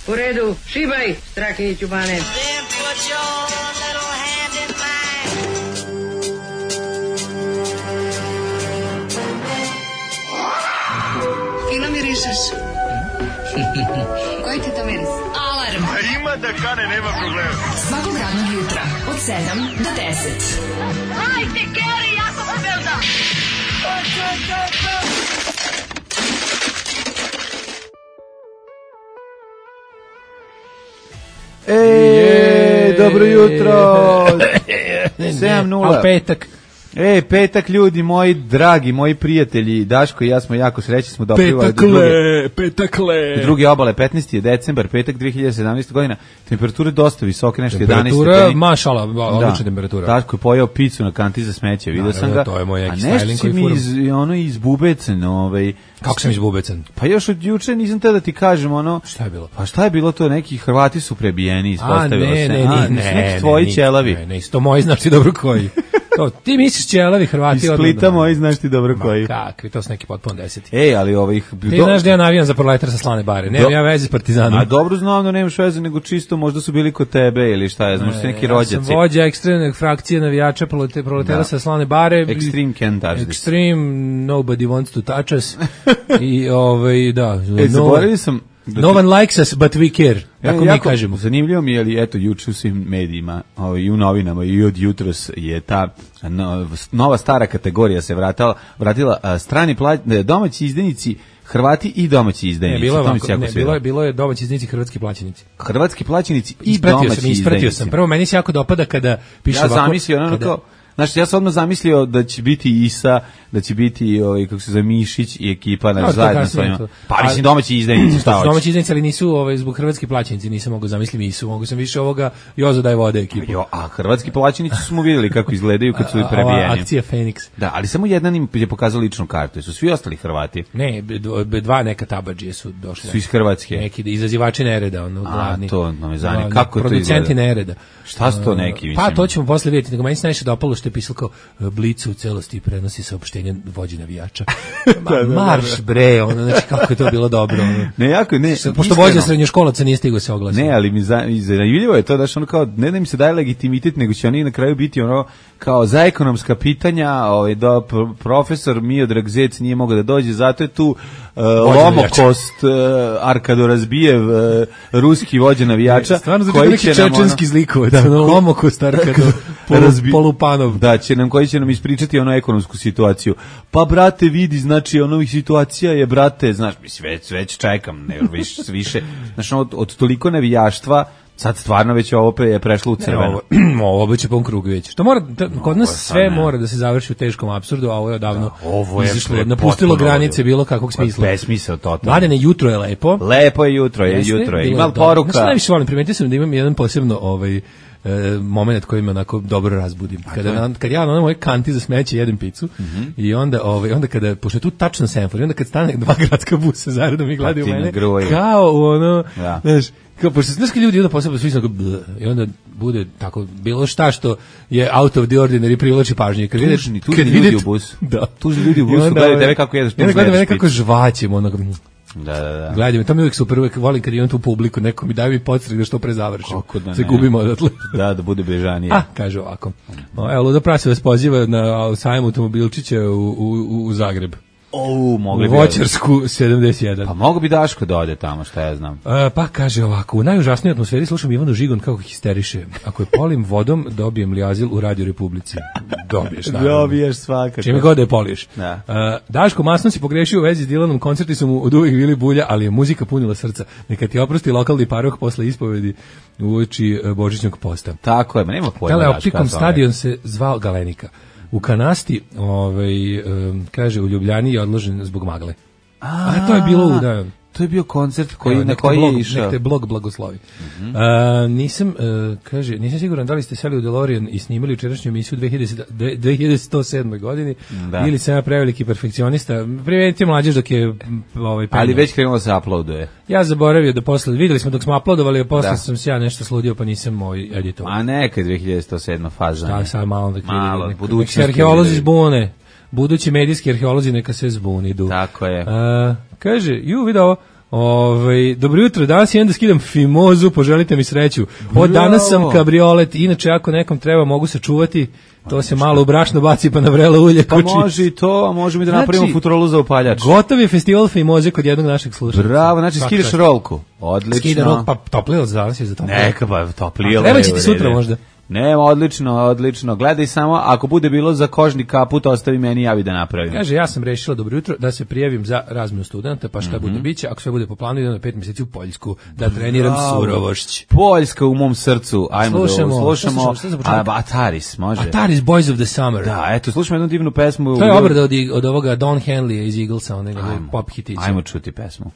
U redu, šibaj, Strahinjiću Bane. Fino mirišeš. Koji ti to miris? Alarm. A ima da kane, nema problema. Svakog radnog jutra, od 7 do 10. Hajde, Geri, jako se belda. Dobro jutro. 7:0. Al petak. Petak, ljudi moji, dragi, moji prijatelji, Daško i ja smo jako srećni, smo doprivali Petakle. druge obale, 15. je decembar, petak 2017. godina, temperature dosta visoke, nešto 11 temperatura, stepeni. mašala, odlična temperatura. Daško je pojeo picu na kanti za smeće, vidio sam ga. To je moj a neki nešto styling si mi iz Bubecen, Kako sam izbubecan? Pa još od juče nisam te da ti kažem Šta je bilo? Pa šta je bilo to, neki Hrvati su prebijeni, ispostavilo se. Ne, tvoji ćelavi. Ne, to moji, znaš ti dobro koji. To, ti misliš ćelavi Hrvati? Iz Splita moji, znaš ti dobro koji. Kakvi, to su neki potpuno 10. Ali ovih... Ti znaš da ja navijam za Proletar sa Slane bare, nemam ja veze s Partizanom. A dobro znam da nemaš veze, nego čisto možda su bili kod tebe ili šta je, možda su neki rođaci. Ja sam vođa ekstremne frakcije navijača Proletara sa Slane bare. Extreme can't touch this. Extreme, nobody wants to touch us. I da. Zaboravio sam... No one likes us, but we care. Tako mi kažemo. Zanimljivo mi je, ali eto, juče u svim medijima i u novinama i od jutros je ta nova stara kategorija se vratila strani domaći izdajnici, Hrvati i domaći izdajnici. Bilo je domaći izdajnici, hrvatski plaćenici. Hrvatski plaćenici i domaći izdajnici. Ispratio sam. Prvo, meni se jako dopada kada piše ovako. Ja zamislio kao... Znači, ja sam odmah zamislio da će biti Isa, da će biti, kako se zove, Mišić i ekipa zajedno s ovima. Pa mislim domaći izdajnici, šta hoćeš? Domaći izdajnici, ali nisu zbog hrvatski plaćenici, nisam mogao zamisliti Isu, mogu sam više ovoga Jozo daj vode ekipu. A hrvatski plaćenici smo vidjeli kako izgledaju kad su prebijeni. Ova akcija Feniks. Da, ali samo jedan im je pokazao ličnu kartu, su svi ostali Hrvati. Ne, dva neka tabadžije su došli. Su iz Hrvatske. Neki izazivači nereda, glavni. A, to me zanima. Kako to izgleda? Producenti nereda. Šta su to neki, mislim? Pa to ćemo posle vidjeti, nego meni se najviše dopalo što je pisalo kao Blicu u celosti prenosi saopštenje vođi navijača. Marš bre, znači kako je to bilo dobro. Pošto vođa srednjoškolaca nije stigao se oglasiti. Ne, ali mi zanimljivo je to da što kao ne da im se daje legitimitet, nego će oni na kraju biti kao za ekonomska pitanja, profesor Miodrag Zec nije mogao da dođe, zato je tu Lomokost, Arkado Razbijev, ruski vođa navijača, koji će nam čečenski zlikovac, Lomokost, Arkado Polupanov. Da, koji će nam ispričati ekonomsku situaciju. Pa brate, vidi, znači situacija je, brate, znaš, već čekam, ne više, znaš, od toliko navijaštva. Sad stvarno već ovo je prešlo u crveno. Ovo biće pun krug već. Što mora, kod nas sve mora da se završi u teškom apsurdu, a ovo je odavno napustilo granice bilo kakvog smisla. Besmisao totalno. Mladene, jutro je lepo. Lepo je jutro, ima poruka. Znači, najviše volim, primetio sam da imam jedan posebno moment koji me onako dobro razbudim. Kad ja na moje kanti za smeće jedem picu i onda kada, pošto je tu tačno semafor, i onda kad stane dva gradska busa zaredom i gledaju mene, kao znaš, kao, pošto znaš kad ljudi onda posebno svi sam i onda bude tako, bilo šta što je out of the ordinary privlači pažnju. Tužni ljudi u busu. Da. Tužni ljudi u busu, gledaju tebe kako jedeš. Gledaju mene kako žvaćem, Da. Gledaj me, to mi uvijek super, uvijek volim kad imam tu publiku, neko mi daje mi podstrek da što pre završim. Se gubimo odatle. Da bude bežanije. Kaže ovako. Evo, Ludo Prase vas poziva na sajam automobilčića u Zagreb. Mogli bi. Voćarsku 71. Pa mogu bi Daško da ode tamo, šta ja znam. Pa kaže ovako, u najužasnijoj atmosferi slušam Ivanu Žigon kako histeriše. Ako je polim vodom, dobijem li azil u Radio Republici? Dobiješ, naravno. Dobiješ svakako. Čime god da je poliješ. Da. Daško masno si pogrešio u vezi s Dilanom, koncerti su mu od uvijek bili bulja, ali je muzika punila srca. Neka ti oprosti lokalni paroh posle ispovedi uoči Božićnog posta. Tako je, nema pojma. Teleoptikom stadion se zvao Galenika. U Kanasti, kaže, u Ljubljani je odložen zbog magle. A to je bilo to je bio koncert na koji je išao. Nek te blog blagoslovi. Nisam siguran da li ste seli u DeLorean i snimali jučerašnju emisiju 2107. godini, ili sam ja preveliki perfekcionista. Privedite mlađež dok je ali već krenulo se uploaduje. Ja zaboravio da posle, videli smo dok smo uploadovali, a posle sam se ja nešto sludio, pa nisam editor. A neka je 2107. faza. Da, sad malo da budućnosti. Arheolozi zbune. Budući medijski arheolozi neka se zbunidu. Tako je. Kaže, vidi ovo, Dobro jutro, danas idem da skidam fimozu, poželite mi sreću. Od danas sam kabriolet, inače ako nekom treba mogu se čuvati, to se malo u brašno baci pa na vrelo ulje. Pa može i to, a možemo i da napravimo futrolu za upaljač. Gotov je festival fimoze kod jednog našeg slušalca. Bravo, znači skidaš rolku. Odlično. Skida rolku, pa toplilo za danas je za toplilo. Neka pa toplilo. Treba će ti sutra možda. Ne, odlično. Gledaj samo, ako bude bilo za kožni kaput, ostavi meni, javi da napravim. Kaže, ja sam rešila, dobro jutro, da se prijavim za razmenu studenta, pa šta bude biće, ako sve bude po planu, idem na 5 mjeseci u Poljsku, da treniram surovošć. Poljska u mom srcu, ajmo slušamo Ataris, može? Ataris, Boys of the Summer. Da, eto, slušamo jednu divnu pesmu. To je obrada od ovoga Don Henleya iz Eaglesa, onoga pop hitića. Ajmo čuti pesmu.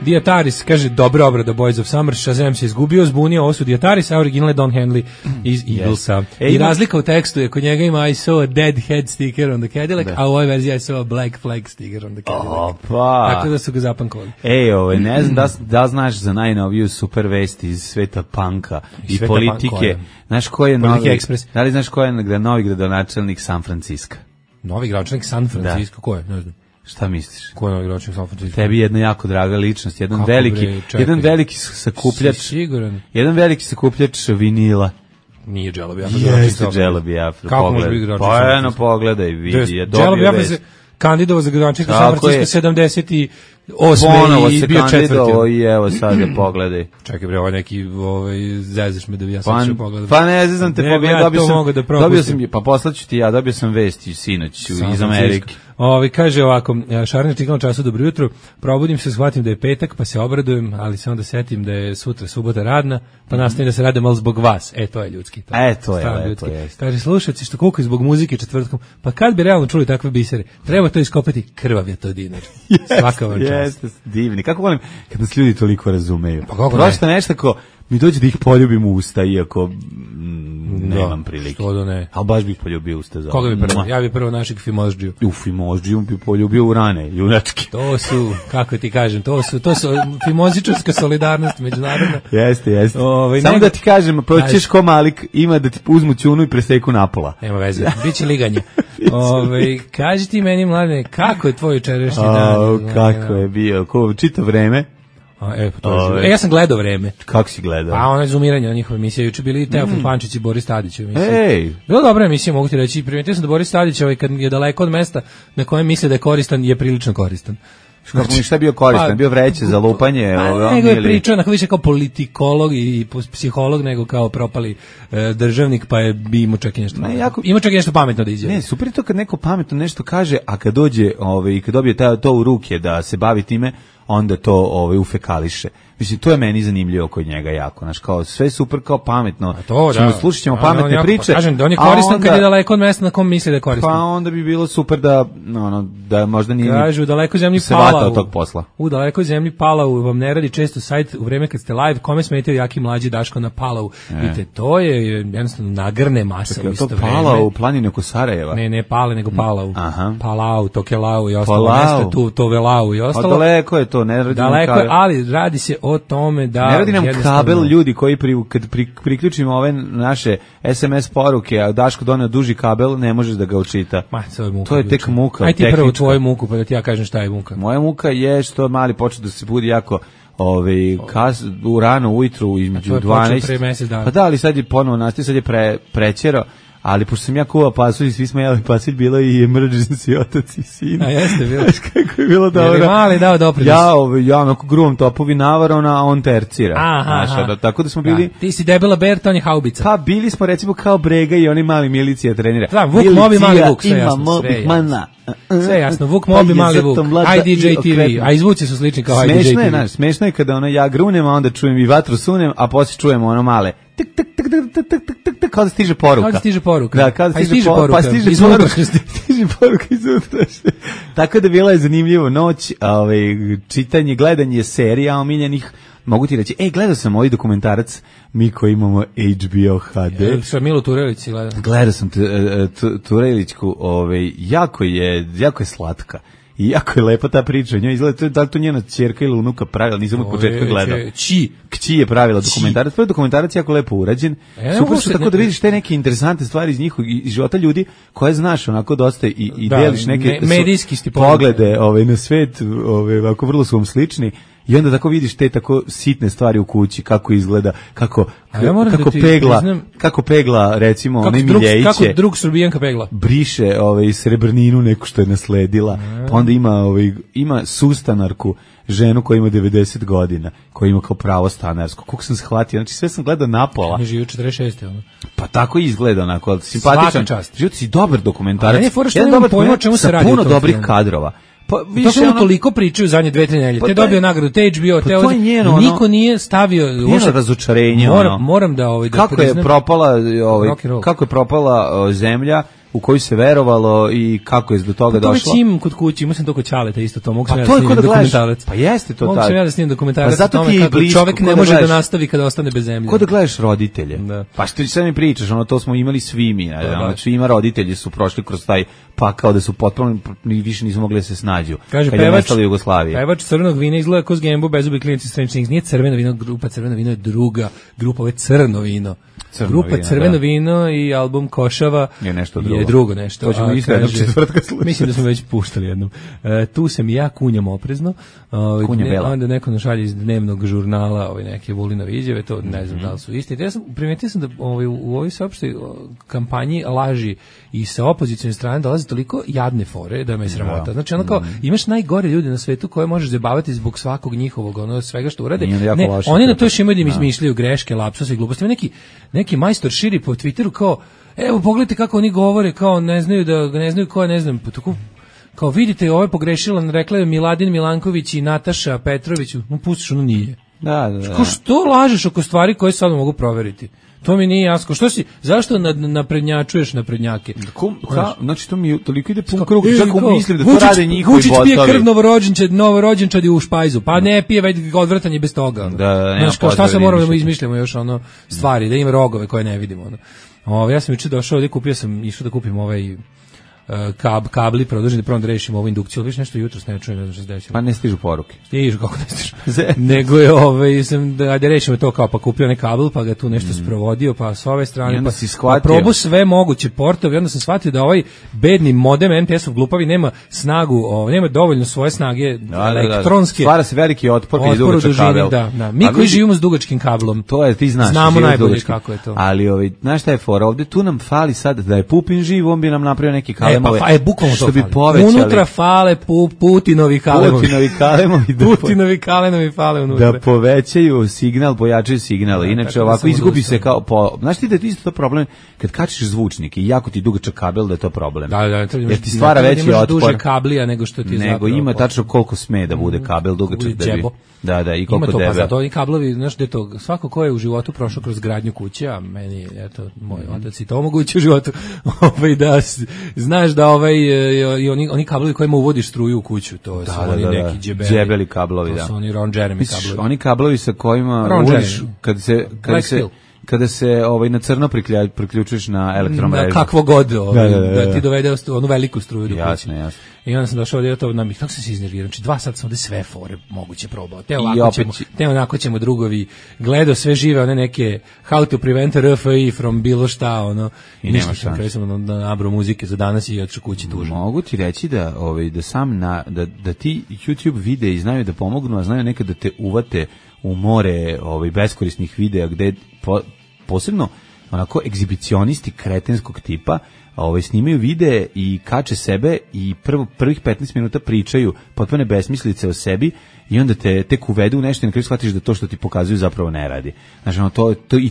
Diataris, kaže, dobra obrada Boys of Summer, Shazam se izgubio, zbunio, ovo su Diataris, a original je Don Henley iz Eaglesa. I razlika u tekstu je, kod njega ima I saw a dead head sticker on the Cadillac, a u ovoj verziji I saw a black flag sticker on the Cadillac. Tako da su ga zapankovali. Ne znam da znaš za najnoviju super vesti iz sveta panka i politike. Znaš ko je novi, da li znaš ko je novi gradonačelnik San Francisco? Novi gradonačelnik San Francisco, ko je? Ne znam. Šta misliš? Ko je novi gradonačelnik San Francisco? Tebi jedna jako draga ličnost, jedan veliki sakupljač. Siguran. Jedan veliki sakupljač vinila. Nije Dželabi Afro. Jeste Dželabi Afro. Kako može biti gradonačelnik? Pa eno, pogledaj, vidi, je Dželabi Afro se kandidovao za gradonačelnika San Francisco 78. i bio četvrti. I evo sad da pogledaj. Čekaj bre, ovo neki zezaš me da bi ja sad što pogledam. Pa ne zezam te, dobio sam, pa poslaću ti ja, dobio sam vesti sinoć iz Amerike. Kaže ovako, Šarner čekam času, dobro jutro, probudim se, shvatim da je petak, pa se obradujem, ali se onda setim da je sutra subota radna, pa nastavim da se rade malo zbog vas. To je ljudski. To je lepo. Kaže, slušajci što kukaju zbog muzike četvrtkom, pa kad bi realno čuli takve bisere, treba to iskopati, krvav je to dinar. Svaka vam čast. Jeste, divni. Kako volim kad nas ljudi toliko razumeju. Pa kako prosto nešto ko mi dođe da ih poljubim u usta, iako nemam prilike. Što da ne. Ali baš bih poljubio usta. Koga bi prvo? Ja bi prvo našeg Fimozdžiju. Fimozdžiju bi poljubio u rane, junački. To su, kako ti kažem, to su fimozičarska solidarnost međunarodna. Jeste. Samo da ti kažem, proćeš ko Malik, ima da ti uzmu ćunu i preseku napola. Nema veze, biće liganje. Kaži ti meni, mladine, kako je tvoj jučerašnji dan? Kako je bio, čito vreme. Ja sam gledao Vreme. Kako si gledao? Pa ono je zoomiranje na njihove emisije. Juče bili Teofil Pančić i Boris Tadić u emisiji. Bilo dobra emisija, mogu ti reći. Primetio sam da Boris Tadić, kad je daleko od mesta na kojem misle da je koristan, je prilično koristan. Šta je bio koristan? Bio vreće za lupanje? Nego je pričao više kao politikolog i psiholog nego kao propali državnik, pa je imao čak i nešto ima čak i nešto pametno da izjavi. Ne, super je to kad neko pametno nešto kaže, a kad dođe i kad dobije to u ruke da se bavi time, onda to ufekališe. Mislim, to je meni zanimljivo kod njega jako. Znaš, kao sve super, kao pametno. Slušat ćemo pametne priče. Kažem da on je koristan kad je daleko od mesta na kom misli da je koristan. Pa onda bi bilo super da možda nije kažu, u dalekoj zemlji se vata od tog posla. U dalekoj zemlji Palau vam ne radi često sajt u vreme kad ste live, kome smetaju Jaki Mlađi Daško na Palau. Vidite, to je jednostavno nagrne masa u isto vreme. Palau u planini oko Sarajeva? Ne Pale, nego Palau. Palau, Tokelau i ostalo mesta, Tovelau i ostalo. Daleko je to, ne radi daleko je, ali radi se o tome da ne radi nam kabel ljudi koji kad priključimo ove naše SMS poruke, a Daško doneo duži kabel, ne možeš da ga učita. To je tek muka. Aj ti prvo tvoju muku, pa da ti ja kažem šta je muka. Moja muka je što mali počeo da se budi jako u rano ujutru između 12. Pa da, ali sad je ponovo nastaje, sad je prećero. Ali pošto sam ja kuvao pasulj i svi smo jeli pasulj, bilo i emergency otac i sin. A jeste bilo. Znaš kako je bilo dobro. Je li mali dao doprinos? Ja onako gruvom topovi navarona, a on tercira. Aha. Tako da smo bili... Ti si debela Berta, on je haubica. Pa bili smo recimo kao Brega i oni mali milicija trenira. Da, Vuk Mobi, mali Vuk, sve jasno. Sve jasno, Vuk Mobi, mali Vuk, IDJ TV, a izvuci su slični kao IDJ TV. Smešno je kada ja grunem, a onda čujem i vatru sunem, a poslije čujemo ono male kao da stiže poruka. Kao da stiže poruka. Da, kao da stiže poruka. Pa stiže poruka iz unutrašnje. Tako da bila je zanimljivo noć, čitanje, gledanje serija omiljenih. Mogu ti reći, gledao sam ovaj dokumentarac, mi koji imamo HBO HD. Sa Milo Turelić gledao. Gledao sam Turelićku, jako je slatka. I jako je lepa ta priča, njoj izgleda, da li to njena ćerka ili unuka pravila, nisam od početka gledao. Kći je pravila dokumentarac, to je dokumentarac jako lepo urađen, super su tako da vidiš te neke interesantne stvari iz njihovog života ljudi koje znaš onako dosta i deliš neke medijski poglede na svet, ovako vrlo su vam slični. I onda tako vidiš te tako sitne stvari u kući, kako izgleda, kako pegla recimo onaj Miljeviće. Kako drug Srbijanka pegla. Briše srebrninu neku što je nasledila. Pa onda ima sustanarku, ženu koja ima 90 godina, koja ima kao pravo stanarsko. Koliko sam shvatio, znači sve sam gledao napola. Ne živi u 46. ono. Pa tako izgleda onako, simpatičan. Život si dobar dokumentarac. Ne, fora što nemam pojma o čemu se radi. Puno dobrih kadrova. Pa više toliko pričaju zadnje 2-3 nedelje. Te dobio nagradu, te HBO, te niko nije stavio uopšte razočarenje. Moram da kako je propala zemlja u koju se verovalo i kako je do toga došlo. To već imam kod kuće, imam sam to kod Ćaleta isto to, mogu sam ja da snimim dokumentarac. Pa jeste to tako. Mogu sam ja da snimim dokumentarac o tome kako čovjek ne može da nastavi kada ostane bez zemlje. Ko da gledaš roditelje? Pa što ti sad mi pričaš, to smo imali svi mi, znači ima roditelji su prošli kroz taj pakao da su potpuno više nisu mogli da se snađu. Kaže pevač crvenog vina izgleda kao Gembo, bezubi klinici Strange Things, nije crveno vino, grupa crveno vino je druga, grupa je crno vino. Grupa Crveno vino i album Košava je drugo nešto. To ćemo isto jednog četvrtka slušati. Mislim da smo već puštali jednom. Tu sam i ja kunjam oprezno. Onda neko našalje iz dnevnog žurnala neke Vulinove izjave, to ne znam da li su isti. Ja sam primetio da u ovoj sveopštoj kampanji laži i sa opozicijne strane dolazi toliko jadne fore da me sramota. Znači kao imaš najgore ljude na svetu koje možeš zabavati zbog svakog njihovog svega što urade. Ne, oni na to još imaju da im izmišljaju greške, lapsuse i gluposti. Neki majstor širi po Twitteru kao, evo pogledajte kako oni govore, kao ne znaju ko, ne znam, kao vidite, ovo je pogrešila, rekla je Miladin Milanković i Nataša Petrović, pustiš, ono nije. Da. Kao što lažeš oko stvari koje sad mogu proveriti? To mi nije jasno. Zašto naprednjačuješ naprednjake? Znači to mi toliko ide pun krug, čak mislim da to rade njihovi botovi. Vučić pije krv novorođenčadi u špajzu, pa ne pije već odvrtanje bez toga. Da, šta se moramo da izmišljamo još stvari, da ima rogove koje ne vidimo. Ja sam juče došao ovdje, išao da kupim kabli produženi, prvo da rešimo ovu indukciju, ali više nešto jutros ne čujem, ne znam što se desilo. Pa ne stižu poruke. Stižu, kako ne stižu. Nego je, sam da rešimo to kao, pa kupio onaj kabel, pa ga tu nešto sprovodio, pa s ove strane, pa probu sve moguće portove, i onda sam shvatio da ovaj bedni modem MTS-ov glupavi nema snagu, nema dovoljno svoje snage elektronske. Stvara se veliki otpor kad je dugačak kabel. Mi koji živimo s dugačkim kablom, to je, ti znaš, znamo najbolje kako je to. Ali znaš šta je fora, ovde tu nam fali sad da je Pupin živ, on bi nam napravio neki kabel. Bukvalno što bi povećali. Unutra fale Putinovi kalemovi. Putinovi kalenovi fale unutra. Da povećaju signal, pojačaju signal. Inače ovako izgubi se kao znaš ti da je isto to problem kad kačiš zvučnik i jako ti dugačak kabel da je to problem. Da, jer ti stvara veći otpor. Duže kablija nego što ti je zapravo. Nego ima tačno koliko sme da bude kabel dugačak da bi. Da, i koliko debel. Ima to, pa zato i kablovi, znaš, da to svako ko je u životu prošao kroz gradnju kuće, a meni, eto, moj otac i to omogući u životu, da znaš da i oni kablovi kojima uvodiš struju u kuću, to su oni neki džebeli kablovi, to su oni Ron Jeremy kablovi. Oni kablovi sa kojima uvodiš, kada se na crno priključuješ na elektromrežu. Kakvo god, da ti dovede onu veliku struju do kuće. Jasno. I onda sam došao ovdje, kako sam se iznervirao, znači 2 sata sam ovdje sve fore moguće probao. Te onako ćemo drugovi, gledao sve žive, one neke how to prevent RFI from bilo šta, i nema šta. Kraju sam na nabro muzike za danas i otišao kući tužno. Mogu ti reći da ti YouTube videi znaju da pomognu, a znaju nekad da te uvate u more beskorisnih videa gde posebno onako egzibicionisti kretenskog tipa snimaju videe i kače sebe i prvih 15 minuta pričaju potpune besmislice o sebi i onda te tek uvedu u nešto i na kraju shvatiš da to što ti pokazuju zapravo ne radi. Znači,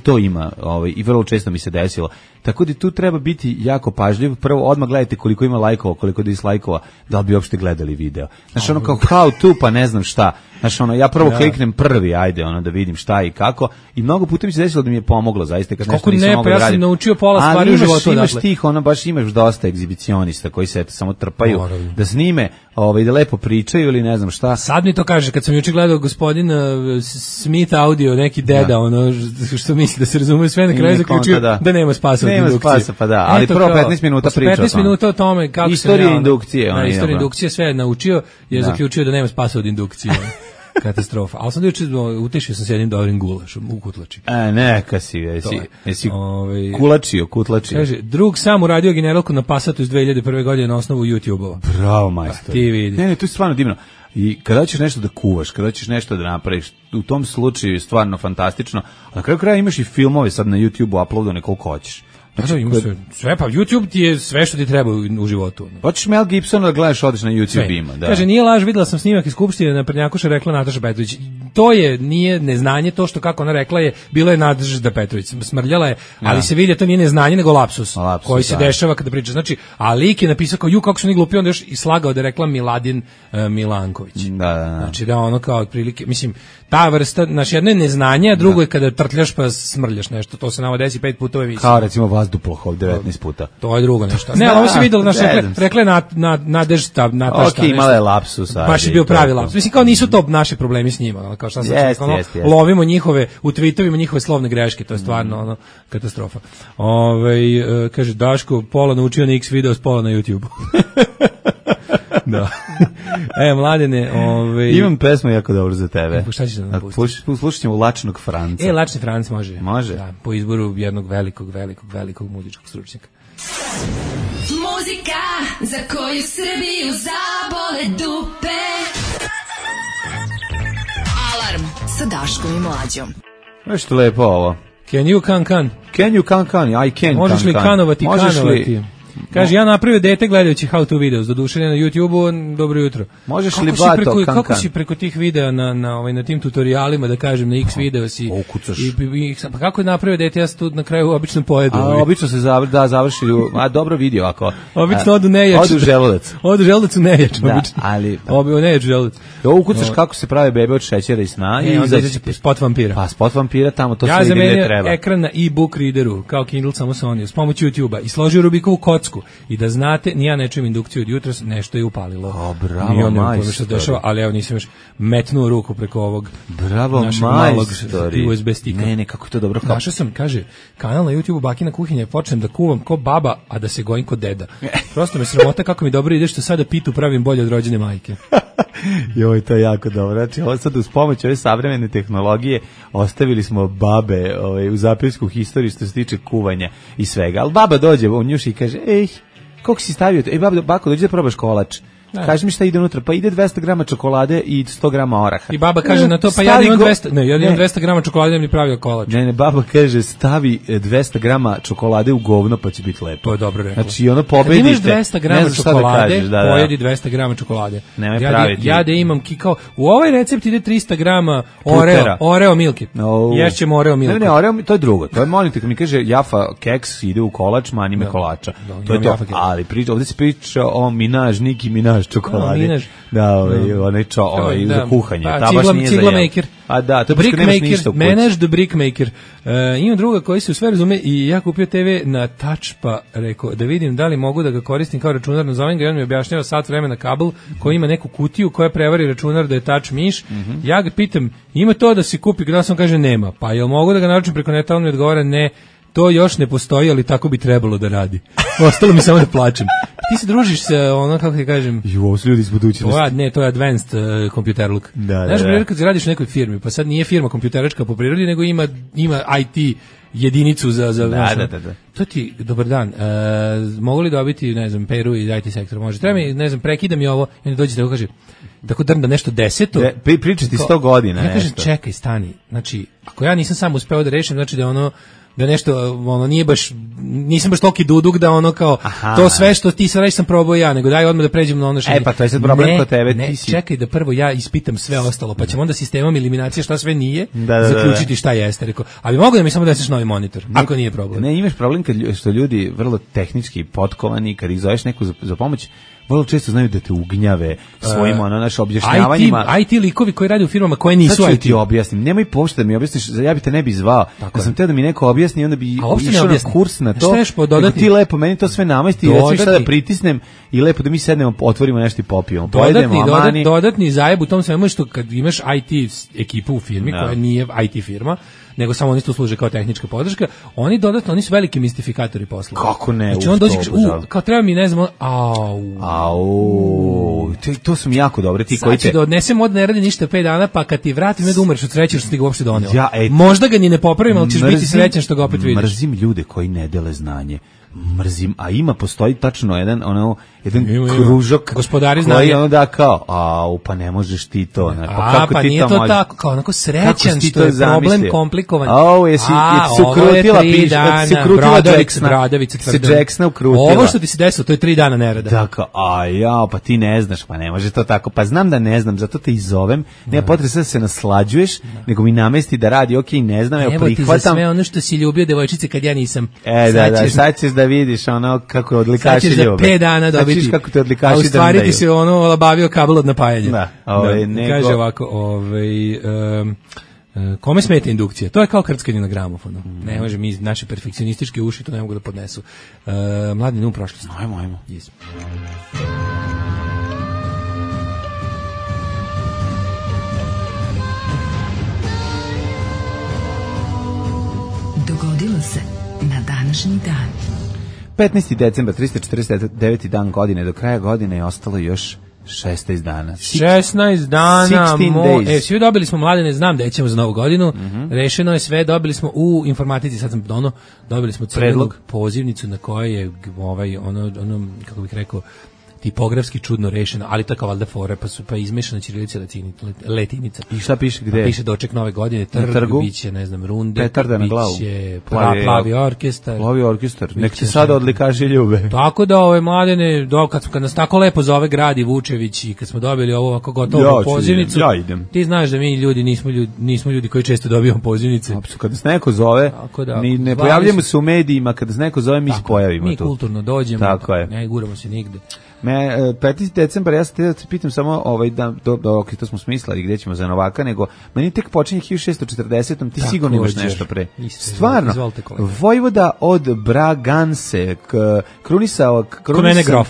to ima i vrlo često mi se desilo. Tako da tu treba biti jako pažljiv. Prvo, odmah gledajte koliko ima lajkova, koliko dislajkova, da li bi uopšte gledali video. Znači, kao how to, pa ne znam šta. Znači, ja prvo kliknem prvi, ajde, da vidim šta i kako. I mnogo puta mi se desilo da mi je pomoglo, zaista, kad nešto nisam mogao da radim. Ja sam naučio pola stvari u životu. Ali imaš tih, baš imaš dosta egzibicionista koji se samo trpaju da snime, da lepo pričaju ili ne znam šta. Sad mi to kaže, kad sam juče gledao gospodin Smith audio, neki deda, što misli da se razume sve, na kraju zaključio da nema spasa od indukcije. Nema spasa, pa da, ali prvo 15 minuta priča 15 minuta o tome kako istorija indukcije. Istorija indukcije sve je naučio, je zaključio da nema spasa od indukcije. Katastrofa. Ali sam juče utešio sam se jednim dobrim gulašom u kutlači. Neka si, jesi kulačio, kutlačio. Kaže, drug sam uradio generalku na Passatu iz 2001. godine na osnovu YouTube-ova. Bravo, majstor. Ti vidi. Ne, to je stvarno divno. I kada ćeš nešto da kuvaš, kada ćeš nešto da napraviš, u tom slučaju je stvarno fantastično. A na kraju kraja imaš i filmove sad na YouTube-u uploadane koliko hoćeš. Znači, ima sve, pa YouTube ti je sve što ti treba u životu. Hoćeš Mel Gibsona da gledaš, odeš na YouTube ima. Da. Kaže, nije laž, videla sam snimak iz Skupštine, na Prednjakuša rekla Nataša Petrović. To nije neznanje, to što kako ona rekla je, bilo je Nataša Petrović, smrljala je, ali se vidi, to nije neznanje, nego lapsus koji se dešava kada priča. Znači, a lik je napisao kao, kako su ni glupi, onda još i slagao da je rekla Miladin Milanković. Da. Znači, da ono kao otprilike, mislim, ta vrsta, znači, jedno je neznanje, a drugo je kada trtljaš pa smrljaš nešto, to se nama desi 5 puta u emisiji. Kao recimo Vazduplahov 19 puta. To je drugo nešto. Ne, ali ovo se videlo, rekla je Nadežda. Ok, imala je lapsus. Baš je bio pravi lapsus. Mislim, kao nisu to naši problemi s njima. Kao šta lovimo njihove, u tweetovima njihove slovne greške, to je stvarno katastrofa. Kaže, Daško, pola naučio na X video, pola na YouTube. Da. Mladene, imam pesmu jako dobro za tebe. Šta ćeš da nam pustiš? Slušat ćemo Lačnog Franca. Lačni Franc može. Može. Da, po izboru jednog velikog muzičkog stručnjaka. Muzika za koju Srbiju zabole dupe. Alarm sa Daškom i Mlađom. Nešto lepo ovo. Can you can? Can you can? I can. Možeš li kanovati? Kaže, ja napravio dete gledajući how to videos, doduše na YouTube-u, dobro jutro. Možeš li bato kan? Kako si preko tih videa na tim tutorialima, da kažem, na X videos i pa kako je napravio dete, ja se tu na kraju obično pojedu. Obično se završi, dobro vidio ako. Obično odu nejač. Odu želudac. Odu želudac u nejač, obično. Ali nejač želudac. Ukucaš kako se prave bebe od šećera i sna i onda izađe spot vampira. Pa spot vampira tamo to sve ide gde treba. Ja ekran na e-book readeru, kao Kindle samo sa onim, s pomoću YouTube-a i složio Rubikovu kocku. I da znate, ni ja ne čujem indukciju od jutros, nešto je upalilo. Bravo, majstori. Ali evo nisam još metnuo ruku preko ovog našeg malog USB stika. Ne, kako je to dobro. Našao sam, kaže, kanal na YouTube-u Bakina kuhinja, počnem da kuvam ko baba, a da se gojim ko deda. Prosto me sramota kako mi dobro ide što sada pitu pravim bolje od rođene majke. Joj, to je jako dobro. Znači, ovo sad uz pomoć ove savremene tehnologije ostavili smo babe u zapisku historiju što se tiče kuvanja i svega. Ali baba dođe u njuši i kaže, koliko si stavio? Bako, dođi da probaš kolač. Kaži mi šta ide unutra, pa ide 200 grama čokolade i 100 grama oraha. I baba kaže na to, pa ja imam 200 grama čokolade, mi pravio kolač. Ne, baba kaže, stavi 200 grama čokolade u govno, pa će biti lepo. To je dobro rekao. Znači, ono pobedite. Kad imaš 200 grama čokolade, pojedi 200 grama čokolade. Nemoj praviti. Ja da imam kikao, u ovaj recept ide 300 grama Oreo milke. Ješćemo Oreo milke. Ne, Oreo, to je drugo. To je, molim te, kad mi kaže Jafa keks ide u kolač, mani me kolača. To je to. Ali ovdje se priča o Nicki Minaj čokolade. Onaj za kuhanje. Ta baš nije cigla maker. A da, to baš nemaš ništa u kući. Manage the brick maker. Imam druga koji se u sve razume i ja kupio TV na touch, pa rekao da vidim da li mogu da ga koristim kao računar, nazovem ga i on mi objašnjava sat vremena kabel koji ima neku kutiju koja prevari računar da je touch miš. Ja ga pitam, ima to da se kupi, kada sam kaže nema, pa jel mogu da ga naručim preko neta, on mi odgovara ne, to još ne postoji, ali tako bi trebalo da radi. Ostalo mi samo da plačem. Ti se družiš sa kako ti kažem... Ovo su ljudi iz budućnosti. Ne, to je advanced computer look. Znaš, kad se radiš u nekoj firmi, pa sad nije firma kompjuteračka po prirodi, nego ima IT jedinicu za da. To ti, dobar dan, mogu li dobiti, ne znam, Peru iz IT sektora? Može, treba mi, ne znam, prekida mi ovo, i onda dođe da kaže, tako drnda nešto 10. Pričati 100 godina. Ja kažem, čekaj, stani, znači, ako ja nisam sam uspeo da rešim, znači da nešto, nije baš, nisam baš toki duduk da kao, to sve što ti sad reći sam probao ja, nego daj odmah da pređem na ono što... Pa to je sad problem kod tebe. Ne, čekaj da prvo ja ispitam sve ostalo, pa ćemo onda sistemom eliminacije šta sve nije, zaključiti šta jeste. Rekao, ali mogu da mi samo deseš novi monitor, ako nije problem. Ne, imaš problem što ljudi vrlo tehnički potkovani, kad ih zoveš neku za pomoć, vrlo često znaju da te ugnjave svojim objašnjavanjima. IT likovi koji rade u firmama koje nisu IT. Sad ću ti objasnim. Nemoj pošto da mi objasniš, ja bi te ne bi zvao. Da sam teo da mi neko objasni, onda bi išao na kurs na to. Ti lepo, meni to sve namesti i recimo šta da pritisnem i lepo da mi sednemo, otvorimo nešto i popijemo. Dodatni zajeb u tom svemu što kad imaš IT ekipu u firmi koja nije IT firma, nego samo oni tu služe kao tehnička podrška, oni su veliki mistifikatori posla. Kako ne? Znači on dođe, kao treba mi, ne znam, To su mi jako dobre, ti koji te... Sad ću da odnesem od ne radi ništa 5 dana, pa kad ti vratim da umreš od sreće što ti ga uopšte doneo. Možda ga ni ne popravim, ali ćeš biti srećan što ga opet vidiš. Mrzim ljude koji ne dele znanje. Mrzim, a postoji tačno jedan kružok gospodari znanja. Koji da kao, pa ne možeš ti to. Pa kako ti nije to možeš? Tako, kao onako srećan što je problem komplikovan. Jesi se ukrutila, Bradavica se Jacksona ukrutila. Ovo što ti se desilo, to je 3 dana nerada. Tako, pa ti ne znaš, pa ne može to tako. Pa znam da ne znam, zato te i zovem. Nema potrebe da se naslađuješ, nego mi namesti da radi, ne znam, evo prihvatam. Evo ti za sve ono što si ljubio devojčice kad ja nisam. Sad ćeš da vidiš ono kako je odlikaši ljube. Sad ćeš za 5 dana dobiti. Kako te odlikaši drndaju. A u stvari ti se labavio kabel od napajanja. Da. Kaže ovako, kome smeta indukcija? To je kao krckanje na gramofonu. Ne može, mi naše perfekcionističke uši to ne mogu da podnesu. Mladine u prošlosti. Ajmo. Yes. Dogodilo se na današnji dan. 15. decembar, 349. dan godine, do kraja godine je ostalo još 16 dana. 16 dana. Svi dobili smo, Mladene, znam da ćemo za novu godinu. Rešeno je sve, dobili smo u informatici, sad sam dobili smo predlog, pozivnicu na kojoj je ono, kako bih rekao, tipografski čudno rešeno, ali to je kao valjda fore, pa izmešana ćirilica latinica. I šta piše gde? Piše doček nove godine, biće, ne znam, runde, biće plavi orkestar. Plavi orkestar, nek se sada odlikaši ljube. Tako da Mladene, kad nas tako lepo zove grad i Vučević i kad smo dobili ovo ovako gotovo pozivnicu, ja idem. Ti znaš da mi ljudi nismo ljudi koji često dobijamo pozivnice. Kad nas neko zove, ne pojavljamo se u medijima, kad nas neko zove, mi se pojavimo tu. Mi kulturno dođemo, ne guramo se nigde. 15. decembar, ja se te pitam samo, to smo smislili gde ćemo za Novaka, nego meni tek počinje 1640, ti sigurno imaš nešto pre. Stvarno, vojvoda od Braganse, krunisao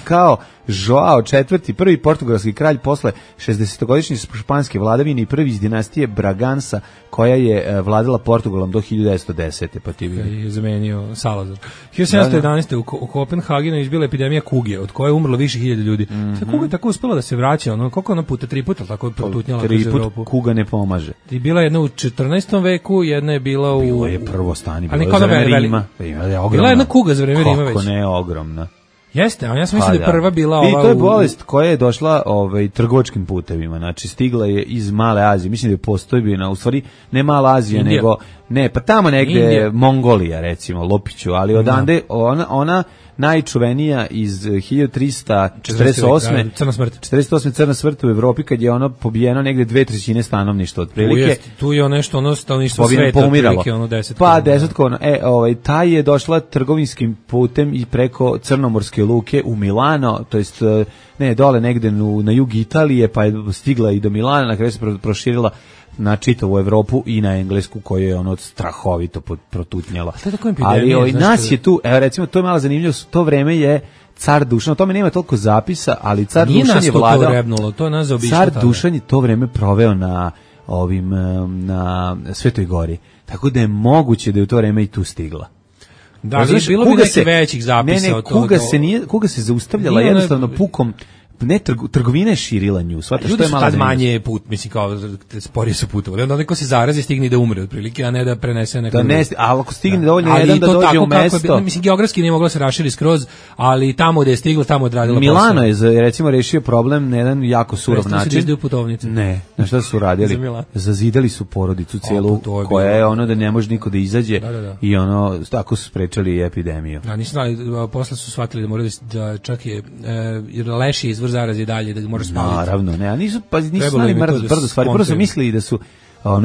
kao Joao IV, prvi portugalski kralj posle 60-godišnje španske vladavine i prvi iz dinastije Bragansa, koja je vladala Portugalom do 1910. Pa ti vidi. Je zamenio Salazar. 1711. u Kopenhagenu izbila epidemija kuge, od koje je umrlo više hiljada ljudi. Kuga je tako uspela da se vraća, koliko ona puta, 3 puta, tako je protutnjala kroz Evropu. 3 put kuga ne pomaže. I bila jedna u 14. veku, jedna je bila u... Bilo je prvo stanje, bilo je za vreme Rima. Bila je jedna kuga za vreme Rima već. Kako ne, ogromna. Jeste, a ja sam mislio da je prva bila ova... I to je bolest koja je došla trgovačkim putevima, znači stigla je iz Male Azije, mislim da je postojbina, u stvari ne Mala Azija, nego, pa tamo negde Mongolija, recimo, Lopiću, ali odande ona najčuvenija iz 1348. Crna smrt. 48. Crna smrt u Evropi, kad je ono pobijeno negde 2/3 stanovništva otprilike. Tu je nešto stanovništvo sveta, otprilike 10. Pa 10. Taj je došla trgovinskim putem i preko Crnomorske luke u Milano, to jest dole negde na jug Italije, pa je stigla i do Milana, na kraju se proširila na čitavu Evropu i na Englesku, koju je strahovito protutnjala. Ali nas je tu, recimo, to je malo zanimljivo, to vreme je car Dušan, o tome nema toliko zapisa, ali car Dušan je vladao. Car Dušan je to vreme proveo na Svetoj gori. Tako da je moguće da je u to vreme i tu stigla. Da, bilo bi nekih većih zapisa od toga. Kuga se zaustavljala jednostavno pukom. Ne, trgovina je širila nju, shvataš, što je malo ljudi su tad manje put, mislim, kao sporije su putovali, onda neko se zarazi stigne da umre otprilike, a ne da prenese neko drugo. Ali ako stigne dovoljno jedan da dođe u mesto... Mislim, geografski nije mogla se raširi skroz, ali tamo gde je stigla, tamo je odradila posao. Milano je, recimo, rešio problem na jedan jako surov način. Ne, na šta su radili? Zazidali su porodicu cijelu, koja je ono da ne može niko da izađe i ono, tako su sprečali epidemiju. Nisu znali, posle su shvatili da moraju da čak je leš je izvor zaraze dalje, da ga moraš spaliti. Naravno, ne, a nisu znali brdo stvari. Prvo su mislili da su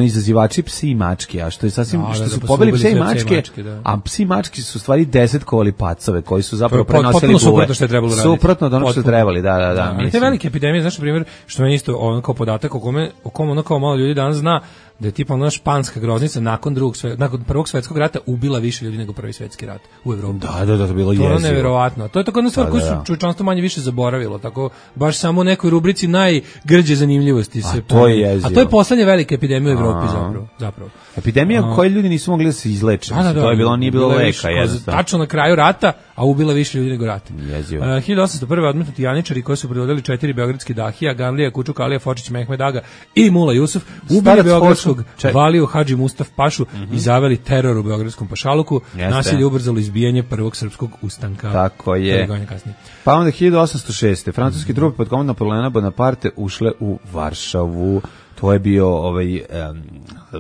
izazivači psi i mačke, a što je sasvim, što su pobili pse i mačke, a psi i mačke su stvari 10-kovali pacove, koji su zapravo prenosili buve. Suprotno što je trebalo raditi. Suprotno od onog što je trebali, da. Ali te velike epidemije, znaš, na primjer, što meni isto ono kao podatak o kome ono kao malo ljudi danas zna, da je tipa ona španska groznica nakon Prvog svjetskog rata ubila više ljudi nego Prvi svjetski rat u Evropi. Da, to je bilo jezivo. To je neverovatno. To je tako jedna stvar koju su čovječanstvo manje više zaboravilo, tako baš samo u nekoj rubrici najgrđe zanimljivosti se pojavi. A to je poslednja velika epidemija u Evropi zapravo. Epidemija u kojoj ljudi nisu mogli da se izleče. To je bilo, nije bilo leka, jednostavno. Tačno na kraju rata, a ubila više ljudi nego rat. 1801. odmetnuti janičari koji su predvodili 4 beogradski dahija, Ganlija, Kučuk, Alija, Fočić, Mehmed Aga i Mula Jusuf, ubili beogradskog Valiju Hadži Mustaf Pašu i zaveli teror u beogradskom pašaluku. Nasilje ubrzalo izbijanje prvog srpskog ustanka. Tako je. Pa onda 1806. francuski trupe pod komandom Napoleona Bonaparte ušle u Varšavu. To je bio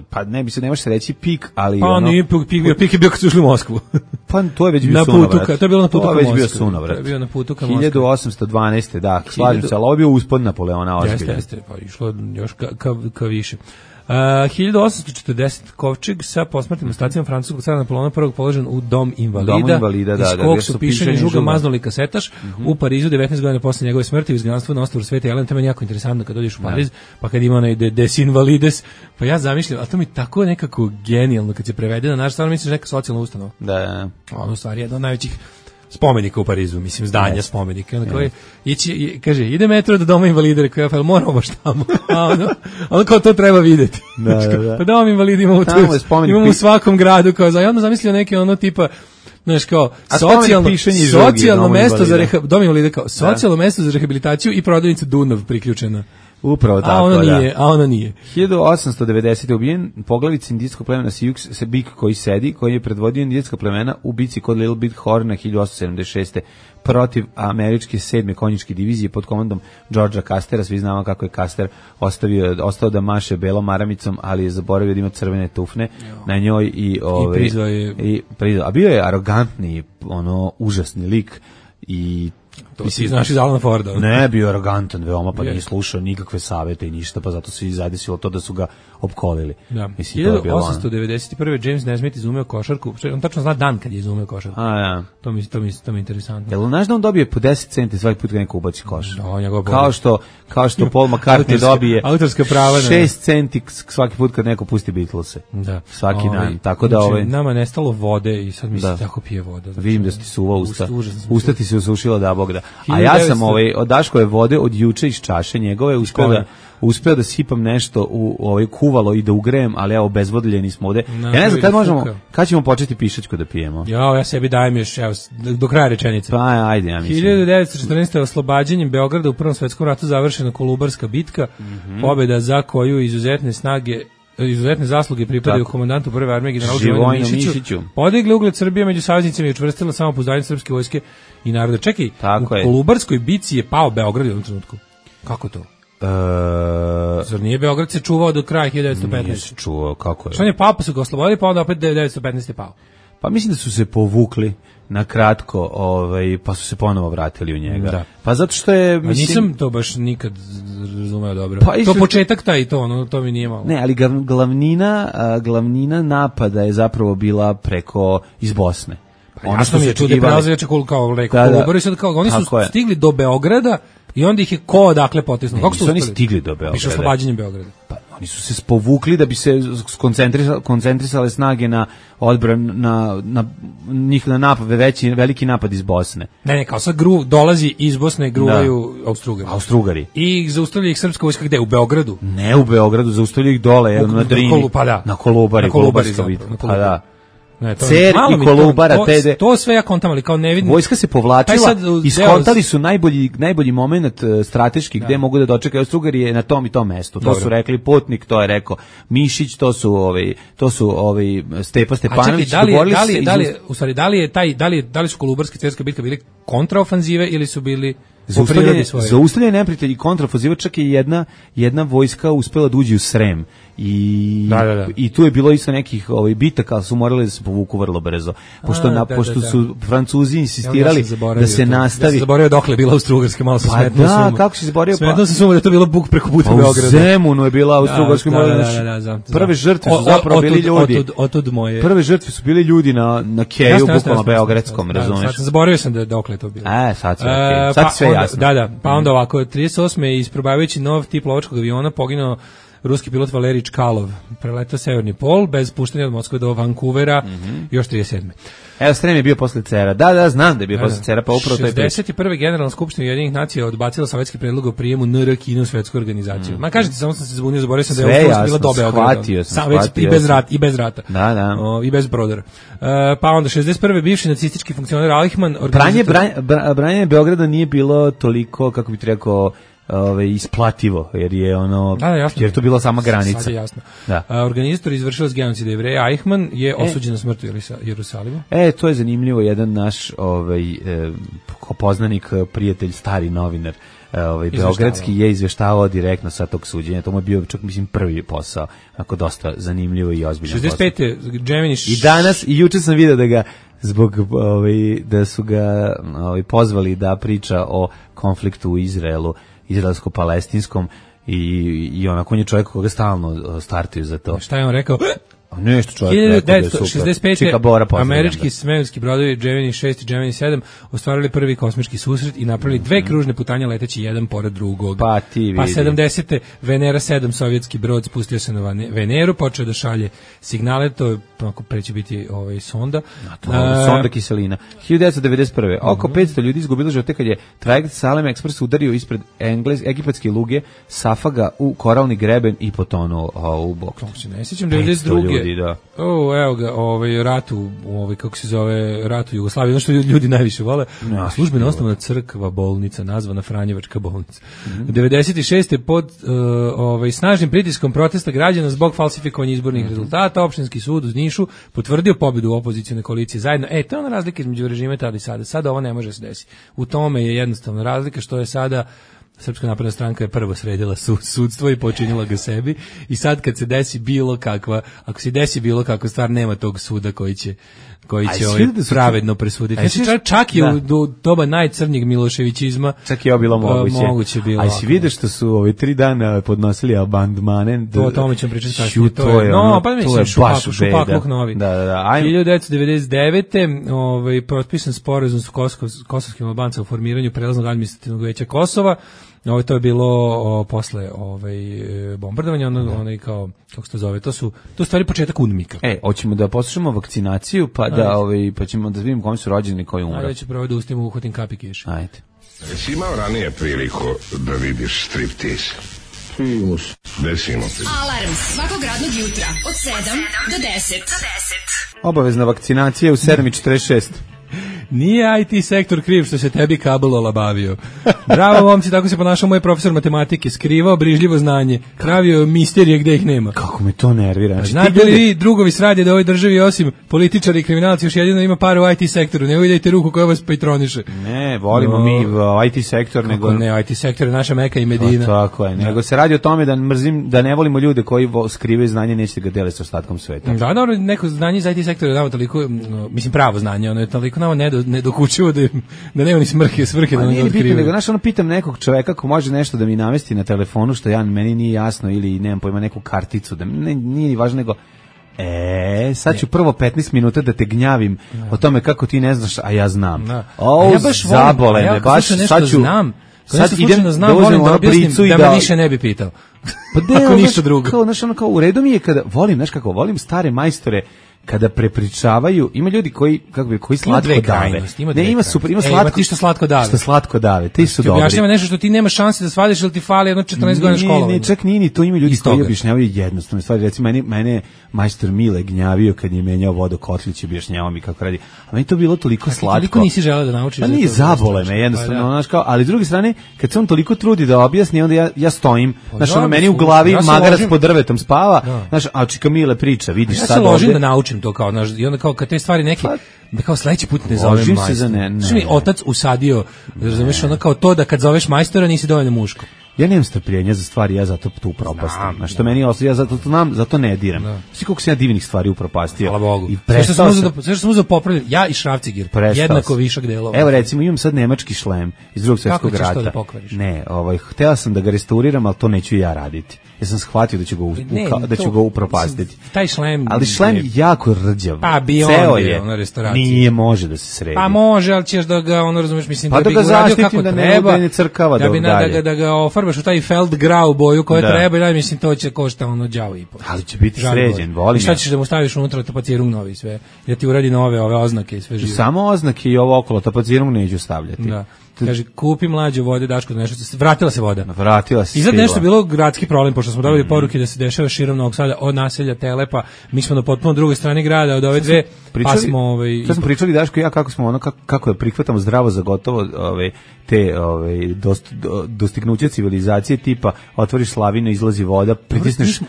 pa ne može se reći pik, ali pa ono pik je bio kad su ušli u Moskvu. Pa to je već bio sunovrat. To je bilo na putu ka Moskvi. To je već bio sunovrat. To je bio na putu ka Moskvi. 1812. Da, slažem se, ali ovo je bio uspod Napoleona ozbiljan. Jeste, pa išlo još ka više. 1840 kovčeg sa posmrtnim ostacima francuskog cara Napoleona I položen u dom invalida, iz kog su pišanje žuga maznuli kasetaš. U Parizu 19 godina posle njegove smrti u izgnanstvu na ostrvu Svete Jelene. To je jako interesantno kad dođeš u Pariz, pa kad ima onaj Des Invalides, pa ja zamišljam, a to mi tako nekako genijalno kad se prevede na naš, stvarno misliš neka socijalna ustanova. Da. Ono u stvari jedna od najvećih spomenika u Parizu, mislim, zdanja spomenika. Onda koji kaže, ide metro do doma invalida, rekao ja, moramo baš tamo. Ono kao to treba videti. Da. Pa dom invalida imamo u svakom gradu. Ja onda zamislio neke ono tipa, znaš, kao socijalno mesto za dom invalida, kao socijalno mesto za rehabilitaciju i prodavnica Dunav priključena. Upravo tako, a ono nije. 1890. ubijen poglavica indijskog plemena Sioux, bik koji je predvodio indijska plemena u bici kod Little Big Horna 1876. protiv američke 7. konjičke divizije pod komandom Georgea Castera. Svi znamo kako je Caster ostao da maše belom maramicom, ali je zaboravio da ima crvene tufne na njoj i a bio je arogantni, užasni lik i to si znaš iz Alana Forda. Ne, bio arogantan veoma, pa nije slušao nikakve savete i ništa, pa zato se i zadesilo to da su ga opkolili. Da. 1891. James Nesmith izumeo košarku. On tačno zna dan kad je izumeo košarku. To mi je interesantno. Jel znaš da on dobije po 10 centi svaki put kad neko ubaci koš? Kao što Paul McCartney dobije autorska prava 6 centi svaki put kad neko pusti Beatlese. Da. Svaki dan. Tako da nama je nestalo vode i sad mi se tako pije voda. Vidim da ti suva usta. Usta ti se usušila da Bog da. A ja sam od Daškove vode od juče iz čaše njegove uspeo da sipam nešto u kuvalo i da ugrejem, ali evo bezvodljeni smo ovde. Ja ne znam kad ćemo početi pišačko da pijemo. Ja sebi dajem još do kraja rečenice. Pa ajde, ja mislim. 1914. oslobađanjem Beograda u Prvom svetskom ratu završena Kolubarska bitka, pobjeda za koju izuzetne zasluge pripadaju komandantu prve armije generalu Živojinu Mišiću, podigli ugled Srbije među saveznicima i učvrstila samopouzdanje srpske vojske i naroda. Čekaj, u Kolubarskoj bici je pao Beograd u jednom trenutku. Kako to? Zar nije Beograd se čuvao do kraja 1915? Nije se čuvao, kako je? Što on je pao, pa su ga oslobodili, pa onda opet 1915 je pao. Pa mislim da su se povukli na kratko, pa su se ponovo vratili u njega. Da. Pa zato što je, mislim, nisam to baš nikad razumeo dobro. To početak taj to mi nije malo. Ne, ali glavnina napada je zapravo bila preko iz Bosne. Ono što mi je čude prelazeće kao rekao Kolubar i sad kao oni su stigli do Beograda i onda ih je odakle potisnuo. Kako su oni stigli do Beograda? Piše oslobađanje Beograda. Pa oni su se povukli da bi se koncentrisale snage na odbranu na veliki napad iz Bosne. Ne, kao sad dolazi iz Bosne, gruvaju Austrugari. I zaustavlja ih srpska vojska gde? U Beogradu? Ne u Beogradu, zaustavlja ih dole na Drini. Na Kolubari. Pa da. Cer i Kolubara, to sve ja kontam, ali kao ne vidim. Vojska se povlačila i skontali su najbolji moment strateški gde mogu da dočekaju Austrugari je na tom i tom mestu. To su rekli Putnik, to je rekao Mišić, to su Stepa Stepanović. Da li su Kolubarske cerske bitke bili kontraofanzive ili su bili zaustavljanje neprijatelja i kontraofanziva, čak je jedna vojska uspela da uđe u Srem i tu je bilo isto nekih bitaka, ali su morali da se povuku vrlo brzo, pošto su Francuzi insistirali da se nastavi. Ja sam zaboravio dokle je bila Austrougarska, malo sam smetnuo suma. Da, kako si zaboravio? Smetnuo sam suma da je to bilo buk preko puta Beograda. U Zemunu je bila Austrougarska. Prve žrtve su zapravo bili ljudi. Prve žrtve su bili ljudi na keju, bukvalno beogradskom, razumeš? Zaboravio sam da dokle je to bilo. Sad sve jasno. Pa onda ovako, 38. isprobavajući nov tip lovačkog aviona poginuo ruski pilot Valerij Čkalov preletao severni pol bez puštanja od Moskve do Vancouvera još 37. Evo, Srem je bio posle Cera. Da, znam da je bio posle Cera, pa upravo to je priča. 61. Generalna skupština Ujedinjenih nacija odbacila sovjetski predlog o prijemu NR Kine u svetsku organizaciju. Ma kažete, samo sam se zbunio, zaboravio sam da je ovo bila do Beograda. I bez rata. Da. I bez brodera. Pa onda 61. bivši nacistički funkcioner Eichmann Branje Beograda nije bilo toliko, kako bih rekao, isplativo, jer je ono, jer to bila sama granica. Sad je jasno. Da. Organizator izvršilac genocida Jevreja Eichmann je osuđen na smrt u Jerusalimu. To je zanimljivo, jedan naš poznanik, prijatelj, stari novinar, beogradski je izveštavao direktno sa tog suđenja. To mu je bio, čak mislim, prvi posao. Ako dosta zanimljivo i ozbiljno. 65. Gemini I danas, i juče sam vidio da ga zbog da su ga pozvali da priča o konfliktu u Izraelu, izraelsko-palestinskom, i onako on je čovjek koga stalno startuju za to. Šta je on rekao? Nešto čovjek rekao da je super. 1965. američki svemirski brodovi Gemini 6 i Gemini 7 ostvarili prvi kosmički susret i napravili dve kružne putanje leteći jedan pored drugog. Pa ti vidi. Pa 70. Venera 7 sovjetski brod spustio se na Veneru, počeo da šalje signale, to je preće biti sonda. Sonda kiselina. 1991. Oko 500 ljudi izgubilo živote kad je trajekt Salem Express udario ispred egipatske luge Safaga u koralni greben i potonuo u bok. Ne sjećam 92. Da. Evo ga, ratu, kako se zove, ratu Jugoslavije, ono što ljudi najviše vole. Službeno osnovna crkva bolnica, nazvana Franjevačka bolnica. 96. pod snažnim pritiskom protesta građana zbog falsifikovanja izbornih rezultata, opštinski sud u Nišu potvrdio pobjedu opozicione koalicije zajedno. To je ona razlika između režima tada i sada. Sada ovo ne može se desiti. U tome je jednostavna razlika što je sada Srpska napredna stranka je prvo sredila sudstvo i počinila ga sebi, i sad kad se desi bilo kakva, ako se desi bilo kakva stvar, nema tog suda koji će pravedno presuditi. Čak i u doba najcrnjeg Miloševićizma čak je ovo bilo moguće. A si vidiš što su 3 dana podnosili abandmane? O tome ćemo pričati kasnije. To je šupakluk novi. Da. 1999. Potpisan sporazum s kosovskim Albancima o formiranju prelaznog administrativnog veća Kosova. To je bilo posle bombardovanja, onaj kao, kako se to zove, to je stvari početak UNMIK-a. Hoćemo da poslušamo vakcinaciju, pa pa ćemo da vidimo kome su rođeni, koji umre. Ajde, ću prvo da ustimo uhotim kapi kiš. Ajde. Jesi imao ranije priliku da vidiš striptease? Primus. Desimo se. Alarm svakog radnog jutra od 7 do 10. Obavezna vakcinacija u 7:46. Nije IT sektor kriv što se tebi kabel olabavio. Bravo, momci, tako se ponašao moj profesor matematike, skrivao brižljivo znanje, pravio misterije gde ih nema. Kako me to nervira. Znate li vi, drugovi s radije da u ovoj državi osim političari i kriminalci još jedino ima par u IT sektoru, ne uvidajte ruku koja vas patroniše. Ne, volimo mi IT sektor, nego ne, IT sektor je naša Meka i Medina. Tako je, nego se radi o tome da mrzim, da ne volimo ljude koji skrivaju znanje, neće ga deliti sa ostatkom sveta. Da, dobro, neko znanje iz IT sektora je nama toliko, mislim pravo znanje, ono je toliko nama ne dokučuju da nema ni svrhe da ne otkrivaju. Nego, znaš, pitam nekog čoveka ko može nešto da mi namesti na telefonu, što meni nije jasno, ili nemam pojma, neku karticu, da nije ni važno, nego sad ću prvo 15 minuta da te gnjavim o tome kako ti ne znaš, a ja znam. Ja baš zabole me, baš sad ću... Sad idem da volim da objasnim da me više ne bi pitao. Pa ako ništa drugo. Kao, u redu mi je kada volim stare majstore kada prepričavaju, ima ljudi koji slatko dave. Ima super, ima slatko. Ti što slatko dave. Što slatko dave, ti su dobri. Objašnjava nešto što ti nema šanse da svadiš, ili ti fali jedno 14 godina školovanja. Ne, čak nije, to ima ljudi koji objašnjavaju jednostavne stvari. Recimo, mene majstor Mile gnjavio kad je menjao vodokotlić, objašnjavao mi kako radi. A meni to bilo toliko slatko. Toliko nisi želeo da naučiš. Pa nije, zabole me jednostavno, znaš kao, ali s druge strane, kad se on toliko trudi da objasni, onda ja stojim, znaš, meni u glavi magarac pod drvetom spava, znaš, a čika Mile priča, vidiš sad ovde. Ja se ložim da naučim to kao, znaš, i onda kao kad te stvari neke, da kao sledeći put ne zovem majstora. Što mi otac usadio, razumeš, ono kao to da kad zoveš majstora nisi dovoljno muško. Ja nemam strpljenja za stvari, ja zato tu upropastim. Znaš, što meni ja zato ne diram. Svi koliko sam ja divnih stvari upropastio. Hvala Bogu. I sve što sam uzeo popravljati, ja i Šrafcigir, jednako višak delova. Evo recimo, imam sad nemački šlem iz Drugog svjetskog rata. Kako ćeš to da pokvariš? Ne, htela sam da ga restauriram, ali to neću ja raditi. ja sam shvatio da ću ga upropastiti. Taj šlem... Ali šlem jako rđav. Pa bi on je na restauraciji. Nije može da se sredi. Pa može, ali ćeš da ga, razumeš, mislim, pa da bi ga uradio kako da treba, ne crkava da ga ofarbaš u taj feldgrau boju koja treba, mislim, to će košta đavo i po. Ali će biti sređen, volim. I šta ćeš da mu staviš unutra tapacirung novi sve? Da ti uradi nove ove oznake i sve živo. Samo oznake i ovo okolo tapacirung neću stavljati. Da. Kaže, kupi mlađe vode, Daško, da nešto... Vratila se voda. Vratila se. I sad nešto bilo gradski problem, pošto smo dobili poruke da se dešava širom Novog Sada od naselja Telepa. Mi smo na potpuno drugoj strani grada, od ove dve, pa smo... Sad smo pričali, Daško i ja, kako je prihvatamo zdravo za gotovo te dostignuće civilizacije, tipa otvoriš slavinu, izlazi voda, pritisneš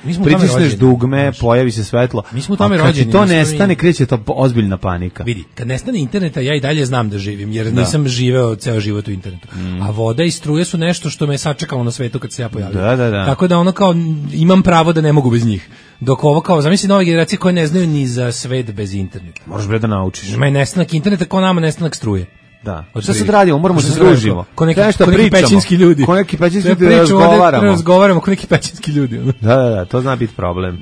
dugme, pojavi se svetlo. Mi smo u tome rođeni. Kad ti to nestane, kreće to ozbiljna panika. Vidi, kad nestane interneta, ja i dalje znam da živim, jer nisam živeo ceo život u internetu. A voda i struje su nešto što me sačekalo na svetu kad se ja pojavio. Da. Tako da kao imam pravo da ne mogu bez njih. Dok ovo kao, zamisli nove generacije koje ne znaju ni za svet bez interneta. Moraš bre da naučiš. Ima je nestanak interneta kao nama nestanak struje. Da. Šta sad radimo? Moramo se družimo. Ko neki pećinski ljudi. Ko neki pećinski ljudi razgovaramo. Ko neki pećinski ljudi. Da, to zna biti problem.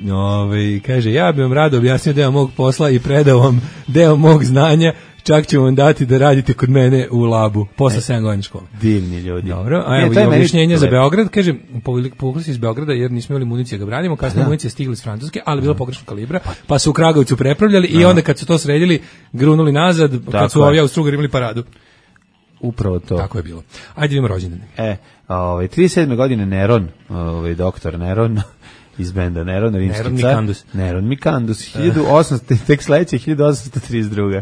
Kaže, ja bih vam rado objasnio deo mog posla i predao vam deo mog znanja. Čak ću vam dati da radite kod mene u labu, posle 7 godina škole. Divni ljudi. Dobro, a evo je objašnjenje za Beograd, kaže, povukli se iz Beograda jer nismo imali municije da ga branimo, kasnije municije stigli iz Francuske, ali bilo pogrešnog kalibra, pa su u Kragovicu prepravljali i onda kad su to sredili, grunuli nazad, kad su ovi Austrougar imali paradu. Upravo to. Tako je bilo. Ajde vidimo rođendane. 37. godine Neron, doktor Neron, iz benda Neron, rimski car. Neron Mikandus. 1800, tek sledeće, 1832.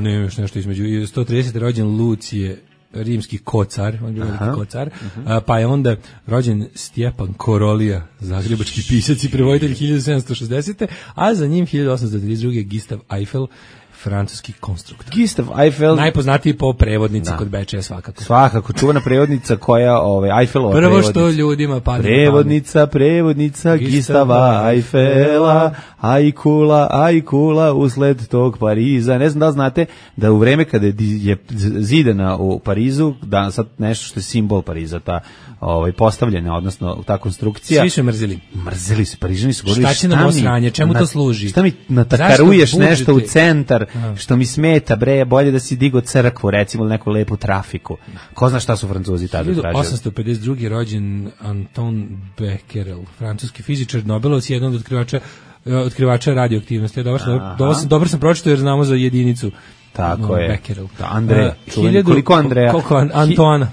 Ne, još nešto između. 130. rođen Lucije, rimski kocar, on je bio veliki kocar, pa je onda rođen Stjepan Korolija, zagrebački pisac i prevoditelj 1760. A za njim 1832. Gistav Eiffel, francuski konstruktor. Gistav Eiffel, najpoznatiji po prevodnici kod Bečeja svakako. Svakako, čuvana prevodnica koja Eiffelova prvo što ljudima pada prevodnica Gistava Eiffela, ajkula usled tog Pariza. Ne znam da li znate da u vreme kada je zidana u Parizu, da sad nešto što je simbol Pariza, ta postavljena, odnosno ta konstrukcija. Svi su mrzili. Mrzili su, Parižani su govorili, šta će nam osranje, čemu to služi? Šta mi natakaruješ nešto u centar, što mi smeta, bre, bolje da si digo crkvu, recimo, neku lepu trafiku. Ko zna šta su Francuzi tada tražili? 1852. rođen Anton Becquerel, francuski fizičar, Nobelovac, jedan od otkrivača radioaktivnosti. Dobro sam pročitao jer znamo za jedinicu. Tako je. Becquerel. Andreja. Koliko Andreja? Koliko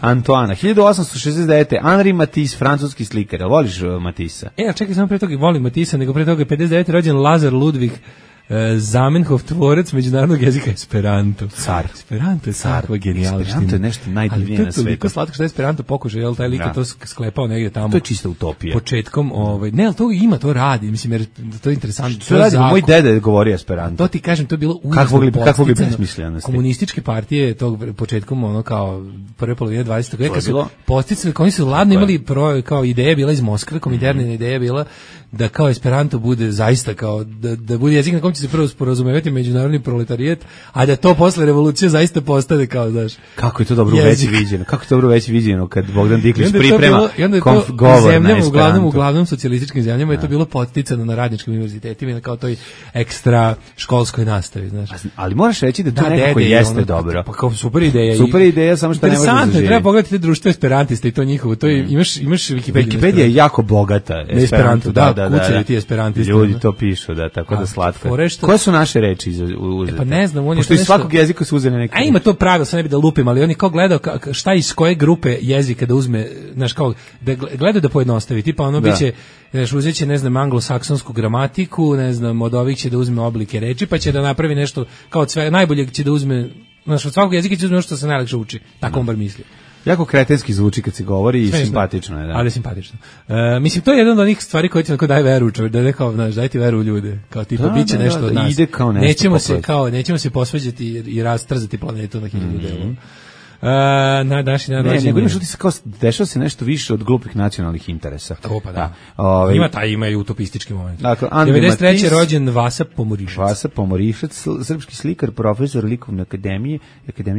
Antoana. 1869. Henri Matisse, francuski slikar. Voliš Matissa? Čekaj, samo pre toga volim Matissa, nego pre toga 59. rođen Lazar Ludvig Zamenhof, tvorac međunarodnog jezika Esperanto. Car. Esperanto je takva genijalština. Esperanto je nešto najdivnije na svetu. Ali to je toliko slatko što je Esperanto pokušao, jel taj lik je to sklepao negdje tamo. To je čista utopija. Početkom, ne, ali to ima, to radi, mislim, jer to je interesantno. Što radi? Moj deda je govorio Esperanto. To ti kažem, to je bilo užasno podsticano. Komunističke partije tog početkom, kao prve polovine 20. veka su podsticali, oni su ladno imali kao ideje bila iz Moskve, kominterne ideje bila da kao Esperanto bude zaista kao da bude jezik na kom će se prvo sporazumevati međunarodni proletarijet, a da to posle revolucije zaista postane kao, znaš, kako je to dobro već viđeno kad Bogdan Diklić priprema govor na Esperanto. Uglavnom socijalističkim zemljama je to bilo podsticano na radničkim univerzitetima i na kao toj ekstra školskoj nastavi, znaš. Ali moraš reći da to nekako jeste dobro. Pa kao super ideja. Super ideja, samo što ne može da živi. Treba pogledati te društvo esperantista i to njihovo. To je, imaš Wikipedia je jako bogata. Esperanto, kucaju ti esperantisti. Ljudi to pišu, tako da slatko. Koje su naše reči uzete? Pa ne znam, pošto iz svakog jezika su uzeli neke. A ima to pravilo, sad ne bi da lupim, ali oni kao gledao šta iz koje grupe jezika da uzme, znaš, kao da gleda da pojednostavi, tipa ono biće, znaš, uzet će, ne znam, anglosaksonsku gramatiku, ne znam, od ovih će da uzme oblike reči, pa će da napravi nešto, kao od sve, najbolje će da uzme, znaš, od svakog jezika će uzme nešto što se najlakše uči, tako on bar misli. Jako kretenski zvuči kad se govori i simpatično je, da. Ali simpatično. Mislim, to je jedna od onih stvari koje ti onako daje veru, čovjek, da ne kao, znaš, daj ti veru u ljude, kao tipa, bit će nešto od nas. Ide kao nešto nećemo se posvađati i rastrzati planetu na 1000 delova. Na današnji dan rođenja. Nego imaš utisak kao dešava se nešto više od glupih nacionalnih interesa. To pa da. Ima i utopistički moment. Dakle, 93. rođen Vasa Pomorišac. Vasa Pomorišac, srpski slikar, profesor likovne akademije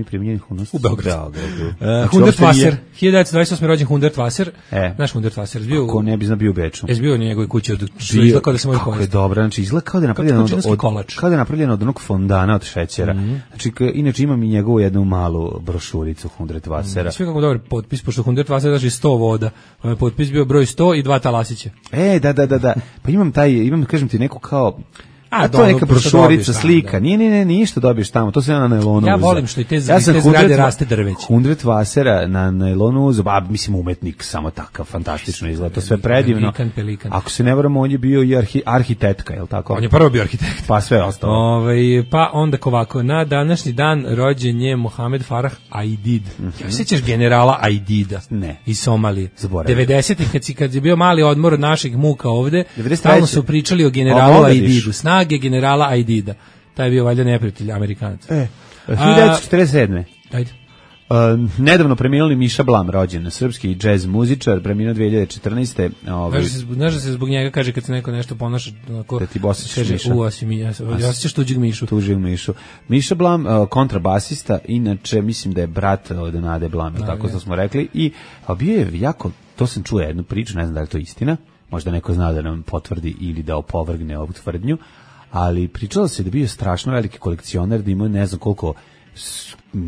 primenjenih umetnosti u Beogradu. Znači, Hundert Wasser, 1928. rođen Hundert Wasser. Naš Hundert Wasser bio. Kako ne bi znao bio u Beču. Bio u njegovoj kući, što izgleda kao da se može pojesti. Kako je dobro, znači izgleda kao da je napravljeno od onog fondana od šećera. Znači, inače imam i njegovu jednu malu brošuricu Hundert Wassera. Sve kako dobar potpis, pošto Hundert Wasser znači 100 voda. Potpis bio broj 100 i 2 talasića. Da. Pa imam, kažem ti, neku kao... to je neka brošurica, slika. Nije ništa dobiješ tamo, to se na nailonu. Ja volim što i te zgrade raste drveće. Hundert Wassera na nailonu uzeo, mislim umetnik, samo takav, fantastično izgleda, to sve predivno. Pelikan. Ako se ne varam, on je bio i arhitektka, je li tako? On je prvo bio arhitekt. Pa sve ostalo. Pa onda ovako, na današnji dan rođen je Mohamed Farah Aidid. Ja sećaš generala Aidida? Ne. Iz Somalije. Zaboravim. 90-ih, kad je bio mali odmor od naših muka ovde, stalno su pričali o generalu Aididu. Snage generala Aidida. Taj je bio valjda neprijatelj Amerikanac. 1947. Ajde. Nedavno preminuli Miša Blam, rođen, srpski džez muzičar, preminuo 2014. Znaš da se zbog njega kaže kad se neko nešto ponaša onako, da ti bosiš Miša. Osjećaš tuđeg Mišu. Miša Blam, kontrabasista, inače mislim da je brat od Nade Blam, tako što smo rekli, i bio je jako, to sam čuo jednu priču, ne znam da li je to istina, možda neko zna da nam potvrdi ili da opovrgne ovu tvrdnju, ali pričalo se da bio strašno veliki kolekcioner, da imao ne znam koliko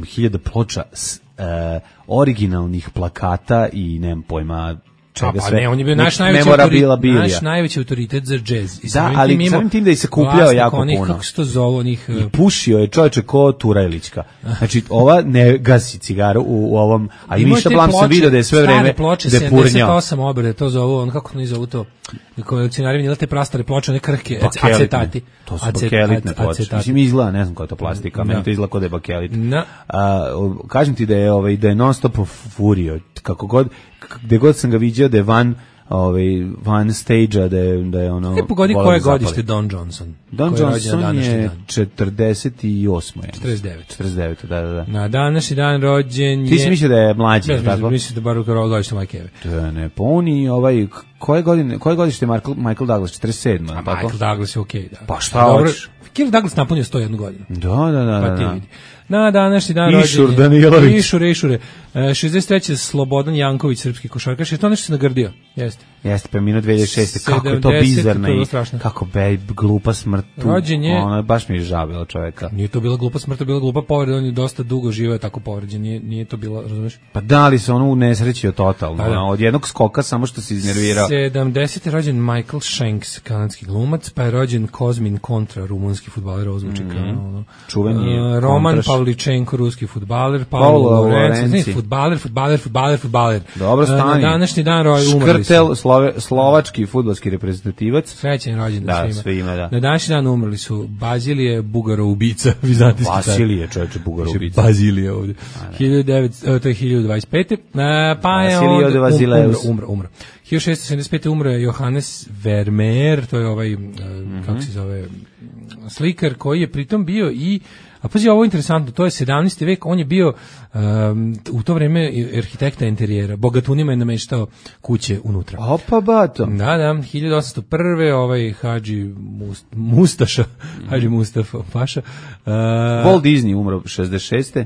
hiljada ploča originalnih plakata i nemam pojma čega sve. Ne, on je bio naš najveći autoritet za džez. Da, ali samim tim da je se kupljao jako puno. Kako se to zove onih... I pušio je čovječe ko Turajlićka. Znači, ova ne gasi cigaru u ovom, a i Miša Blam sam vidio da je sve vreme depurnjao. 78 obrade, to zovu, on kako ne zovu to, kolekcionari vinila te prastare ploče, one krhke, acetati. To su bakelitne ploče. Mislim, izgleda, ne znam koja je to plastika, meni to izgleda kod je bakelit. Kažem ti da je non stop furio, kako god, gde god sam ga vidio da je van stage-a, da je ono... Pogodi koje godište Don Johnson? Don Johnson je 48. 49, da. Na današnji dan rođen je... Ti si mislio da je mlađi, tako? Mislim da bar u godište Majke Eve. Ne, pa on i koje godište je Michael Douglas? 47. Michael Douglas je okej, da. Pa šta hoćeš? Kirk Douglas napunio 101 godinu. Da. Pa ti vidi. Na današnji dan Išur rođen Danilović. Išure. 63. Slobodan Janković, srpski košarkaš. Je to nešto se nagrdio? Jeste, preminuo 2006. Kako je to bizarno i kako glupa smrt. Rođen je... Ono, baš mi je žabilo čoveka. Nije to bila glupa smrt, to bila glupa povreda. On je dosta dugo živeo tako povređen. Nije to bilo, razumiješ? Pa da li se ono unesrećio totalno. Od jednog skoka samo što se iznervirao. 70. rođen Michael Shanks, kanadski glumac, pa je rođen Kozmin Kontra, rumunski fudbaler, ozvuči kao čuveni je Roman Pavličenko, ruski fudbaler, Paolo Lorenzi, fudbaler. Dobro stanje. Na današnji dan umrli su. Škrtel, slovački fudbalski reprezentativac. Srećan rođendan svima. Na današnji dan umrli su Bazilije, Bugaro-ubica, vizantijski car. Vasilije, čovječe, Bugaro-ubica. Bazilije ovdje. 1900, to je 1025. Pa je onda umro. 1675. umro je Johannes Vermeer, to je ovaj, kako se zove, slikar koji je pritom bio i, a pazi, ovo je interesantno, to je 17. vek, on je bio u to vreme arhitekta interijera, bogatunima je nameštao kuće unutra. Opa, bato. Da, 1801. ovaj Hadži Mustaša, Hadži Mustafa Paša. Walt Disney umro 66.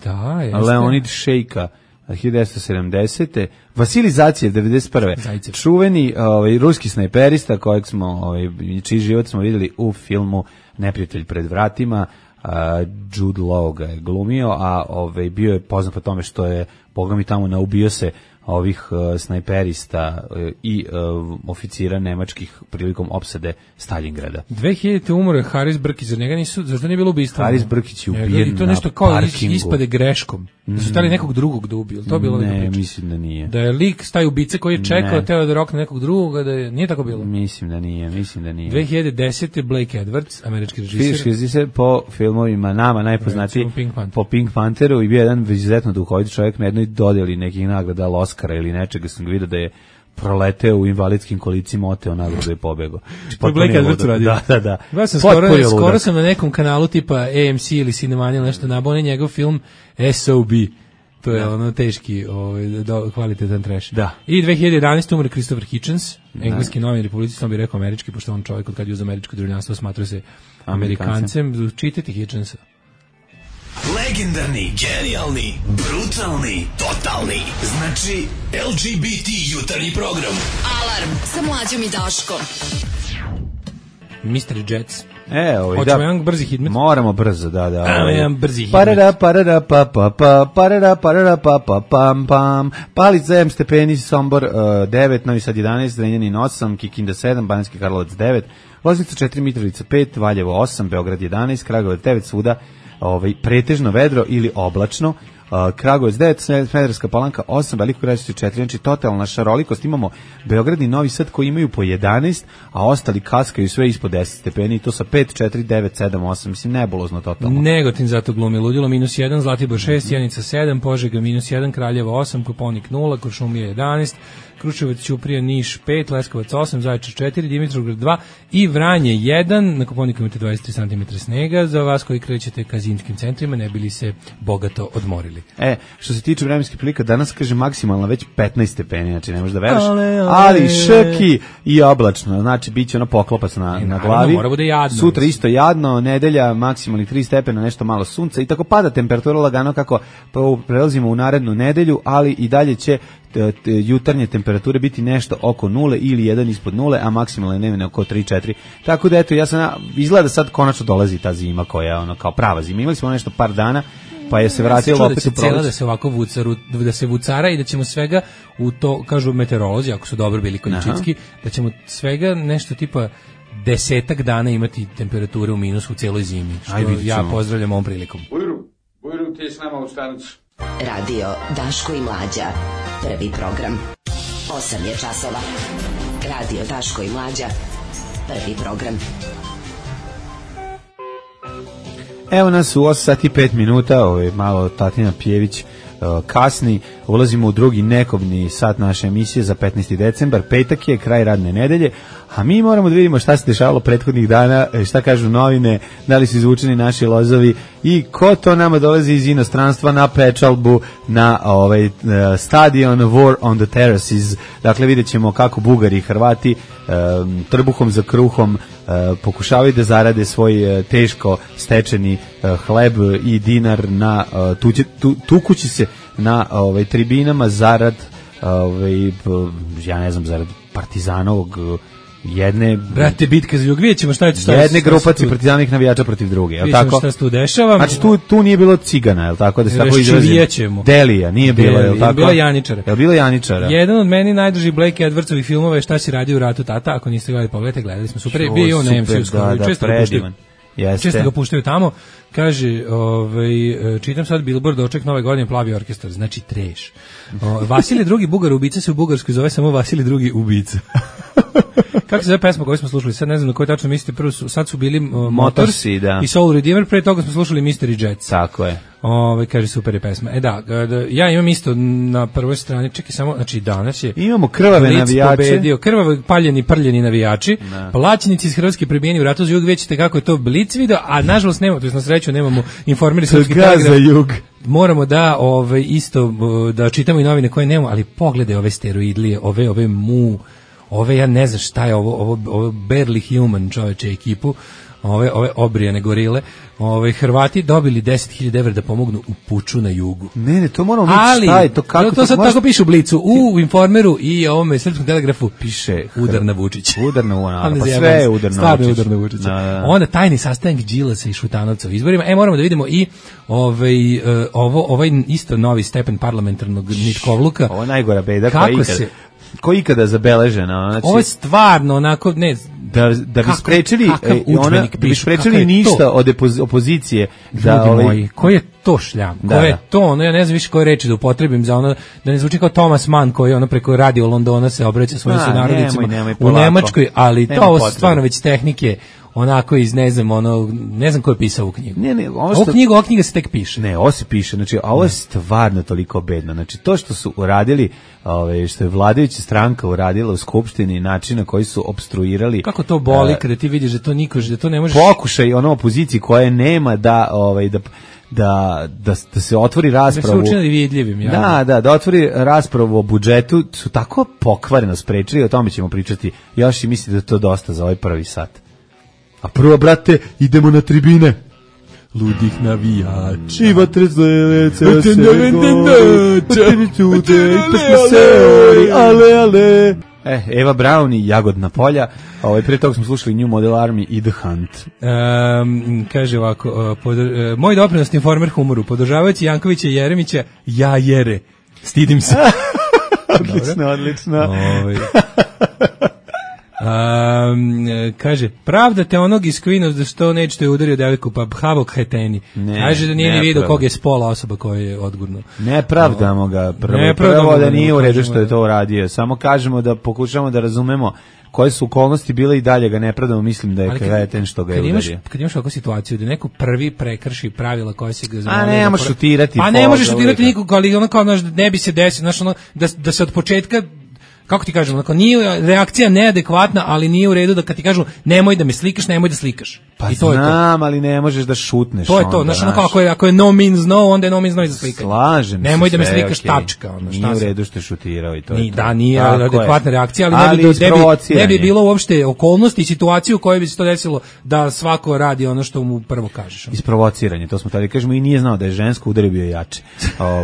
Da, jeste. Leonid Šejka 1970. Vasilij Zacjev 91. Čuveni ruski snajperista kojeg smo, čiji život smo vidjeli u filmu Neprijatelj pred vratima. Jude Law ga je glumio, a bio je poznat po tome što je, boga mi, tamo naubio se ovih snajperista i oficira nemačkih prilikom opsade Stalingrada. 2000. umro je Haris Brkić, za njega zašto nije bilo ubistva? Haris Brkić je ubijen i to nešto kao ispade greškom. Da su stali nekog drugog da ubiju. To bilo ne, mislim da nije. Da je lik staje ubice koji je čekao teo da rokne nekog drugoga, nije tako bilo. Mislim da nije. 2010. Blake Edwards, američki režiser. Po filmovima nama najpoznatiji po Pink Pantheru i bio jedan izuzetno duhovit čovjek na jednoj dodjeli nekih nagrada Oscara ili nečega, sam vidio da je proleteo u invalidskim kolicima, oteo nagradu i pobegao. To je Blake Edwards uradio. Da. Ja sam skoro sam na nekom kanalu tipa AMC ili Cinemania ili nešto nabao, njegov film SOB. To je ono teški, kvalitetan trash. Da. I 2011. umre Christopher Hitchens, engleski novinar, publicist, on bi rekao američki, pošto on čovjek od kad je uz američko državljanstvo smatrao se Amerikancem. Čitajte Hitchensa. Legendarni, genijalni, brutalni, totalni. Znači, LGBT jutarnji program. Alarm sa Mlađom i Daškom. Mystery Jets. Hoćemo jedan brzi hitmet? Moramo brzo, da. Jedan brzi hitmet. Parada, Palica 7 stepeni, Sombor 9, Novi Sad 11, Zrenjanin 8, Kikinda 7, Banjski Karlovac 9, Loznica 4, Mitrovica 5, Valjevo 8, Beograd 11, Kragujevac 9, svuda pretežno vedro ili oblačno. Kragujevac 9, Smederevska Palanka 8, Veliko Gradište 4, znači totalna šarolikost. Imamo Beograd i Novi Sad koji imaju po 11, a ostali kaskaju sve ispod 10 stepeni i to sa 5, 4, 9, 7, 8, mislim nebulozno totalno. Negotin zato glumi ludilo, -1, Zlatibor 6, Sjenica 7, Požega -1, Kraljevo 8, Koponik 0, Kuršumlija 11, Kruševac, Ćuprija, Niš 5, Leskovac 8, Zaječar 4, Dimitrovgrad 2 i Vranje 1. Na Koponiku imate 23 cm snega. Za vas koji krećete ka zimskim centrima, ne bili se bogato odmorili. Što se tiče vremenskih prilika, danas kaže maksimalno već 15 stepeni, znači ne možeš da veruješ. Ali šrki i oblačno, znači biće ono poklopac na glavi. Mora bude jadno. Sutra isto jadno, nedelja maksimalni 3 stepena, nešto malo sunca i tako pada temperatura lagano kako prelazimo u narednu nedelju, ali i dalje će jutarnje temperature biti nešto oko 0 ili 1 ispod 0, a maksimalne dnevne oko 3-4. Tako da eto, izgleda sad konačno dolazi ta zima koja je ono kao prava zima. Imali smo nešto par dana, pa je se vratilo opet u proleće. Da se ovako da se vucara i da ćemo svega u to, kažu meteorolozi, ako su dobro bili količinski, da ćemo svega nešto tipa 10 dana imati temperature u minusu u cijeloj zimi, što ja pozdravljam ovom prilikom. Bujru, ti je s nama u stanicu. Radio Daško i Mlađa. Prvi program. 8 je časova. Radio Daško i Mlađa. Prvi program. Evo nas u 8 sati 5 minuta, malo Tatina Pjević kasni, ulazimo u drugi nekovni sat naše emisije za 15. decembar, petak je, kraj radne nedelje, a mi moramo da vidimo šta se dešavalo prethodnih dana, šta kažu novine, da li su izvučeni naši lozovi i ko to nama dolazi iz inostranstva na pečalbu, na stadion War on the Terraces. Dakle, vidjet ćemo kako Bugari i Hrvati trbuhom za kruhom pokušavaju da zarade svoj teško stečeni hleb i dinar na tukući se na tribinama zarad ja ne znam, zarad Partizanovog jedne... Brate, bitka za jug, vidjet ćemo šta je to. Jedne grupacije partizanovih navijača protiv druge, je li tako? Vidjet ćemo šta se tu dešava. Znači, tu nije bilo cigana, je li tako? Da se tako izrazimo. Delija, nije bilo, je li tako? Bilo Janičara. Je li bilo Janičara? Jedan od meni najdrži Blake Edwardsovih filmova je Šta si radio u ratu tata, ako niste gledali, pogledajte, gledali smo super. Bio on na MC-u skoro, često ga puštaju tamo. Kaže, čitam sad Billboard, doček nove godine, Plavi orkestar, znači treš. Vasilij II. Bugar ubica se u Bugarskoj zove samo Vasilij II. Ubica. Kako se zove pesma koju smo slušali? Sad ne znam na koju tačno mislite. Prvo sad su bili Motorsi i Soul Redeemer, pre toga smo slušali Mystery Jets. Tako je. Kaže, super je pesma. Ja imam isto na prvoj strani, čekaj samo, znači danas je... Imamo krvave navijače. Krvave, paljeni, prljeni navijači, plaćenici iz Hrvatske prebijeni u ratu za jug, vidite kako je to Blic video, a nažalost nemamo, to je na sreću, nemamo informeri srpski telegraf. Moramo da isto da čitamo i novine koje nemamo, ali pogledaj ove steroidlije, ove ja ne znam šta je ovo barely human čoveče ekipu, ove obrijane gorile, Hrvati dobili 10.000 evra da pomognu u puču na jugu. Ne, to moramo vidjeti šta je to, kako to sad tako piše u Blicu, u Informeru i ovome srpskom telegrafu piše udar na Vučić. Udar na Vučić, pa sve je udar na Vučić. Onda tajni sastanak Đilasa i Šutanovca u izborima. Moramo da vidimo i ovaj isto novi stepen parlamentarnog nitkovluka. Ovo je najgora beda koja ikada zabeležena. Znači, ovo je stvarno onako, ne... Da bi sprečili ništa od opozicije. Ljudi moji, koji je to šljam? Koji je to? Ja ne znam više koje reči da upotrebim za ono, da ne zvuči kao Thomas Mann koji preko radio Londona se obraća svojim sunarodnicima u Nemačkoj, ali to stvarno već tehnike onako iz ne znam ko je pisao ovu knjigu. Ne, ova knjiga se tek piše. Ne, ovo se piše, znači, a ovo je stvarno toliko bedno. Znači, to što su uradili, što je vladajuća stranka uradila u skupštini, način na koji su opstruirali. Kako to boli kada ti vidiš da to niko, da to ne možeš. Pokušaj opoziciji koje nema da se otvori raspravu. Da se učini vidljivim, ja. Da otvori raspravu o budžetu, su tako pokvareno sprečili, o tome ćemo pričati još i mislim da je to dosta za ovaj prvi sat. A prvo, brate, idemo na tribine. Ludih navijača. I vatre zlece, ale. Eva Braun i Jagodna polja. Pre toga smo slušali New Model Army i The Hunt. Kaže ovako, moj doprinos Informer humoru, podržavajući Jankovića i Jeremića, ja jere. Stidim se. Odlično. Kaže, pravdate onog iz Queen of the Stone Age što je udario devojku, pa Havok Heteni. Kaže da nije ni vidio kog je spola osoba koja je odgurno. Ne pravdamo ga. Prvo da nije u redu što je to uradio. Samo kažemo da pokušamo da razumemo koje su okolnosti bile i dalje ga ne pravdamo, mislim da je kreten što ga je udario. Kad imaš ovakvu situaciju da neko prvi prekrši pravila koja se ga zamolio. A ne možeš šutirati. Pa ne možeš šutirati nikog, ali ono kao ne bi se desilo, da se od početka, kako ti kažem, nije reakcija neadekvatna, ali nije u redu da kad ti kažu nemoj da me slikaš, nemoj da slikaš. Pa i to znam, je to. Ali ne možeš da šutneš. To je to, ako je no means no, onda je no means no i za slikanje. Slažem se. Nemoj da me slikaš, tačka. Nije u redu što je šutirao i to je to. Da, nije adekvatna reakcija, ali ne bi bilo uopšte okolnosti i situaciju u kojoj bi se to desilo da svako radi ono što mu prvo kažeš. Isprovociranje, to smo tada kažemo, i nije znao da je žensko, udario bio jače.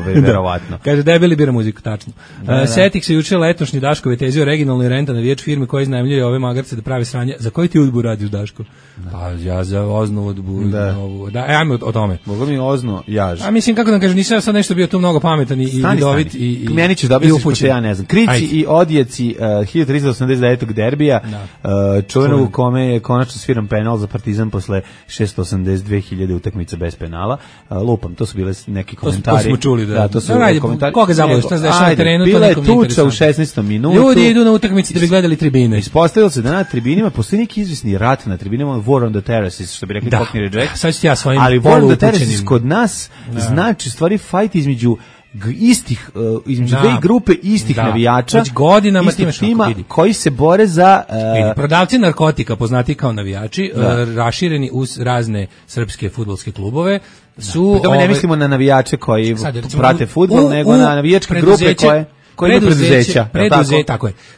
Verovatno. Kaže, debeli bira muziku, tačno. Setih se juče letošnji Daškove tezi o regionalnoj renta na viječ firme koje iznajmljuju ove magarce da pravi sranje. Za koji ti udbu radiš, Daško? Pa ja za Oznu udbu. Da, ajmo o tome. Boga mi Ozno, jaž. A mislim, kako da kažem, nisam sad nešto bio tu mnogo pametan i vidovit i meni ćeš dobiti što ja ne znam. Krici i odjeci 1389. derbija, čuvenog u kome je konačno sviran penal za Partizan posle 682.000 utakmica bez penala. Lupam, to su bile neki komentari. To smo čuli, da. To su komentari. Koga zabavlja, šta se dešava na terenu, to nekom nije interesantno. Bila je tuča u 16. minutu. Ljudi idu na utakmice da bi gledali tribine. Ispostavilo se da na tribinima postoji neki izvisni rat na tribinama, War on the Terraces, što bi rekli Cockney Reject. Sad ću ja svojim ali War on the Terraces kod nas znači stvari fight između dve grupe istih navijača, već godinama tima koji se bore za prodavci narkotika, poznati kao navijači, rašireni uz razne srpske fudbalske klubove, su ne mislimo na navijače koji prate fudbal, nego na navijačke grupe koje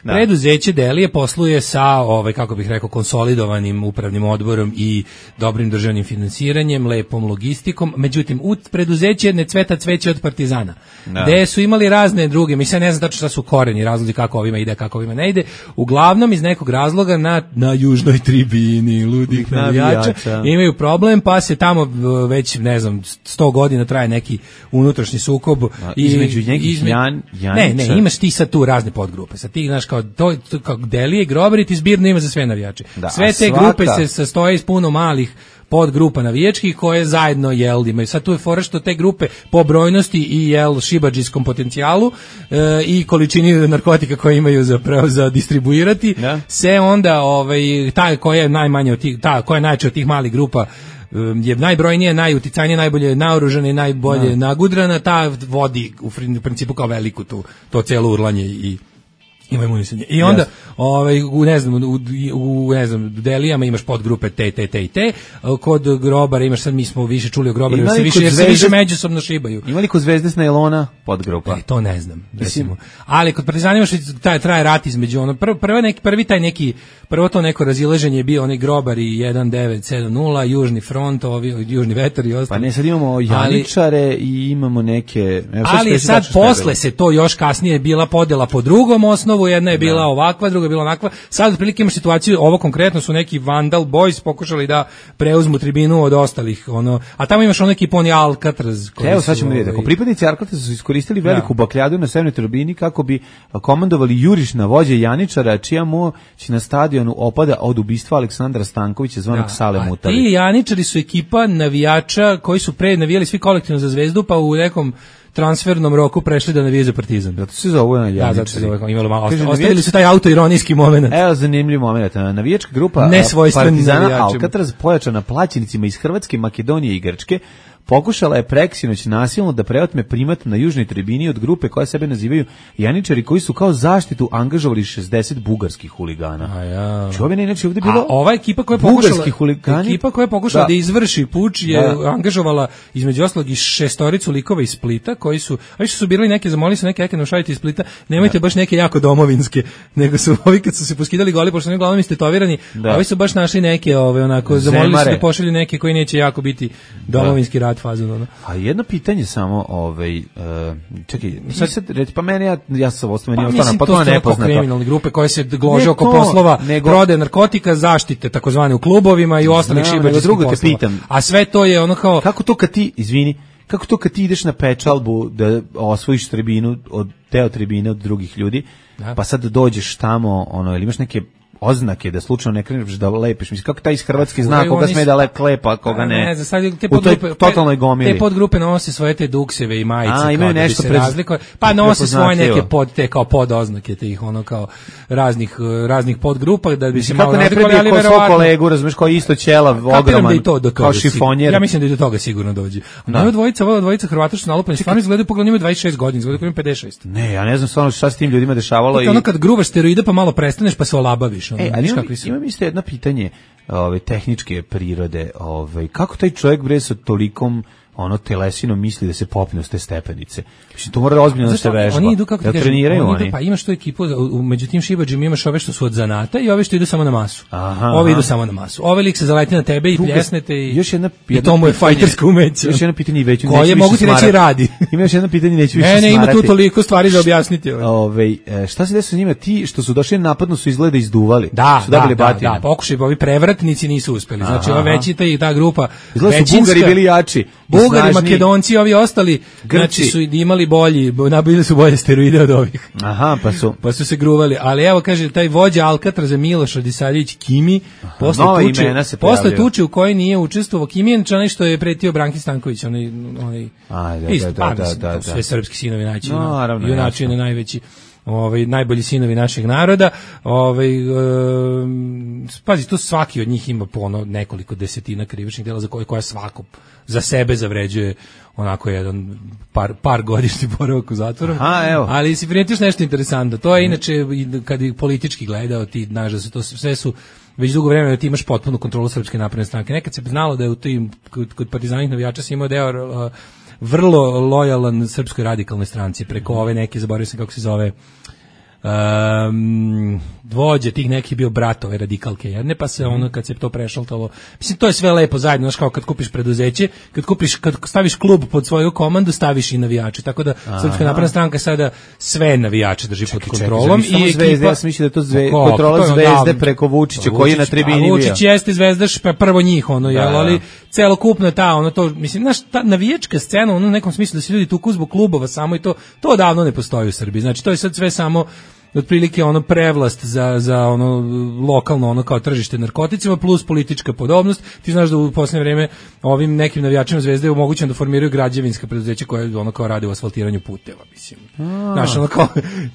Preduzeće Delije posluje sa kako bih rekao, konsolidovanim upravnim odborom i dobrim državnim finansiranjem, lepom logistikom. Međutim, u preduzeće ne cveta cveće od Partizana. Gde su imali razne druge, mislim, ne znam tačno šta su koreni, razlozi kako ovima ide, kako ovima ne ide. Uglavnom iz nekog razloga na južnoj tribini ludih navijača imaju problem, pa se tamo već, ne znam, 100 godina traje neki unutrašnji sukob između nekih Ne, imaš ti sad tu razne podgrupe. Sad ti, znaš, kao Delije, Grobarit i zbirno ima za sve navijače. Sve te grupe se sastoje iz puno malih podgrupa navijačkih koje zajedno imaju. Sad tu je fora što te grupe po brojnosti i šibadžijskom potencijalu i količini narkotika koje imaju za distribuirati, se onda ta koja je najmanje od tih, ta koja je najjača od tih malih grupa je najbrojnije, najuticajnije, najbolje naoružana i najbolje nagudrana, ta vodi u principu kao veliku to celo urlanje i ima imunisanje. I onda u Delijama imaš podgrupe te i te. Kod Grobara imaš, sad mi smo više čuli o Grobaru, jer se više međusobno šibaju. Ima li kod Zvezde s Nailona podgrupa? To ne znam. Ali kod Partizana imaš traje rat između prvo to neko razilaženje je bio onaj Grobar i 1970, Južni front, Južni vetar i ostalo. Pa ne, sad imamo Janičare i imamo neke... Ali sad posle se to još kasnije bila podjela po drugom osnovu, jedna je bila ovakva, druga je bila onakva. Sad otprilike imaš situaciju, ovo konkretno su neki Vandal Boys pokušali da preuzmu tribinu od ostalih, a tamo imaš neki poni Alcatraz. Evo sad ćemo vidjeti, ako pripadnici Alcatraza su iskoristili veliku bakljadu na severnoj tribini kako bi komandovali jurišna vođa Janičara, čija moć na stadionu opada od ubistva Aleksandra Stankovića zvanog Sale Mutavi. Ti Janičari su ekipa navijača koji su pre navijali svi kolektivno za Zvezdu, pa u nekom transfernom roku prešli da navijaju za Partizan. Zato se zove Janjičari. Da, zato se zove, imalo malo. Ostavili su taj autoironijski moment. Evo zanimljiv moment. Navijačka grupa Partizana Alcatraz pojačana plaćenicima iz Hrvatske, Makedonije i Grčke pokušala je preksinoć nasilno da preotme primat na južnoj tribini od grupe koja sebe nazivaju Janjičari, koji su kao zaštitu angažovali 60 bugarskih huligana. Čovjek inače ovdje bilo. A ova ekipa koja je pokušala da izvrši puč je angažovala između ostalog i 6 likova iz Splita koji su, a više su birali neke, zamolili su neke nošajte iz Splita, nemojte baš neke jako domovinske, nego su ovi kad su se poskidali goli, pošto oni uglavnom istetovirani, ovi su baš našli neke onako, zamolili su da pošalju neke koji neće jako biti domovinski rat fazon. A jedno pitanje samo, čekaj, sad reći, pa meni, ja sam ostao, meni ostao, pa to je nepoznato. Kriminalne grupe koje se glože oko poslova, prode narkotika, zaštite, takozvane u klubovima i ostalih šibačkih poslova. A sve to je ono kao... Kako to kad ti ideš na pečalbu da osvojiš tribinu, deo tribine od drugih ljudi, pa sad dođeš tamo, ili imaš neke oznake da slučajno ne kreneš da lepiš. Mislim, kako taj iz Hrvatske zna koga sme da klepa, koga ne. Ne znam, sad te totalnoj gomili. Te podgrupe nose svoje te dukseve i majice, imaju nešto razlikuje. Pa nose svoje neke kao podoznake tih kao raznih podgrupa da bi se malo razlikovali, ali verovatno. Kako ne predi svog kolegu, kao isto ćela, ogroman, kao šifonjer. Ja mislim da i do toga sigurno dođe. Ova dvojica Hrvata što nalupani, stvarno izgledaju, pogledaj, imaju 26 godina, izgledaju kao imaju 56. Ne, ja ne znam stvarno šta s tim ljudima dešavalo. Ono kad gruvaš steroide pa malo prestaneš pa se olabaviš. Imam isto jedno pitanje tehničke prirode. Kako taj čovjek bre sa tolikom telesinom misli da se popne s te stepenice? Mislim, to mora ozbiljno da se vežba. Oni idu, kako da treniraju oni. Pa imaš tu ekipu, među tim šibađima imaš ove što su od zanata i ove što idu samo na masu. Ovi idu samo na masu. Ove lik se zaleti na tebe i pljesnete i to mu je fajtersko umeće. Još jedno pitanje i već koje mogu ti reći radi. Ima još jedno pitanje, neću više smarati. Ne, ima tu toliko stvari za objasniti. Šta se desilo s njima? Ti što su došli napadno su izgleda izduvali. Da, pokušaj, ovi prevratnici nisu uspeli. Znači, ova većita i ta grupa, Bugari bili jači. Bugari, Makedonci, ovi ostali, znači su imali nabili su bolje steroide od ovih. Pa su se gruvali. Ali evo, kaže, taj vođa Alcatraza Miloš Radisavljević Kimi, posle tuče u kojoj nije učestvovao. Kimi je onaj što je pretio Branki Stanković, sve srpski sinovi naći, junači na najveći. Najbolji sinovi našeg naroda. Pazi, tu svaki od njih ima po nekoliko desetina krivičnih dela za koja svako za sebe zavređuje onako jedan par godišnji boravak u zatvoru. Ali si primetiš nešto interesantno. To je inače, kad bi politički gledao, ti znaš da se to sve su već dugo vremena da ti imaš potpunu kontrolu Srpske napredne stranke. Nekad se znalo da je u tim kod partizanih navijača se imao deo vrlo lojalan Srpskoj radikalnoj stranci preko ove neke, zaboravio sam kako se zove, vođe tih neki bio brat ove radikalke jedne, pa se kad se to prešaltalo, mislim, to je sve lepo zajedno, znaš, kao kad kupiš preduzeće, kad staviš klub pod svoju komandu, staviš i navijače, tako da Srpska napredna stranka sada sve navijače drži pod kontrolom. I ekipa, ja sam mislio da je to kontrola Zvezde preko Vučića koji je na tribini bio. Vučić jeste Zvezdaš, pa prvo njih, ali celokupno mislim, znaš, ta navijačka scena, u nekom smislu da se ljudi tuku zbog klubova samo i to odavno ne postoji u Srbiji, znači to je sad sve samo otprilike prevlast za lokalno kao tržište narkoticima plus politička podobnost. Ti znaš da u posljednje vrijeme ovim nekim navijačima Zvezde je omogućeno da formiraju građevinska preduzeća koje kao rade u asfaltiranju puteva, mislim. Znaš,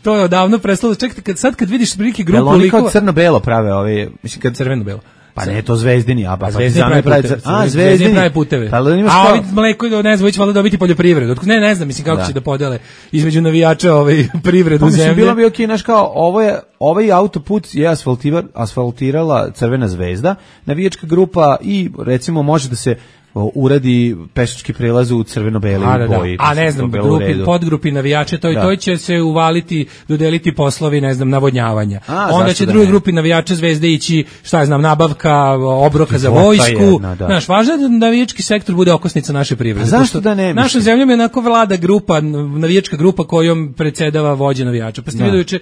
to je odavno prestalo. Čekaj, kad vidiš prilike grupu likova... Oni kao crno-belo prave mislim, crveno-belo. Pa ne, to Zvezdini, Zvezdini pravi puteve. A ovi mleko, ne znam, već valjda dobiti poljoprivredu. Ne znam, mislim, kako će da podele između navijača privredu zemlje. Bilo bi okej, znaš, kao, ovaj autoput je asfaltirala Crvena Zvezda, navijačka grupa i, recimo, može da se uradi pešački prelaz u crveno-beli boji. A ne znam, podgrupi navijače, to će se uvaliti, dodeliti poslovi, ne znam, navodnjavanja. Onda će drugi grupi navijača Zvezde ići, šta ja znam, nabavka obroka za vojsku. Znaš, važno je da navijački sektor bude okosnica naše privrede. Zašto da ne? Našom zemljom je onako vlada grupa, navijačka grupa kojom predsjedava vođa navijača. Pa ste vidio juče,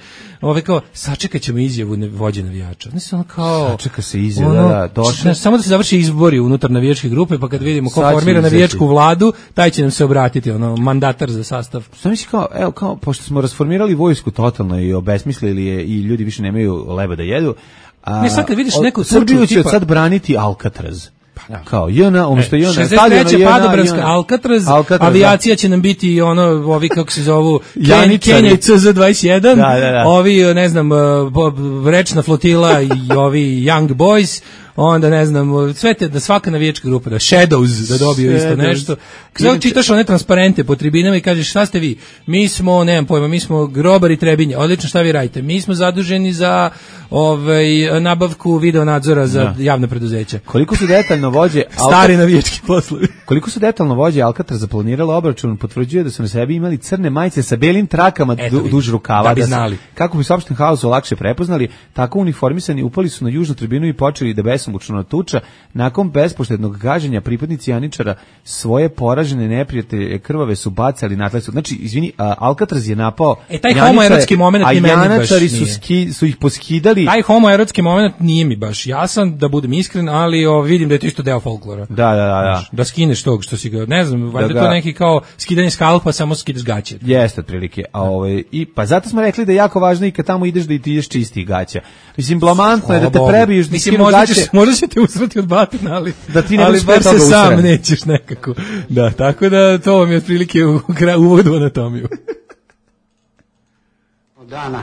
kao, sačekat ćemo izjavu vođe navijača. Sačeka se izjava, samo da se završi izbori unutar navijačke grupe, pa kad vidimo ko formira navijačku vladu, taj će nam se obratiti, mandatar za sastav. Šta misli kao, pošto smo rasformirali vojsku totalno i obesmislili je i ljudi više nemaju leba da jedu, sad kad vidiš neku Srbiju će sad braniti Alcatraz. Kao JNA, umjesto JNA, 63. Padobranska, Alcatraz, avijacija će nam biti ono, ovi kako se zovu, Kenja i CZ-21, ovi, ne znam, rečna flotila i ovi Young Boys, onda ne znam, sve te, da svaka navijačka grupa, da Shadows, da dobiju isto nešto. Kada čitaš one transparente po tribinama i kažeš šta ste vi? Mi smo, nemam pojma, mi smo grobari Trebinje. Odlično, šta vi radite? Mi smo zaduženi za nabavku video nadzora za javna preduzeća. Koliko su detaljno vođe stari navijački poslovi. Koliko su detaljno vođe Alcatraz planiralo obračun, potvrđuje da su na sebi imali crne majice sa belim trakama duž rukava, da bi znali. Kako bi sopšten haosu lakše prepoznali, tako uniformisani upali su na južnu tribinu i počeli da besomučno tuča. Nakon bespoštednog gaženja pripadnici Janičara svoje poražene neprijatelje krvave su bacali na tla. Znači, izvini, Alcatraz je napao taj homoerotski moment ni meni baš nije. A Janačari su ih poskidali. Taj homoerotski moment nije mi baš jasan, da budem iskren, ali vidim da je to isto deo folklora. Da. Da skineš tog što si ga, ne znam, valjda to neki kao skidanje skalpa, samo skidaš gaće. Jeste otprilike. Pa zato smo rekli da je jako važno i kad tamo ideš da ti ideš čistih gaća. Mislim, blamantno je da te prebiješ da skinu gaće. Možda će te usrati od batina, ali bar se sam nećeš nekako. Da, tako da to vam je otprilike uvod u anatomiju. Od dana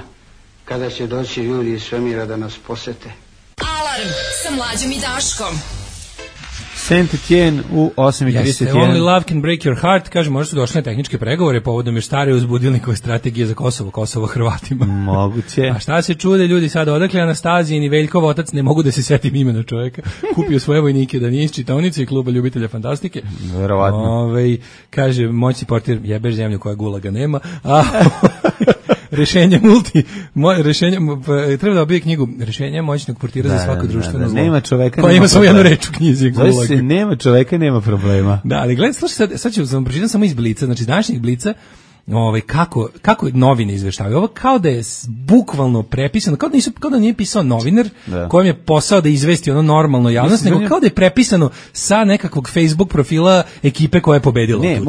kada će doći ljudi iz svemira da nas posete. Alarm sa Mlađom i Daškom. Saint-Étienne u 8:31. Jeste, only love can break your heart. Kaže, možda su došle na tehničke pregovore povodom još stare uzbudilnikove strategije za Kosovo Hrvatima. Moguće. A šta se čude ljudi sad, odakle Anastazijin i Veljkov otac, ne mogu da se setim imena čovjeka, kupio svoje vojnike da nije iz čitaonice i kluba ljubitelja fantastike. Verovatno. Kaže, moćni portir, jebeš zemlju koja gulaga nema. Treba da obije knjigu Rešenja moćnog portira za svako društveno zlo. Nema čoveka, koja ima samo jednu reč u knjizi. Gulag. Nema čoveka, nema problema. Da, ali gledaj, sad ću vam pročitam samo iz Blica, znači današnjeg Blica, kako novine izveštavaju. Ovo kao da je bukvalno prepisano, kao da nije pisao novinar kojem je posao da izvesti ono normalno javnost, nego kao da je prepisano sa nekakvog Facebook profila ekipe koja je pobedila. Ne,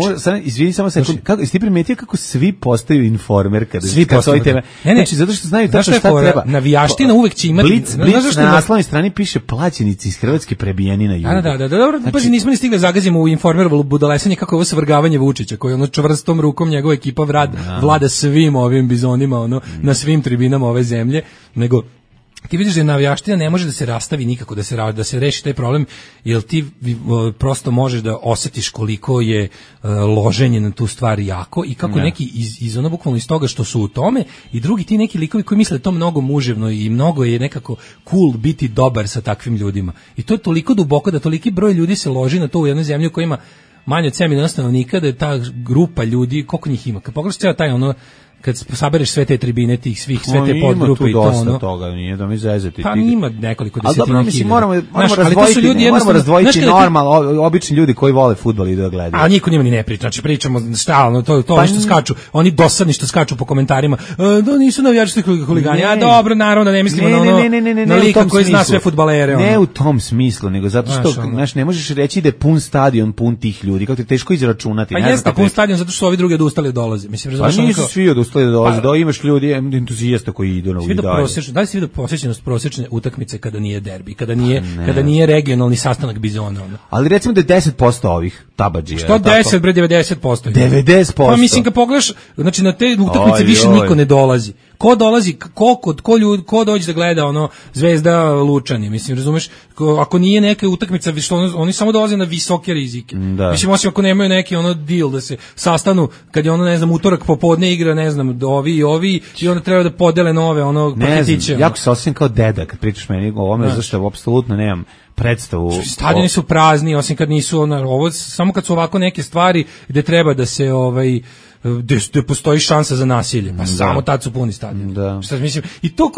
izvini samo sekund, jesi ti primetio kako svi postaju informer kada svi postaju teme? Znači, zato što znaju tačno šta treba. Navijaština uvek će imati. Blic na naslovnoj strani piše plaćenici iz Hrvatske prebijeni na jugu. Da, dobro, pa nismo ni stigli zagazimo u informerovo budalesanje kako je ovo svrgavanje Vučića, koji ono čvrstom rukom njegove ekipa vlada svim ovim bizonima, na svim tribinama ove zemlje, nego ti vidiš da navijaština ne može da se rastavi nikako, da se reši taj problem, jer ti prosto možeš da osjetiš koliko je loženje na tu stvar jako i kako neki iz ono bukvalno iz toga što su u tome i drugi ti neki likovi koji misle da to mnogo muževno i mnogo je nekako cool biti dobar sa takvim ljudima. I to je toliko duboko da toliki broj ljudi se loži na to u jednoj zemlji koja ima manje od 7 miliona stanovnika, da je ta grupa ljudi, koliko njih ima? Kad pogledaš cijela taj kad sabereš sve te tribine tih svih, sve te podgrupe i to ima tu dosta toga, nije da mi zezati. Pa ima nekoliko desetina. Ali dobro, mislim, moramo razdvojiti normalno, obični ljudi koji vole fudbal i da gledaju. A niko njima ni ne priča, znači pričamo stalno, to što skaču, oni dosadni što skaču po komentarima, da nisu navijački huligani, a dobro, naravno da ne mislimo na lika koji zna sve fudbalere. Ne u tom smislu, nego zato što, znaš, ne možeš reći da je pun stadion, pun tih ljudi, kako ti teško izračunati. Pa jeste pun stadion zato što ovi drugi odustali dolaze. Mislim, da imaš ljudi entuzijasta koji idu na uvidanje. Da li si vidio posjećenost prosječne utakmice kada nije derbi, kada nije regionalni sastanak bizona? Ali recimo da je 10% ovih tabadžija. Što 10, bre, 90%. 90%. Pa mislim kad pogledaš, znači na te utakmice više niko ne dolazi. Ko dolazi, ko dođe da gleda Zvezda Lučani, mislim, razumeš? Ako nije neka utakmica, oni samo dolaze na visoke rizike. Mislim, osim ako nemaju neki deal da se sastanu, kad je ne znam, utorak popodne igra, ne znam, ovi i onda treba da podele nove, paketiće. Jako se osjećam kao deda kad pričaš meni o ovome, zašto apsolutno nemam predstavu. Stadioni su prazni, osim kad nisu, ovo, samo kad su ovako neke stvari gde treba da se, gde postoji šansa za nasilje, pa samo tad su puni stadioni. Šta mislim? I to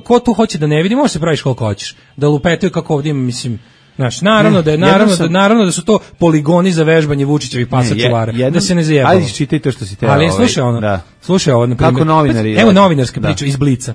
ko tu hoće da ne vidi, može se praviš koliko hoćeš, da lupetaju kako ovdje ima, mislim, znaš, naravno da su to poligoni za vežbanje Vučićevih pasa čuvara, da se ne zajebalo. Ajde, čitaj to što si te. Ali slušaj ono, na primjer. Kako novinari. Evo novinarska priča iz Blica.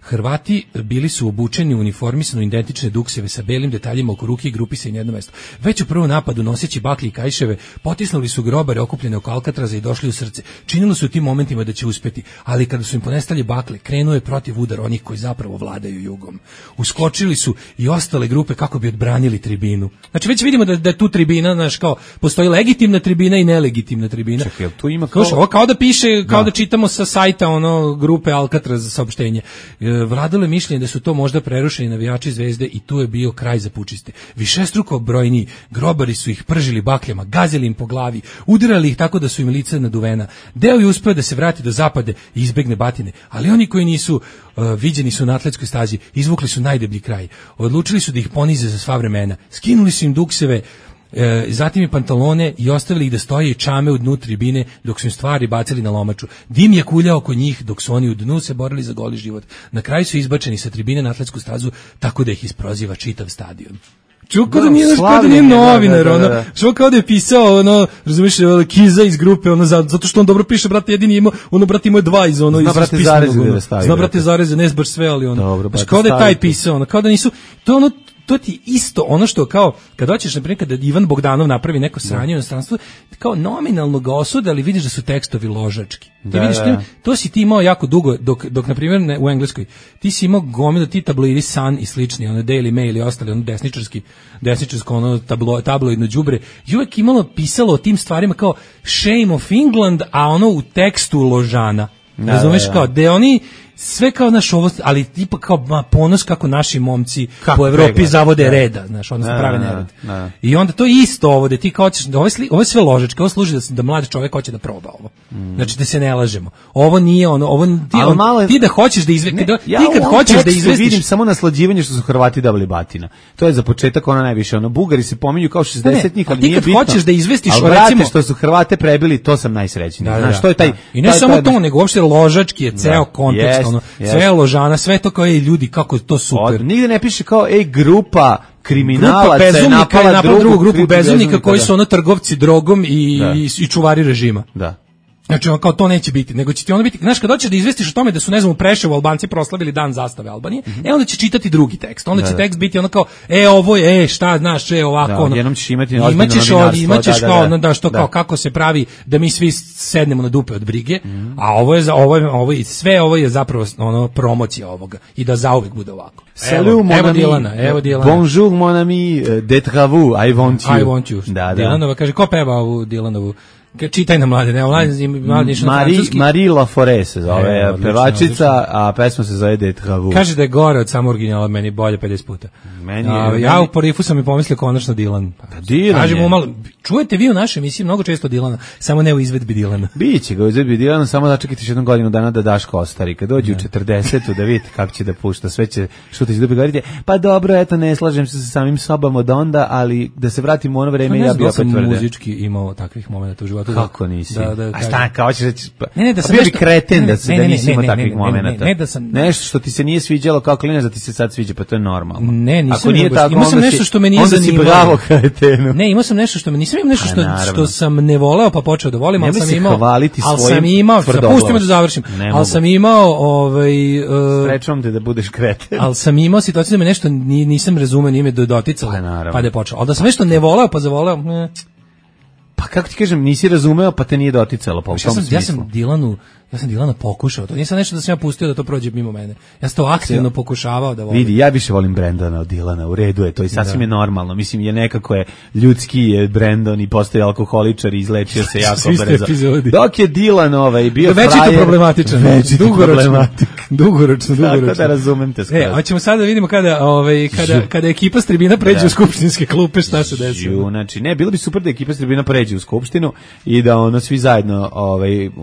Hrvati bili su obučeni u uniformisano identične dukseve sa belim detaljima oko ruke i grupisani na jedno mesto. Već u prvom napadu, noseći baklje i kajševe, potisnuli su grobare okupljene oko Alcatraza i došli u srce. Činilo se u tim momentima da će uspeti, ali kada su im ponestali bakle, krenuo je protiv udar onih koji zapravo vladaju jugom. Uskočili su i ostale grupe kako bi odbranili tribinu. Znači već vidimo da je tu tribina, znaš, kao postoji legitimna tribina i nelegitimna tribina. Čekaj, tu ima kao... Ovo kao da piše, kao da čitamo sa sajta grupe Alcatraz za saopštenje. Vladalo je mišljenje da su to možda prerušeni navijači Zvezde i tu je bio kraj za pučiste. Višestruko brojniji grobari su ih pržili bakljama, gazili im po glavi, udarali ih tako da su im lica naduvena. Deo je uspeo da se vrati do zapade i izbegne batine, ali oni koji nisu viđeni su na atletskoj stazi, izvukli su najdeblji kraj. Odlučili su da ih ponize za sva vremena. Skinuli su im dukseve, zatim i pantalone i ostavili ih da stoje i čame u dnu tribine dok su im stvari bacili na lomaču. Dim je kuljao oko njih dok su oni u dnu se borili za goli život. Na kraju su izbačeni sa tribine na atletsku stazu tako da ih isproziva čitav stadion. Čuo kao da nije novinar, što kao da je pisao, razumiješ, Kiza iz grupe, zato što on dobro piše, brate, jedini imao, brate, imao je dva iz Zna, brate, zareze, ne baš sve, ali kao da je taj pisao, kao da nisu, to ti isto ono što kao kad hoćeš na primjer kada Ivan Bogdanov napravi neko sranje u inostranstvu, kao nominalno ga osude, ali vidiš da su tekstovi ložački. Ti vidiš to si ti imao jako dugo dok na primjer u Engleskoj ti si imao gomilu ti tabloidi Sun i slični, Daily Mail i ostali desničarsko tabloidno đubre i uvek pisalo o tim stvarima kao Shame of England, a u tekstu ložana. Razumeš kao da oni sve kao naš ovo, ali tipa kao ponos kako naši momci po Evropi zavode reda, znaš, odnosno prave nered. I onda to je isto ovo, da ti kao hoćeš, ovo je sve ložečke, ovo služi da mlad čovjek hoće da proba ovo. Znači da se ne lažemo. Ovo nije ti da hoćeš da izvestiš, ti kad hoćeš da izvestiš, vidim samo naslađivanje što su Hrvati dobili batina. To je za početak najviše, Bugari se pominju kao 60-njih, ali nije bitno. Ti kad hoćeš da izvestiš, recimo što su Hrvate prebili, to sam najsrećniji. Znaš, to je taj. I ne samo to, nego uopšte ložački je ceo kontekst. Sve ložana, sve to kao ljudi, kako je to super. Nigde ne piše kao grupa kriminalaca je napala drugu grupu bezumnika koji su trgovci drogom i čuvari režima. Da. Znači, kao to neće biti, nego će ti onda biti, znaš, kad hoćeš da izvestiš o tome da su, ne znam, u Preševu Albanci proslavili dan zastave Albanije, onda će čitati drugi tekst, onda će tekst biti kao, ovo je, šta, znaš, ovako, jednom ćeš imati imaćeš kao, kako se pravi da mi svi sednemo na dupe od brige, a ovo je zapravo promocija ovoga i da zauvek bude ovako. Evo Dilana. Bonjour mon ami, d'être vous, I want you. Dilanova kaže, ko peva ovu Dilanovu? Čitaj na mlade, Marie Laforêt se zove pevačica, a pesma se zove D'être vous. Kaže da je gore od samo originala, meni bolje 50 puta. Ja u porifu sam i pomislio konačno Dilan. Kažemo malo, čujete vi u našoj emisiji mnogo često Dilana, samo ne u izvedbi Dilana. Biće ga u izvedbi Dilana, samo da čekajte jednu godinu dana da Daško ostari. Kad dođe u 40-u da vidite kako će da pušta, sve će šutiti dupe, govorite, pa dobro, eto, ne slažem se sa samim sobom od onda, ali da se vratimo u ono vreme, ja bi opet tvrde. Ne muzički imao takvih momenta u životu. Kako nisi? A šta, kao ćeš reći? Ne, da sam bio bi kreten da nisi imao takvih momenta. Nešto što ti se nije sviđalo kao klinac da ti se sad sviđa, pa to je normalno. Ne, nisam. Imao sam nešto što me nije zanimalo. Onda si bravo kretenu. Ne, imao sam nešto što me nisam imao nešto što sam ne voleo pa počeo da volim, ali sam imao. Pusti me da završim. Ali sam imao sprečavam te da budeš kreten. Ali sam imao situaciju da me nešto nisam razumeo, nije me doticalo. Pa da je počeo. Ali da sam nešto ne voleo pa zavoleo. Pa kako ti kažem, nisi razumeo, pa te nije doticalo po tom smislu. Ja sam Dilana pokušao, to nisam nešto da sam ja pustio da to prođe mimo mene. Ja sam to aktivno pokušavao da volim. Vidi, ja više volim Brendona od Dilana, u redu je to i sasvim je normalno. Mislim, je nekako je ljudski je Brendon i postoji alkoholičar i izlečio se jako brzo. Dok je Dilan bio frajer... Već je to problematičan. Dugoročno. Tako da razumem te skoro. Hoćemo sada da vidimo kada ekipa s tribina pređe u skupštinske klupe, šta se desi. Znači, ne, bilo bi super da ekipa s tribina pređe u skupštinu i da svi zajedno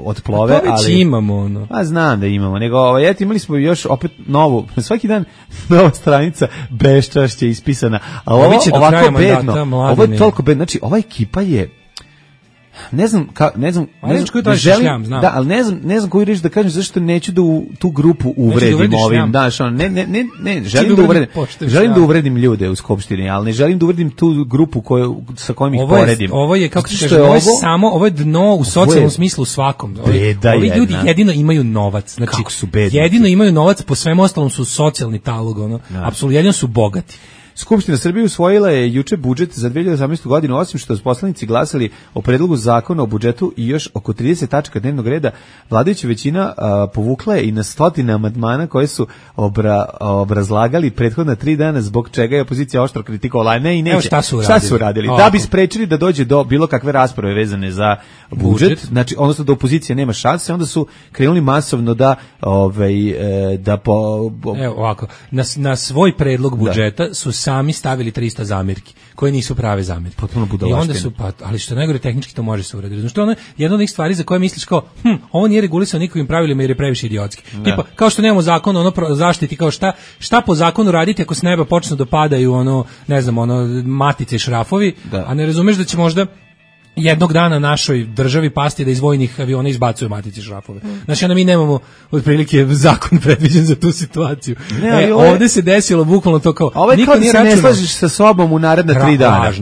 otplove, ali imamo Pa znam da imamo, nego imali smo još opet novu, svaki dan nova stranica beščašće ispisana, a ovo ovako bedno, ovo je toliko bedno, znači ova ekipa je ne znam, da, ali ne znam koju reč da kažem, zašto neću da u tu grupu uvredim ovim, daš, ne, želim da uvredim ljude u skupštini, ali ne želim da uvredim tu grupu sa kojom ih poredim. Ovo je, kako se kaže, ovo je dno u socijalnom smislu svakom. Ovi ljudi jedino imaju novac, znači, jedino imaju novac, po svemu ostalom su socijalni talog, apsolutno, jedino su bogati. Skupština Srbije usvojila je juče budžet za 2018. godinu, osim što su poslanici glasali o predlogu zakona o budžetu i još oko 30 tačaka dnevnog reda, vladajuća većina povukla je i na stotine amandmana koje su obrazlagali prethodna 3 dana, zbog čega je opozicija oštro kritikovala. Ne i neće. Evo šta su uradili? Da bi sprečili da dođe do bilo kakve rasprave vezane za budžet, znači odnosno da opozicija nema šanse, onda su krenuli masovno da Evo ovako, na svoj predlog budžeta su sami stavili 300 zamirki, koje nisu prave zamirke. Potpuno budalaštine. I onda su, ali što najgore, tehnički to može se uraditi. Znači, ono je jedna od onih stvari za koje misliš kao, ovo nije regulisano nikakvim pravilima jer je previše idiotski. Tipa, kao što nemamo zakon o zaštiti, kao šta po zakonu raditi ako s neba počnu da padaju matice i šrafovi, a ne razumeš da će možda jednog dana našoj državi pasti da iz vojnih aviona izbacuju matice šrafove. Znači, onda mi nemamo otprilike zakon predviđen za tu situaciju. Ovde se desilo bukvalno to kao... Ovo je kao da se ne slažeš sa sobom u naredna 3 dana.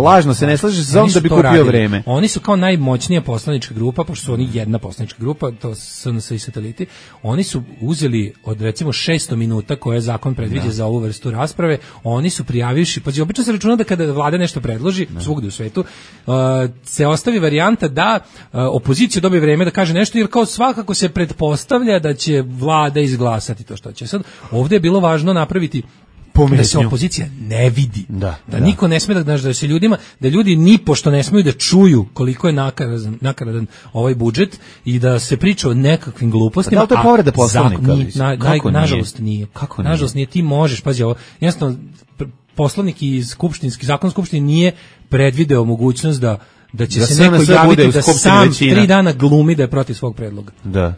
Lažno se ne slažeš sa sobom da bi kupio vreme. Oni su kao najmoćnija poslanička grupa, pošto su oni jedna poslanička grupa, to SNS i sateliti, oni su uzeli od recimo 600 minuta koje zakon predviđa za ovu vrstu rasprave, oni su prijavivši, pa obično se računa da kada vlada nešto predloži, svugde u svetu, se ostavi varijanta da opozicija dobije vreme da kaže nešto, jer kao svakako se pretpostavlja da će vlada izglasati to što će. Sad, ovdje je bilo važno napraviti da se opozicija ne vidi, da niko ne sme da se ljudima, da ljudi nipošto ne smeju da čuju koliko je nakaradan ovaj budžet i da se priča o nekakvim glupostima. Da, to je povreda Poslovnika. Nažalost nije. Nažalost nije, ti možeš, pazi ovo, jednostavno Poslovnik i zakon skupštine nije predvideo mogućnost da će se neko javiti da sam 3 dana glumi da je protiv svog predloga.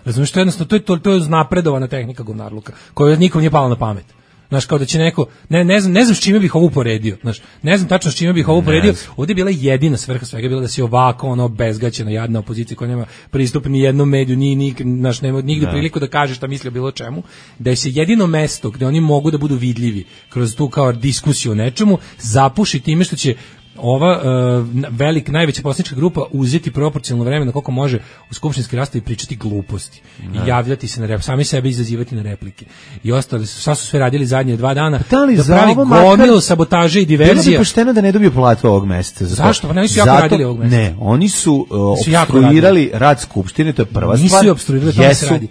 Razumiješ, to je jednostavno, to je napredovana tehnika govnarluka, koja nikom nije pala na pamet. Znaš, kao da će neko, ne znam s čime bih ovo uporedio, znaš, ne znam tačno s čime bih ovo uporedio, ovdje je bila jedina svrha svega, bila da si ovako, bezgaćena, jadna opozicija koja nema pristup ni jednom mediju, nema nigde priliku da kaže šta misli o bilo čemu, da je se jedino mesto gde oni mogu da budu vidljivi kroz tu kao diskusiju o nečemu, zapuši time što će ova najveća poslanička grupa uzeti proporcionalno vremena koliko može u skupštinski raspravi pričati gluposti i javljati se sami sebe izazivati na replike. I ostali su, šta su sve radili zadnje 2 dana? Da pravi gomilu sabotaže i diverzije. Bilo bi pošteno da ne dobiju platu ovog meseca. Zašto? Pa ne, su jako radili ovog meseca. Ne, oni su opstruirali rad skupštine, to je prva stvar. Nisu opstruirali, to se radi.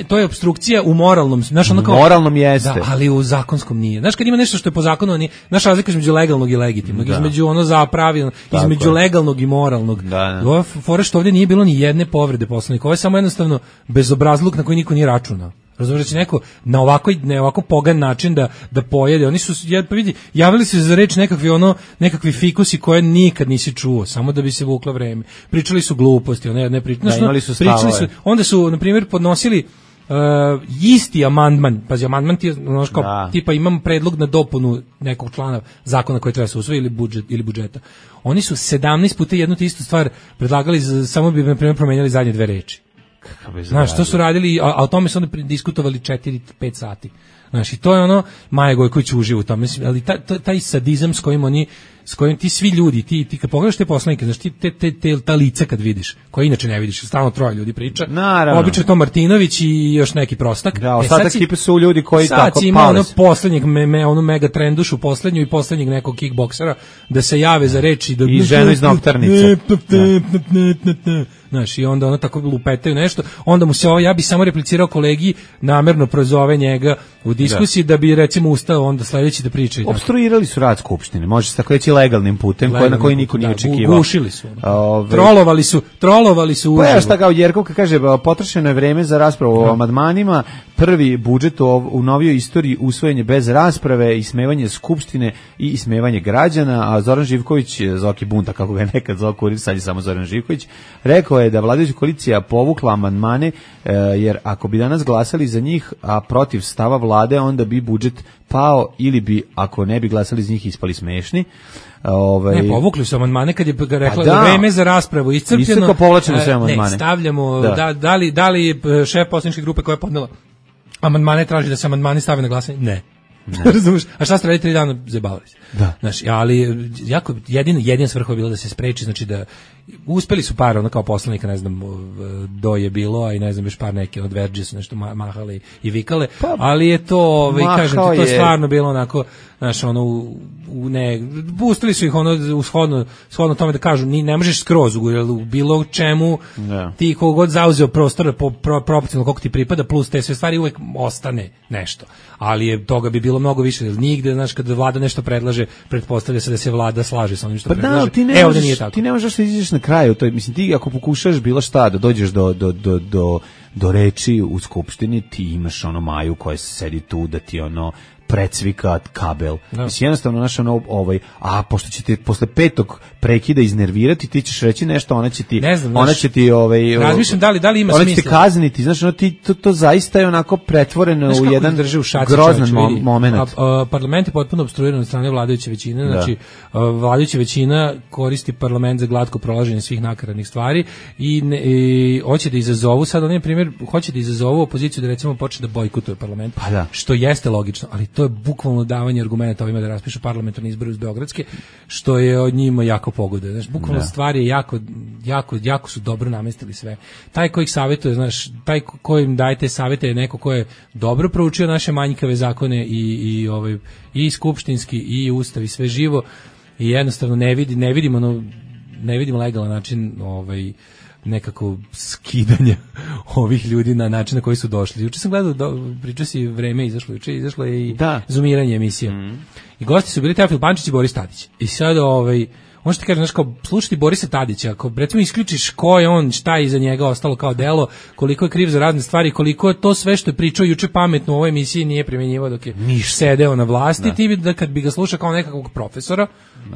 To je opstrukcija u moralnom, moralnom jeste. Da, ali u zakonskom nije. Znaš, kad ima nešto što je po zakonu, naša razlika između legalnog i legitimnog, između za pravilno, između legalnog i moralnog. Ova fora što ovdje nije bilo ni jedne povrede Poslovnika. Ovo je samo jednostavno bezobrazluk na koji niko nije računao. Razumiješ da će neko na ovako pogan način da pojede. Oni su, vidi, javili se za reč nekakvi fikusi koje nikad nisi čuo, samo da bi se vuklo vreme. Pričali su gluposti, imali su stavove. Onda su, na primjer, podnosili isti amandman, pazi, amandman ti je tipa imam predlog na dopunu nekog člana zakona koji treba se usvoji ili budžeta. Oni su 17 puta jednu te istu stvar predlagali, samo bi, na primjer, promenjali zadnje 2 reči. Znaš, to su radili, a o tome su onda diskutovali 4-5 sati. Znaš, i to je Maja Gojković uživa u tome, ali taj sadizam s kojim ti svi ljudi, ti kad pogledaš te poslanike, znaš, ta lica kad vidiš, koje inače ne vidiš, stalno 3 ljudi priča, obično je to Martinović i još neki prostak. Da, ostatak ekipe su ljudi koji tako pale. Sad ima poslednjeg, mega trendušu poslednju i poslednjeg nekog kickboksera da se jave za reči. I ženu iz noktarnice. Znaš, i onda tako lupetaju nešto, onda mu se ja bi samo replicirao kolegi, namerno prozove njega u diskusiji da bi recimo ustao onda sledeći da priča. Opstruirali su rad skupštine, može se tako reći legalnim putem, na koji niko nije očekivao. Gušili su. Trolovali su. Pa ja šta kao Jerkovka kaže, potrošeno je vreme za raspravu o amandmanima, prvi budžet u novijoj istoriji usvojen je bez rasprave, ismevanje skupštine i ismevanje građana, a Zoran Živković, Zoki Bunta, kako ga je nekad zvao Kurir, sad je samo Zoran Živković, rekao lepo je da vladajuća koalicija povukla amandmane, jer ako bi danas glasali za njih, a protiv stava vlade, onda bi budžet pao ili bi, ako ne bi glasali za njih, ispali smešni. Ne, povukli su amandmane kad je rekla da vreme za raspravu iscrpljeno. Povlačeno sve amandmane. Ne, stavljamo, da li šef poslaničke grupe koja je podnela amandmane traži da se amandmani stave na glasanje? Ne. Razumeš? A šta ste radili 3 dana? Zabavili se. Da. Znaš, ali jako jedina svrha je bila da se spreči, znači da uspeli su par, ono kao poslanika, ne znam, do je bilo, a i ne znam, još par neke od Verđe su nešto mahale i vikale, ali je to, kažem ti, to je stvarno bilo onako, znaš, ono, pustili su ih ono shodno tome da kažu, ne možeš skroz u bilo čemu, ti kogod zauzeo prostor proporcionalno koliko ti pripada, plus te sve stvari, uvek ostane nešto. Ali je toga bi bilo mnogo više, jer nigde, znaš, kada vlada nešto predlaže, pretpostavlja se da se vlada slaže sa onim što predlaže. Ovde nije tako. Ti ne možeš da izađeš na kraju, to je, mislim, ti ako pokušaš bilo šta da dođeš do reči u skupštini, ti imaš ono Maju koja sedi tu da ti ono precvika kabel. Mislim, jednostavno naš ono, a pošto će ti posle 5. prekida iznervirati, ti ćeš reći nešto, ona će ti razmišljam da li ima smisla. Ona će te kazniti, znaš, ono, to zaista je onako pretvoreno u jedan grozan moment. Parlament je potpuno opstruiran od strane vladajuće većine, znači vladajuća većina koristi parlament za glatko prolaženje svih nakaradnih stvari i hoće da izazovu, sad on je primjer, hoće da izazovu opoziciju da recimo počne da bojkotuje parlament, što jeste logično, ali to je bukvalno davanje argumenta ovima da raspišu parlamentarni izbori uz beogradske, što je od njima jako pogoduje. Znaš, bukvalno stvari je jako su dobro namestili sve. Taj koji ih savjetuje, znaš, taj kojim dajete savjete je neko ko je dobro proučio naše manjkave zakone i skupštinski i ustav i sve živo i jednostavno ne vidimo legalan način nekako skidanja ovih ljudi na način na koji su došli. Juče sam gledao, pričao si Vreme izašlo je i zoomiranje emisije. I gosti su bili Teofil Pančić i Boris Tadić. I sad možete kažem, znaš, kao slušati Borisa Tadića, ako recimo isključiš ko je on, šta je iza njega ostalo kao delo, koliko je kriv za razne stvari, koliko je to sve što je pričao juče pametno u ovoj emisiji nije primjenjivao dok je sedeo na vlasti, ti bi da kad bi ga slušao kao nekakvog profesora,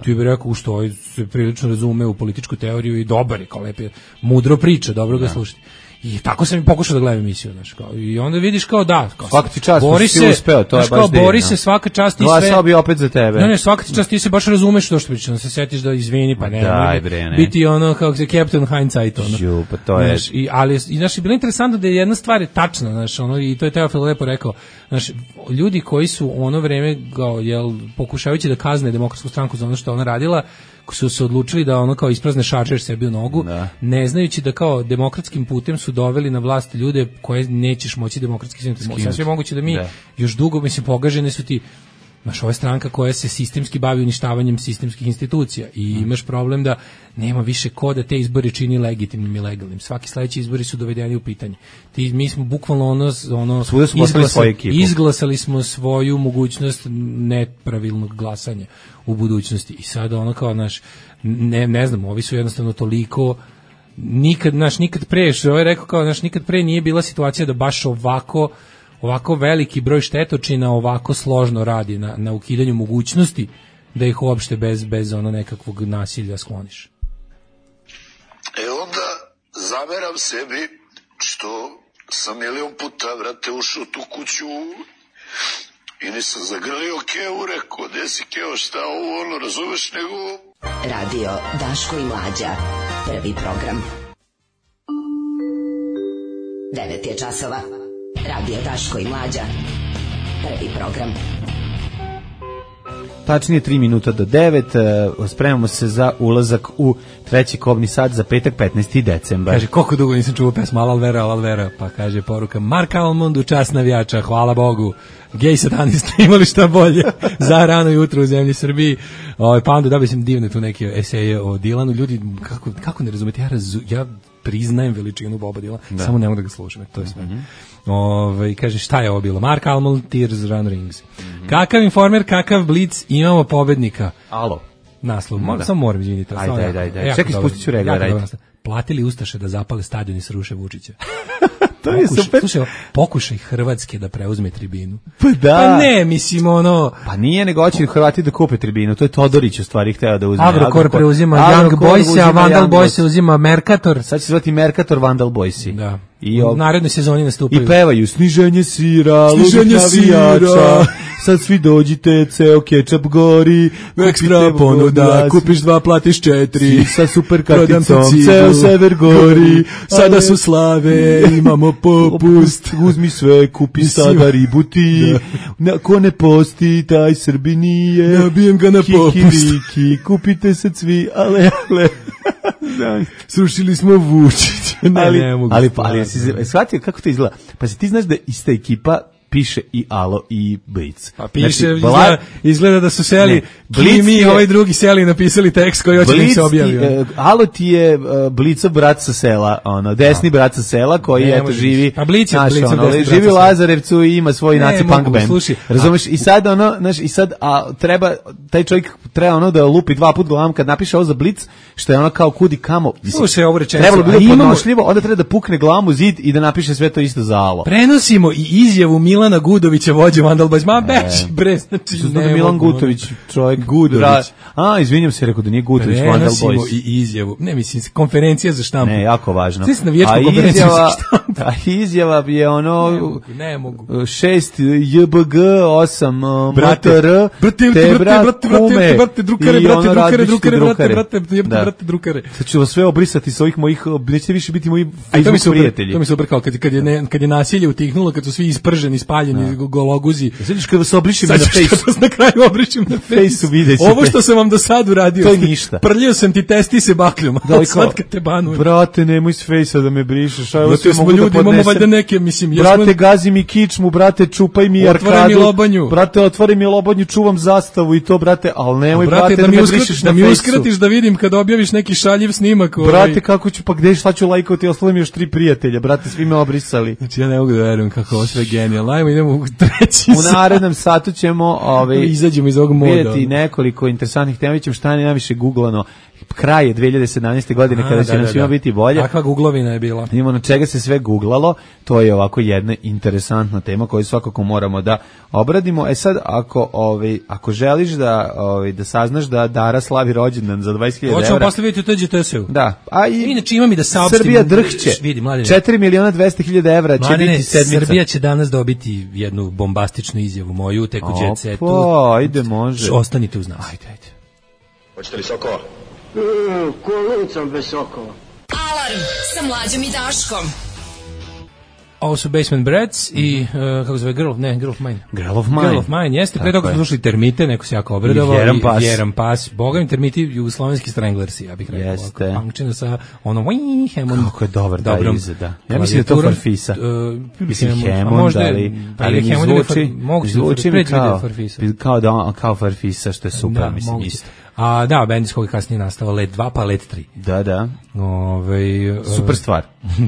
ti bi rekao što se prilično razume u političku teoriju i dobar je, kao lepo, mudro priča, dobro ga slušati. I tako sam i pokušao da gledam emisiju, znaš, kao, i onda vidiš kao svaka ti čast, si uspeo, to je baš divno. Bori se, svaka čast ti sve. Glasao bi opet za tebe. Ne, svaka ti čast, ti se baš razumeš to što pričaš, da se setiš da izvini, pa ne. Biti ono, kako se Captain Hindsight, ono. Pa to je. Ali, znaš, bilo interesantno da je jedna stvar je tačna, znaš, ono, i to je Teofil lepo rekao, znaš, ljudi koji su ono vreme, pokušavajući da kazne Demokratsku stranku za ono što ona radila, su se odlučili da ono kao isprazne šarđer sebi u nogu, ne znajući da kao demokratskim putem su doveli na vlast ljude koje nećeš moći demokratski skinuti. Sve moguće da mi još dugo, mislim, pogažene su ti, znaš, ova stranka koja se sistemski bavi uništavanjem sistemskih institucija i imaš problem da nema više ko da te izbori čini legitimnim i legalnim. Svaki sledeći izbori su dovedeni u pitanje. Mi smo bukvalno izglasali smo svoju mogućnost nepravilnog glasanja u budućnosti. I sad ono kao, naš, ne znam, ovi su jednostavno toliko nikad pre, što je rekao kao, nikad pre nije bila situacija da baš ovako veliki broj štetočina ovako složno radi na ukidanju mogućnosti da ih uopšte bez ono nekakvog nasilja skloniš. Onda zameram sebi što sam milion puta, vrate, ušao u tu kuću i nisam zagrlio Kevu, rekao, gde si Kevo, šta ovo, ono, razumeš, nego... Radio Daško i Mlađa, prvi program. 9 je časova. Radio Daško i Mlađa, prvi program. Tačnije 3 minuta do 9, spremamo se za ulazak u treći kobni sat za petak 15. decembar. Kaže, koliko dugo nisam čuo pesmu Alvera, pa kaže poruka Mark Almond u čast navijača, hvala Bogu. Gej satanista imali šta bolje za rano jutro u zemlji Srbiji. Pa onda dobio sam divne tu neke eseje o Dilanu. Ljudi, kako ne razumete, ja priznajem veličinu Boba Dilana, samo ne mogu da ga slušam, to je sve. Kaže, šta je ovo bilo? Mark Almond, Tears Run Rings. Kakav informer, kakav blic, imamo pobednika. Alo. Naslov, samo moram izviniti. Ajde. Čekaj, spustit ću regler, ajde. Platili Ustaše da zapale stadion i sruše Vučića. To je super. Slušaj, pokušaj Hrvatske da preuzme tribinu. Pa da. Pa ne, mislim, ono... Pa nije, nego hoće Hrvati da kupe tribinu. To je Todorić u stvari hteo da uzme. Agrokor preuzima Young Boys, a Vandal Boys uzima Mercator. Sad će se zvati Mercator Vandal Boysi. Da. U narednoj sezoni nastupaju. I pevaju sniženje sira, sniženje navijača. Sad svi dođite, ceo kečap gori, ekstra ponuda, kupiš 2, platiš 4. Sa super karticom, ceo sever gori. Sada su slave, imamo popust. Uzmi sve, kupi sada ribu ti. Ko ne posti, taj Srbi nije. Nabijem ga na popust. Kupite se svi, ale. Srušili smo Vučić. Ali shvatio kako to izgleda? Pa si ti znaš da ista ekipa piše i Alo i Blic. Pa piše, izgleda da su seli, mi ovaj drugi seli napisali tekst koji hoće da se objavi. Alo ti je Blicov brat sa sela, desni brat sa sela koji eto živi. Pa Blic je Blicov desni živi u Lazarevcu i ima svoj naci punk band. Razumeš? I sad treba taj čovjek treba da lupi 2 puta glavom kad napiše ovo za Blic, što je kao kud i kamo. Slušaj, ovo rečenicu. Trebalo bi podnošljivo, onda treba da pukne glavom u zid i da napiše sve to isto za Alo. Prenosimo i izjavu Milana Gudovića, vođe Vandal Boys. Ma beći, bre, znači ne Milan Gutović, čovjek Gudović. Izvinjam se, rekao da nije Gutović Vandal Boys. Prenosimo i izjavu. Ne, mislim, konferencija za štampu. Ne, jako važno. Ti si na vječku konferenciju za štampu. A izjava bi je ono... Ne mogu. 6 JBG, 8 MTR, brate, drukare. Sad ću vas sve obrisati s ovih mojih, nećete više biti moji Facebook prijatelji. To mi se super kao kad je nasilje utihnulo, kad su svi isprženi, spaljeni, gologuzi. Sviđaš kada vas obrišim na Face. Sad na kraju obrišim na Face. Ovo što sam vam do sad uradio. To je ništa. Prljio sam ti testise bakljom. Sad kad te banujem. Brate, nemoj s Face-a da me brišeš. Brate, smo ljudi, imamo valjda neke, mislim. Brate, gazi mi kičmu, brate, čupaj mi arkadu. Otvori mi lobanju. Brate, otvori mi lobanju, čuvam zastavu i to, brate, ali nemoj, brate, da me brišeš na Face-u. Da mi uskratiš da vidim kad objaviš neki šaljiv snimak. Brate, kako ću, pa gde šta ću lajkovati, ostalo mi još 3 prijatelja, brate, svi me obrisali. Znači, ja ne mogu da verujem kako ovo sve genijalno. Ajmo, idemo u treći U narednom satu ćemo izađemo iz ovog moda. Vidjeti nekoliko interesantnih tema, ćemo šta je najviše googlano. Kraj je 2017. godine kada će nam svima biti bolje. Kakva googlovina je bila? Imamo na čega se sve googlalo, to je ovako jedna interesantna tema koju svakako moramo da obradimo. Sad, ako želiš da saznaš da Dara slavi rođendan za 20.000 evra... Hoćemo posle vidjeti u TGTS-u. Da. Inače imam i da saopštim... Srbija drhće. 4.200.000 evra će biti sedmica. Srbija će danas dobiti jednu bombastičnu izjavu moju, tek u Jet Setu. Ajde, može. Ostanite uz nas. Ajde. Hoćete li sokova? Kolicom bez sokova. Alarm sa Mlađom i Daškom. Ovo su Basement Brats i, kako zove, Girl of Mine. Girl of Mine, jeste. Pre toga smo slušali Termite, neko se jako obradovao. I Jeran Pas. Boga mi Termiti, jugoslovenski Stranglersi, ja bih rekao. Jeste. Punkčeno sa ono, kako je dobar taj izad, da. Ja mislim da je to Farfisa. Mislim Hammond, ali mi zvuči mi kao Farfisa, što je super, mislim isto. A da, bend iz koga kasnije nastava Let 2 pa Let 3. Da. Super stvar.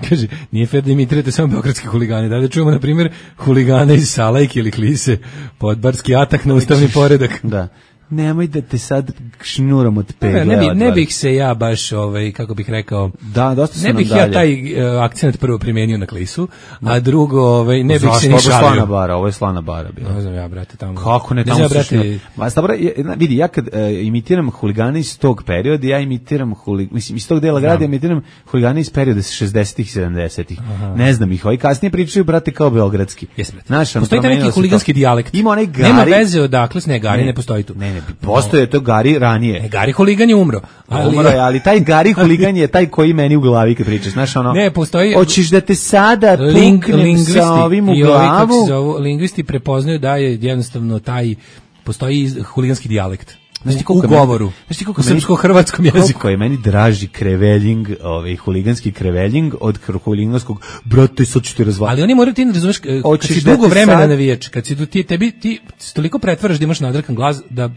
Kaže, nije fair da imitirate samo beogradski huligani. Da čujemo, na primjer, huligane iz Salajke ili Klise, podbarski atak na ustavni poredak. Da. Nemoj da te sad šnuram od pegle. Ne bih se ja baš, kako bih rekao, da, dosta ne bih ja taj akcent prvo primenio na Klisu, a drugo, ne bih se ni šalio. Ovo je slana bara bila. Ne znam ja, brate, tamo. Kako ne, tamo su vidi, ja kad imitiram huligane iz tog perioda, ja imitiram mislim, iz tog dela grada, imitiram huligane iz perioda 60-ih, 70-ih. Ne znam ih, ovi kasnije pričaju, brate, kao beogradski. Postoji taj neki huliganski dijalekt. Ima onaj Gari. Nema veze odakle, ne, Gari ne postoji tu. Postoje to Gari ranije. Gari huligan je umro. Ali taj Gari huligan je taj koji meni u glavi kad pričaš, znaš ono. Ne, postoji. Hoćeš da te sada puknem sa ovim u glavu. Lingvisti prepoznaju da je jednostavno postoji huliganski dijalekt. U govoru, u srpsko-hrvatskom jeziku. Koliko je meni draži kreveljing, huliganski kreveljing od huliganskog, brate, sad ću ti razvaliti. Ali oni moraju ti ne razumeš, kad si dugo vremena navijač, kad si ti toliko pretvaraš da imaš nadrkan glas, da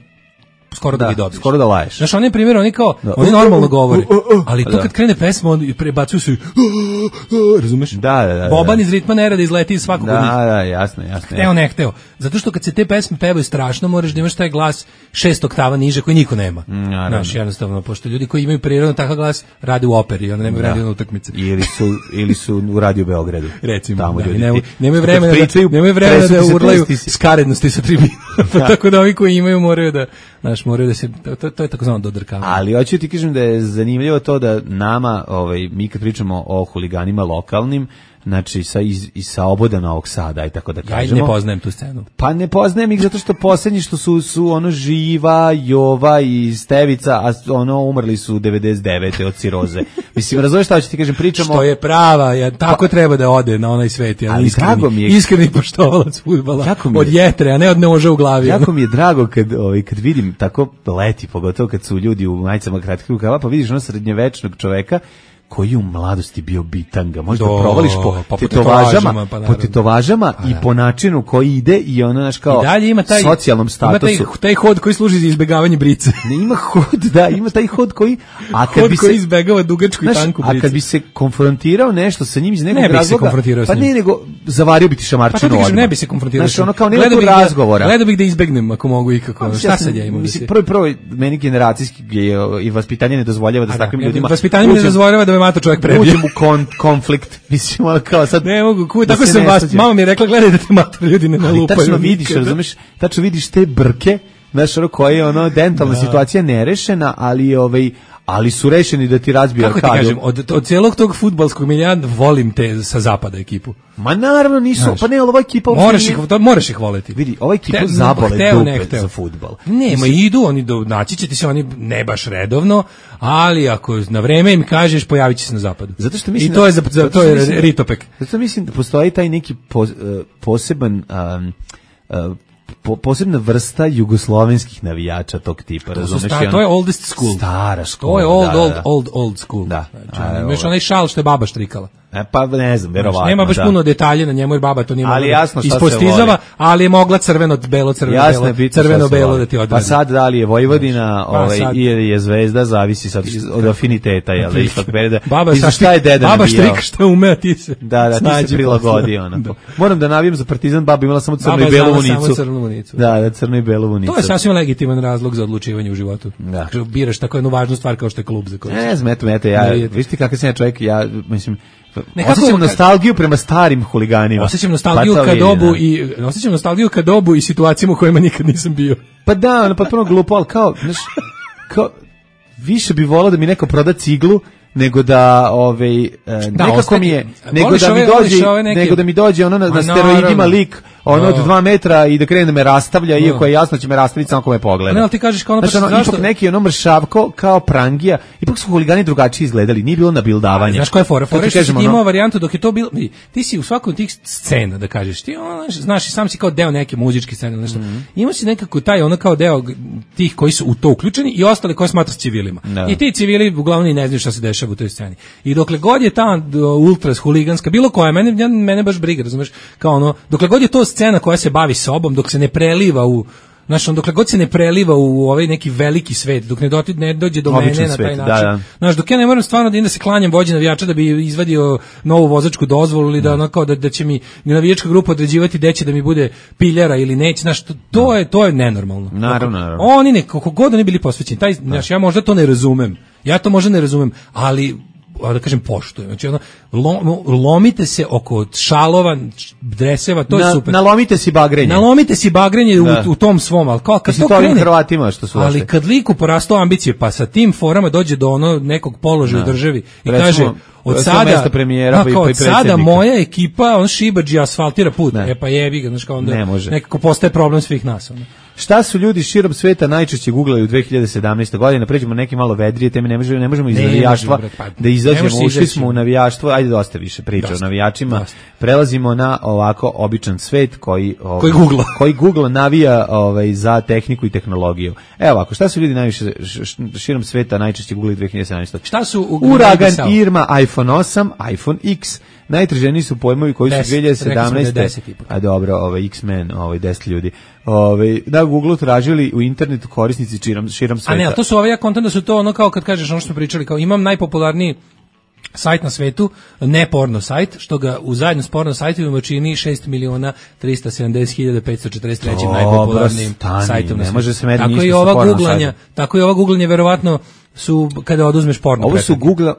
skoro da ih dobiješ. Skoro da laješ. Znaš, on je primjer, oni kao, oni normalno govore, ali tu kad krene pesma, oni prebacuju se, razumeš? Da. Boban iz ritma ne rada izleti iz svakog od njih. Da, jasno. Hteo, ne hteo. Zato što kad se te pesme pevaju strašno, moraš da imaš taj glas 6 oktava niže koji niko nema. Znaš, jednostavno, pošto ljudi koji imaju prirodno takav glas rade u operi, onda nemaju radio na utakmice. Ili su u Radio Beogradu. Recimo, tamo nemaju vremena da urlaju skarednosti sa tribina. Tako da ovi koji imaju moraju da se, to je takozvano dodrkavanje. Ali hoću ti kažem da je zanimljivo to da nama, mi kad pričamo o huliganima lokalnim, znači sa oboda Novog Sada i tako da kažemo. Ja ne poznajem tu scenu. Pa ne poznajem ih zato što poslednji što su ono Živa, Jova i Stevica, a ono umrli su 99. od ciroze. Mislim, razumeš šta ću ti kažem, pričamo... Što je prava, tako treba da ode na onaj svet. Ali drago mi je... Iskreni poštovalac fudbala od jetre, a ne od noža u glavi. Jako mi je drago kad vidim tako leti, pogotovo kad su ljudi u majicama kratkih rukava, pa vidiš ono srednjevečnog čoveka koji je u mladosti bio bitanga. Možda provališ po tetovažama i po načinu koji ide i ono naš kao socijalnom statusu. Ima taj hod koji služi za izbegavanje brice. Ne, ima taj hod koji... koji izbegava dugačku i tanku brice. A kad bi se konfrontirao nešto sa njim iz nekog razloga... Ne bi se konfrontirao s njim. Pa ne, nego zavario bi ti šamarčinu odmah. Ne bi se konfrontirao s njim. Znaš, ono kao nekog razgovora. Gledao bih da izbegnem ako mogu ikako. Šta sad ja imam? Prvo, meni generacijski i vaspitanje ne dozvoljava da s takvim ljudima... Vaspitanje ne dozvoljava da mato čovjek prebije. Uđem u konflikt. Mislim, ono kao sad... Ne mogu, tako sam vas... Mama mi je rekla, gledaj da te mator ljudi ne nalupaju. Tačno vidiš, razumeš, tačno vidiš te brke, znaš, ono koje je dentalna situacija nerešena, ali su rešeni da ti razbiju arkadu. Kako ti kažem, od cijelog tog fudbalskog milija volim te sa zapada ekipu. Ma naravno nisu, znaš, pa ne, ova ekipa... Moraš ih voleti. Vidi, ova ekipa zabole dupe za fudbal. Nema, idu, naći će ti se oni ne baš redovno, ali ako na vreme im kažeš, pojavit će se na zapadu. Zato što mislim, i to je ritopek. Zato mislim da postoji taj neki poseban... posebna vrsta jugoslovenskih navijača tog tipa, razumeš? To je oldest school. Stara škola. To je old school. Da. Znači, imaš onaj šal što je baba štrikala. Pa ne znam, verovatno. Nema baš puno detalja na njemu, jer baba to nije mogla ispostizava, ali je mogla crveno-belo da ti odredi. Pa sad da li je Vojvodina ili je Zvezda, zavisi sad od afiniteta, jel da ipak pereda. Baba štrik što ume, a ti se ti se prilagodi. Moram da navijam za Partizan, baba imala samo crnu i belu vunicu. Da, crnu i belu vunicu. To je sasvim legitiman razlog za odlučivanje u životu. Biraš tako jednu važnu stvar kao što je klub za koji. Ne znam, viš ti kakav sam ja čovjek, ja mislim, osjećam nostalgiju prema starim huliganima. Osjećam nostalgiju ka dobu i situacijama u kojima nikad nisam bio. Pa da, potpuno glupo, ali kao više bi volao da mi neko proda ciglu nego da nekako mi je nego da mi dođe ono na steroidima lik ono od 2 metra i da krene da me rastavlja, iako je jasno će me rastaviti samo ako me pogleda. Ne, ali ti kažeš kao ono, ipak neki ono mršavko kao prangija, ipak su huligani drugačije izgledali, nije bilo nabildavanja. Znaš koja je fora? Fora što si imao varijantu dok je to bilo, ti si u svakom tih scena, da kažeš, ti znaš i sam si kao deo neke muzičke scene, nešto. Imao si nekako taj ono kao deo tih koji su u to uključeni i ostali koji smatraš civilima. I ti civili uglavnom i ne znaju šta se dešava u toj sceni. I dokle god je ta ultras huliganska, bilo koja, mene baš briga, razumeš, kao ono, dokle god je to scena koja se bavi sobom, dok se ne preliva u, znaš, dokle god se ne preliva u ovaj neki veliki svet, dok ne dođe do mene na taj način. Znaš, dok ja ne moram stvarno da se klanjam vođi navijača da bi izvadio novu vozačku dozvolu ili da ono kao da će mi navijačka grupa određivati gde će da mi bude piljara ili neće, znaš, to je nenormalno. Naravno. Oni nekako god oni bili posvećeni, taj, znaš, ja možda to ne razumem. Ali da kažem poštujem. Znači lomite se oko šalova, dreseva, to je super. Nalomite si bagrenje u tom svom, al kao kad to krene Hrvatima što su ali kad liku porastao ambicije, pa sa tim forama dođe do ono nekog položaja u državi i kaže od sada moja ekipa on šibadži asfaltira put. Pa jebi ga, znači kao onda nekako postaje problem svih nas. Šta su ljudi širom sveta najčešće googlali u 2017. godini? Pređemo neke malo vedrije teme, ne možemo iz navijaštva da izađemo, ušli smo u navijaštvo, ajde dosta više priča o navijačima. Prelazimo na ovako običan svet koji Google navija za tehniku i tehnologiju. Evo ovako, šta su ljudi najviše širom sveta najčešće googlali 2017. Šta su Uragan, Irma, iPhone 8, iPhone X. Najtraženiji su pojmovi koji su 2017. A dobro, X-Men, 10 ljudi. na Google tražili u internetu korisnici širom sveta. A ne, to su ja kontam da su to ono kao kad kažeš ono što smo pričali, kao imam najpopularniji sajt na svetu, ne porno sajt, što ga u zajedno s porno sajtovima čini 6.370.543 najpopularnijim sajtom na svetu. Tako i ova googlanje verovatno su kada oduzmeš porno.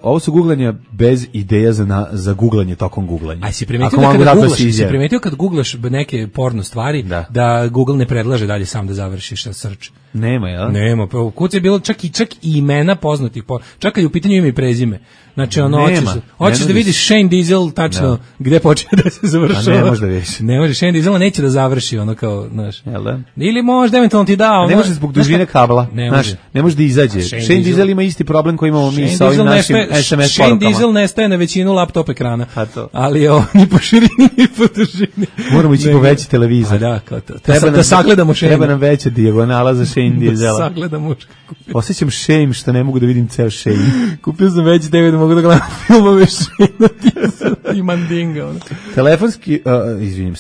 Ovo su googlanja bez ideja za googlanje tokom googlanja. Aj si primetio kad googlaš neke porno stvari da Google ne predlaže dalje sam da završiš search. Nema, jel? Nema, pa kuca je bilo čak i imena poznatih, čak i u pitanju ime i prezime. Znači hoćeš da vidiš Shane Diesel tačno gde počinje da se završava. A ne može da vidiš. Ne može, Shane Diesel neće da završi ono kao, znaš. Jel da? Ili možda eventualno ti da ono. Ne može zbog dužine kabla. Ne može da izađe. Shane Diesel ima isti problem koji imamo mi sa ovim našim SMS porukama. Shane Diesel nestaje na većinu laptop ekrana. Ali ni po širini ni po dužini. Moramo ići po veći televizor. Da, kao to. Da sagledamo Shane. Treba nam veća dijagonala za Shane Diesela. Da sagledamo muška. Osjećam shame što ne mogu da vidim ceo Shane. Kupio sam veći DVD da mogu da gledam filmove Shane i Mandinga.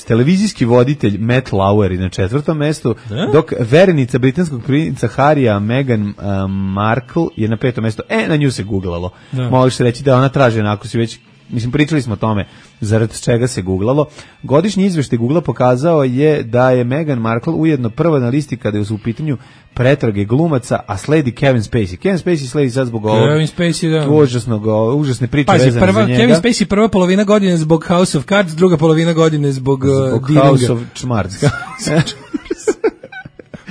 Televizijski voditelj Matt Lauer na 4. mestu, dok verenica britanskog princa Harrya Meghan Markle je na 5. mestu. Na nju se googlalo. Možeš reći da ona traži, ako si već, mislim, pričali smo o tome zarad čega se googlalo. Godišnji izveštaj Googlea pokazao je da je Meghan Markle ujedno prva na listi kada je u pitanju pretrage glumaca, a sledi Kevin Spacey. Kevin Spacey sledi sad zbog užasne priče vezane za njega. Kevin Spacey prva polovina godine zbog House of Cards, druga polovina godine zbog House of Čmarc.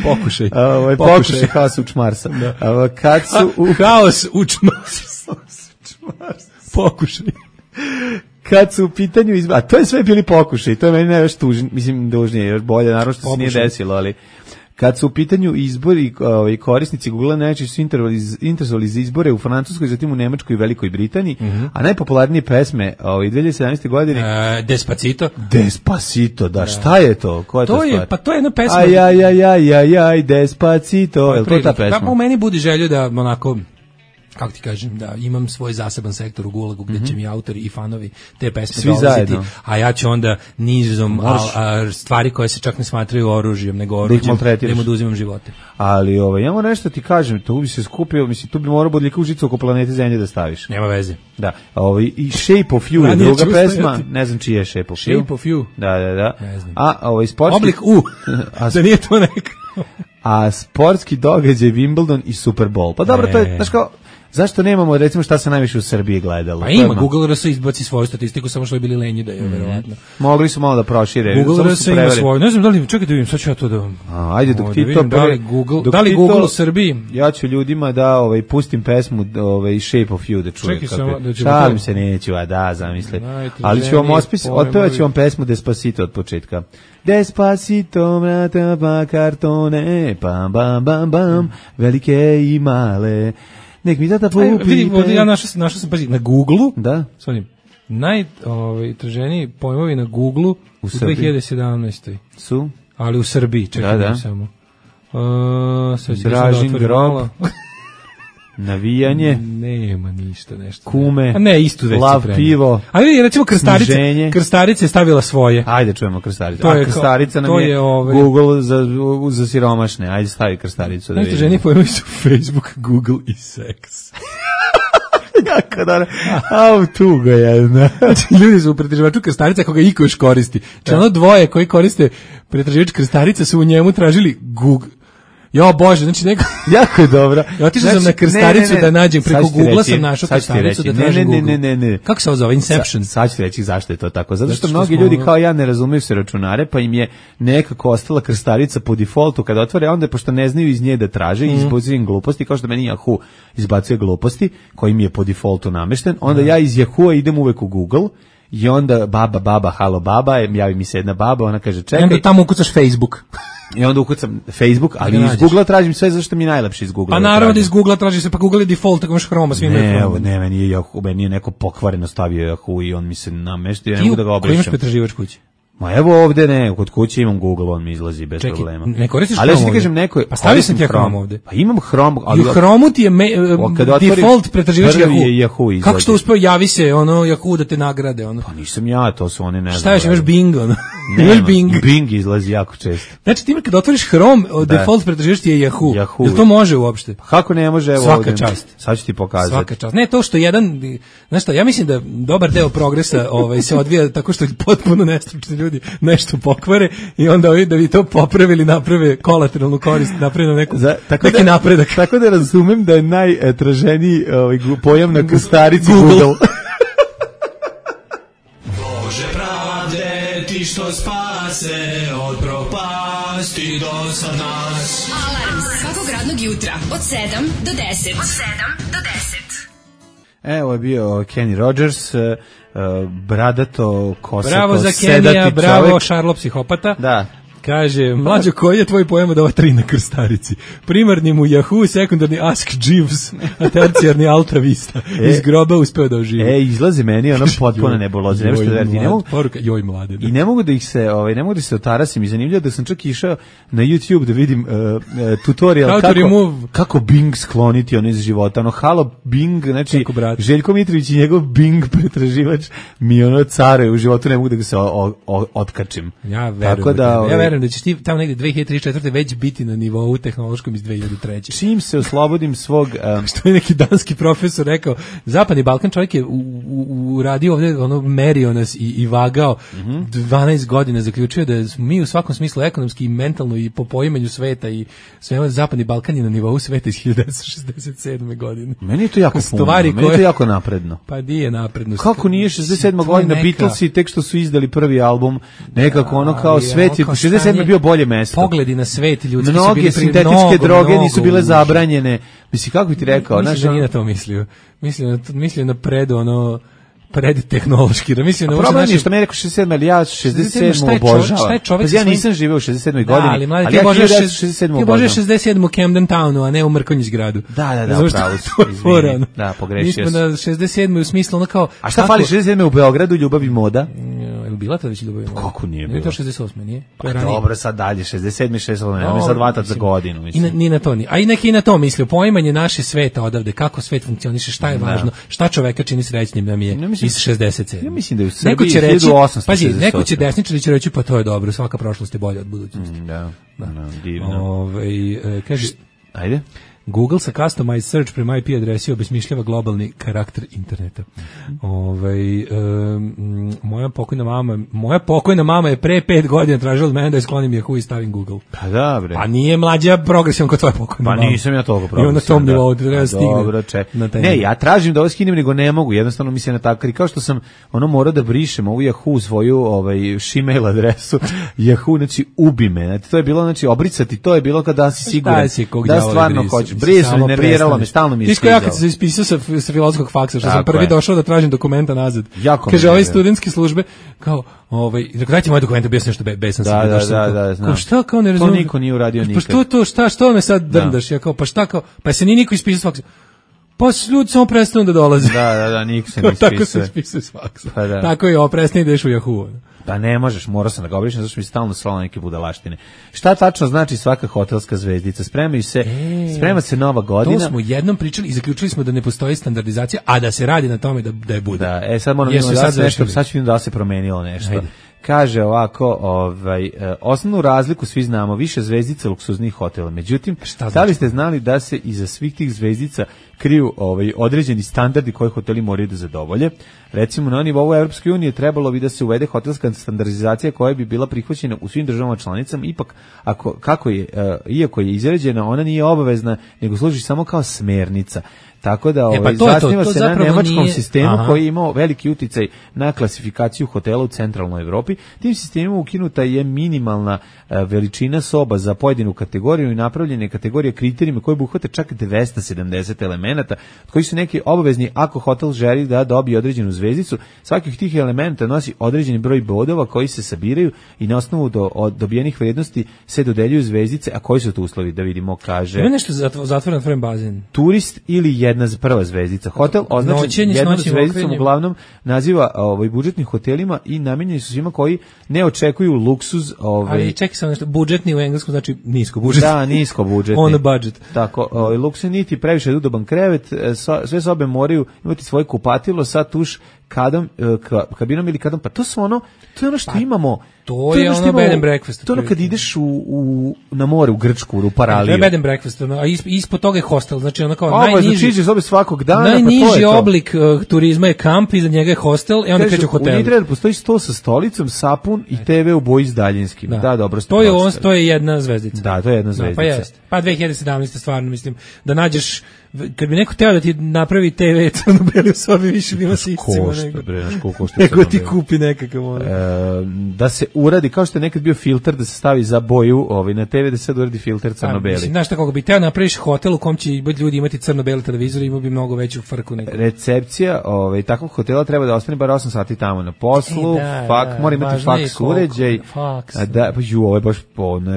Pokušaj House of Čmarsa. Kad su House u Čmarsa. Pokušaj. Kad su u pitanju a to je sve bili pokušaj, to je meni najviše tužnije, mislim dužnije, još bolje, naravno što se nije desilo, ali kad su u pitanju izbori, korisnici Google najčešće su interesovali za izbore u Francuskoj, zatim u Nemačkoj i Velikoj Britaniji, a najpopularnije pesme 2017. godine Despacito, da, šta je to? Koja je to stvar? Pa to je jedna pesma. Aj, Despacito, je li to ta pesma? Pa u meni budi želju da onako, kako ti kažem, da imam svoj zaseban sektor u Gulagu gdje će mi autori i fanovi te pesme dolaziti, a ja ću onda nizom stvari koje se čak ne smatraju oružjem, nego oružjem, da im oduzimam živote. Ali ja moram nešto ti kažem, tu bi se skupio, mislim, tu bi morao bodljika užica oko planete Zemlje da staviš. Nema veze. Da, i Shape of You je druga pesma, ne znam čiji je Shape of You. Shape of You. Da. Ne znam. A sportski... Oblik U, da nije to neka. A sportski događaj Wimbledon i Super Bowl. Pa dobro, to je, znaš kao, zašto nemamo, recimo, šta se najviše u Srbiji gledalo? Pa ima, Google RS izbaci svoju statistiku, samo što je bili lenji da je, verovatno. Mogli su malo da prošire. Google RS ima svoju, ne znam da li, čekaj da vidim, sad ću ja to da... Ajde, dok ti to... Da li Google u Srbiji? Ja ću ljudima da pustim pesmu Shape of You da čuje. Čekaj samo da ću... Šalim se, neću, zamisli. Ali ću vam otpevat ću vam pesmu Despacito od početka. Despacito, mrata pa kartone, pam, bam, bam, bam, velike i male. Nek mi tata popite. Vidim, ja našao sam, pazi, na Google-u, da, najtraženiji pojmovi na Google-u u 2017. Su? Ali u Srbiji, čekaj samo. Dražin grob. Navijanje. Nema ništa, nešto. Kume. A ne, isto već lav pivo. A vidi, recimo Krstarica je stavila svoje. Ajde čujemo Krstaricu. A Krstarica nam je Google za siromašne. Ajde stavi Krstaricu da vidimo. Najteženiji pojmovi su Facebook, Google i seks. Kako da tuga jedna. Ljudi su u pretraživaču Krstarica ako ga iko još koristi. Ono dvoje koji koriste pretraživač Krstarica su u njemu tražili Google. Jo bože, znači neko jako je dobro. Ja otišao sam na Krstaricu da nađem preko Google-a sam našao Krstaricu da tražim Google. Ne. Kako se zove? Inception. Sad ću reći zašto je to tako. Zato što mnogi ljudi kao ja ne razumeju se računare, pa im je nekako ostala Krstarica po defaultu kada otvore, onda pošto ne znaju iz nje da traže i izbacuju gluposti, kao što meni Yahoo izbacuje gluposti koji mi je po defaultu namešten, onda ja iz Yahoo idem uvek u Google. I onda baba, halo baba, javi mi se jedna baba, ona kaže čekaj. I onda tamo ukucaš Facebook. I onda ukucam Facebook, ali iz Google-a tražim sve zašto mi je najlepše iz Google-a. Pa naravno da iz Google-a traži se, pa Google je default, tako imaš Chroma, svima je Chroma. Ne, meni je neko pokvareno stavio Yahoo i on mi se nameštio, ja ne mogu da ga obrišem. Koji imaš pretraživač kući? Ma evo ovde ne, kod kuće imam Google, on mi izlazi bez problema. Ne koristiš ali Chrome? Ali kažem neko, pa stavio sam ti Chrome ovde. Pa imam Chrome, ali u Chrome ti je default pretraživač Yahoo. Kako što uspeo, javi se ono Yahoo da te nagrade ono. Pa nisam ja, to su oni ne znam. Šta još imaš Bing ono? Ne, Bing izlazi jako često. Znači ti kad otvoriš Chrome, default pretraživač ti je Yahoo. Jel to može uopšte? Pa kako ne može, evo svaka čast. Sad ću ti pokazati. Svaka čast. Ne, to što jedan, znaš šta, ja mislim da dobar deo progresa se odvija tako što potpuno nestručni ljudi nešto pokvare i onda da bi to popravili, naprave kolateralnu korist, naprave neki napredak. Tako da razumem da je najtraženiji pojam na krstarici Google. Bože pravde, ti što spase od propasti do sad nas. Alarm svakog radnog jutra od 7 do 10. Evo je bio Kenny Rogers, bradato, kosato, bravo za Kenija, bravo Šarlo psihopata. Da. Kaže, mlađo, koji je tvoj pojam od ova 3 na krstarici? Primarni mu Yahoo, sekundarni Ask Jeeves, a tercijarni Alta Vista. Iz groba uspeo da oživi. Izlazi meni ono potpuno nebuloze. Joj mlade. I ne mogu da ih se, otarasim. I zanimljivo da sam čak išao na YouTube da vidim tutorial kako Bing skloniti ono iz života. Ono, halo Bing, znači Željko Mitrović i njegov Bing pretraživač mi ono care u životu, ne mogu da ga se otkačim. Ja verujem da ćeš ti tamo negde 2034. već biti na nivou tehnološkom iz 2003. Čim se oslobodim svog... Što je neki danski profesor rekao, Zapadni Balkan čovjek je uradio ovdje, ono, merio nas i vagao 12 godina, zaključio da mi u svakom smislu ekonomski i mentalno i po poimanju sveta i sve, Zapadni Balkan je na nivou sveta iz 1967. godine. Meni je to jako puno, meni je to jako napredno. Pa di je napredno? Kako nije 67. godina, Beatlesi tek što su izdali prvi album, nekako ono kao svet je 67 je bio bolje mesto. Pogledi na svet ljudski su bili sintetičke droge nisu bile zabranjene. Mislim, kako bi ti rekao? Mislim da nije na to mislio. Mislio na predtehnološki. Problem je što me rekao 67, ali ja 67 obožavam. Ja nisam živeo u 67. godini, ali ja 67 obožavam. Ti 67 u Camden Townu, a ne u Mrkonjić gradu. Da, upravo si. Izvini. Da, pogrešio sam. Mi smo na 67 u smislu ono kao... A šta fali 67 u Beogradu, Ljubav i moda? Je bila to već Ljubav i moda? Kako nije bilo? Nije to 68, nije? Pa dobro, sad dalje, 67 i 68, nemoj sad vatat za godinu. Ni na to nije. A i neki na to mislio, poimanje naše sveta odavde, kako svet funkcioniše, šta je važno, šta čoveka čini srećnim nam je iz 67. Ja mislim da je u Srbiji 1868. Pazi, neko će desničari će reći pa to je dobro, svaka prošlost je bolja od budućnosti. Divno. Kaže, ajde. Google sa customized search prema IP adresi obesmišljava globalni karakter interneta. Moja pokojna mama je pre 5 godina tražila od mene da sklonim Yahoo i stavim Google. Pa da, bre. Pa nije mlađa progresivan kod tvoje pokojne mama. Pa nisam ja toliko progresivan. I na tom nivou treba stigne. Ne, ja tražim da ovo skinem, nego ne mogu. Jednostavno mi se natakari. Kao što sam morao da brišem ovu Yahoo svoju Gmail adresu. Yahoo, znači ubi me. Znači, to je bilo, znači obricati, to je bilo kada si siguran da stvarno hoćeš. Brisali, nerviralo me, stalno mi je skidalo. Ja kad sam se ispisao sa filozofskog faksa, što sam prvi došao da tražim dokumenta nazad. Kaže, ovaj studentske službe, kao, dajte moje dokumente, bio sam nešto besan sam. Da, znam. Šta, kao ne razumijem? To niko nije uradio nikad. Pa što me sad drndaš? Ja kao, pa šta kao, pa se nije niko ispisao s faksa. Pa ljudi samo prestanu da dolaze. Da, niko se ne ispisao. Tako se ispisao s faksa. Tako je, prestani da ideš u Yahoo. Pa ne možeš, morao sam da ga obrišem, zato što mi stalno slalo neke budalaštine. Šta tačno znači svaka hotelska zvezdica? Sprema se nova godina. To smo jednom pričali i zaključili smo da ne postoji standardizacija, a da se radi na tome da je bude. Da, sad moram sad ću vidim da se promenilo nešto. Ajde. Kaže ovako, osnovnu razliku svi znamo, više zvezdica luksuznih hotela. Međutim, da li ste znali da se iza svih tih zvezdica kriju određeni standardi koje hoteli moraju da zadovolje? Recimo, na nivou Evropske unije trebalo bi da se uvede hotelska standardizacija koja bi bila prihvaćena u svim državama članicama, ipak iako je izrađena, ona nije obavezna, nego služi samo kao smernica. Tako da zasniva se na nemačkom sistemu koji je imao veliki uticaj na klasifikaciju hotela u centralnoj Evropi. Tim sistemom ukinuta je minimalna veličina soba za pojedinu kategoriju i napravljene kategorije kriterijima koje obuhvate čak 270 elemenata elemenata, od kojih su neki obavezni ako hotel želi da dobije određenu zvezdicu. Svaki od tih elemenata nosi određeni broj bodova koji se sabiraju i na osnovu dobijenih vrednosti se dodeljuju zvezdice, a koji su to uslovi, da vidimo, kaže. Ima nešto zatvoren otvoren bazen. Turist ili jedna prva zvezdica. Hotel označen jednom zvezdicom uglavnom naziva budžetnim hotelima i namenjeni su svima koji ne očekuju luksuz. Ali čekaj samo nešto, budžetni u engleskom znači nisko budžet. Da, nisko budžetni. On the budget. Tako, luksuz niti previše udoban krevet, sve sobe moraju imati svoje kupatilo sa tuš kabinom ili kadom, pa to je ono što imamo. To je ono bed and breakfast. To je ono kad ideš na more u Grčku, u Paraliju. To je bed and breakfast, a ispod toga je hostel, znači ono kao najniži. Znači iđeš sobe svakog dana, najniži oblik turizma je kamp, iza njega je hostel i onda kreće u hotel. U Nitre postoji sto sa stolicom, sapun i TV u boji s daljinskim. Da, dobro. To je jedna zvezdica. Da, to je jedna zvezdica. Pa jeste. Pa 2017. stvarno mislim da nađeš, kad bi neko teo da ti napravi TV crno-beli u sobi, više bi ima se iscimo nego ti kupi nekakav da se uradi, kao što je nekad bio filter da se stavi za boju na TV, da se sad uradi filter crno-beli. Znaš šta, kako bi teo napraviš hotel u kom će ljudi imati crno-beli televizor, imao bi mnogo veću frku nego. Recepcija takvog hotela treba da ostane bar 8 sati tamo na poslu, mora imati faks uređaj. Ovo je baš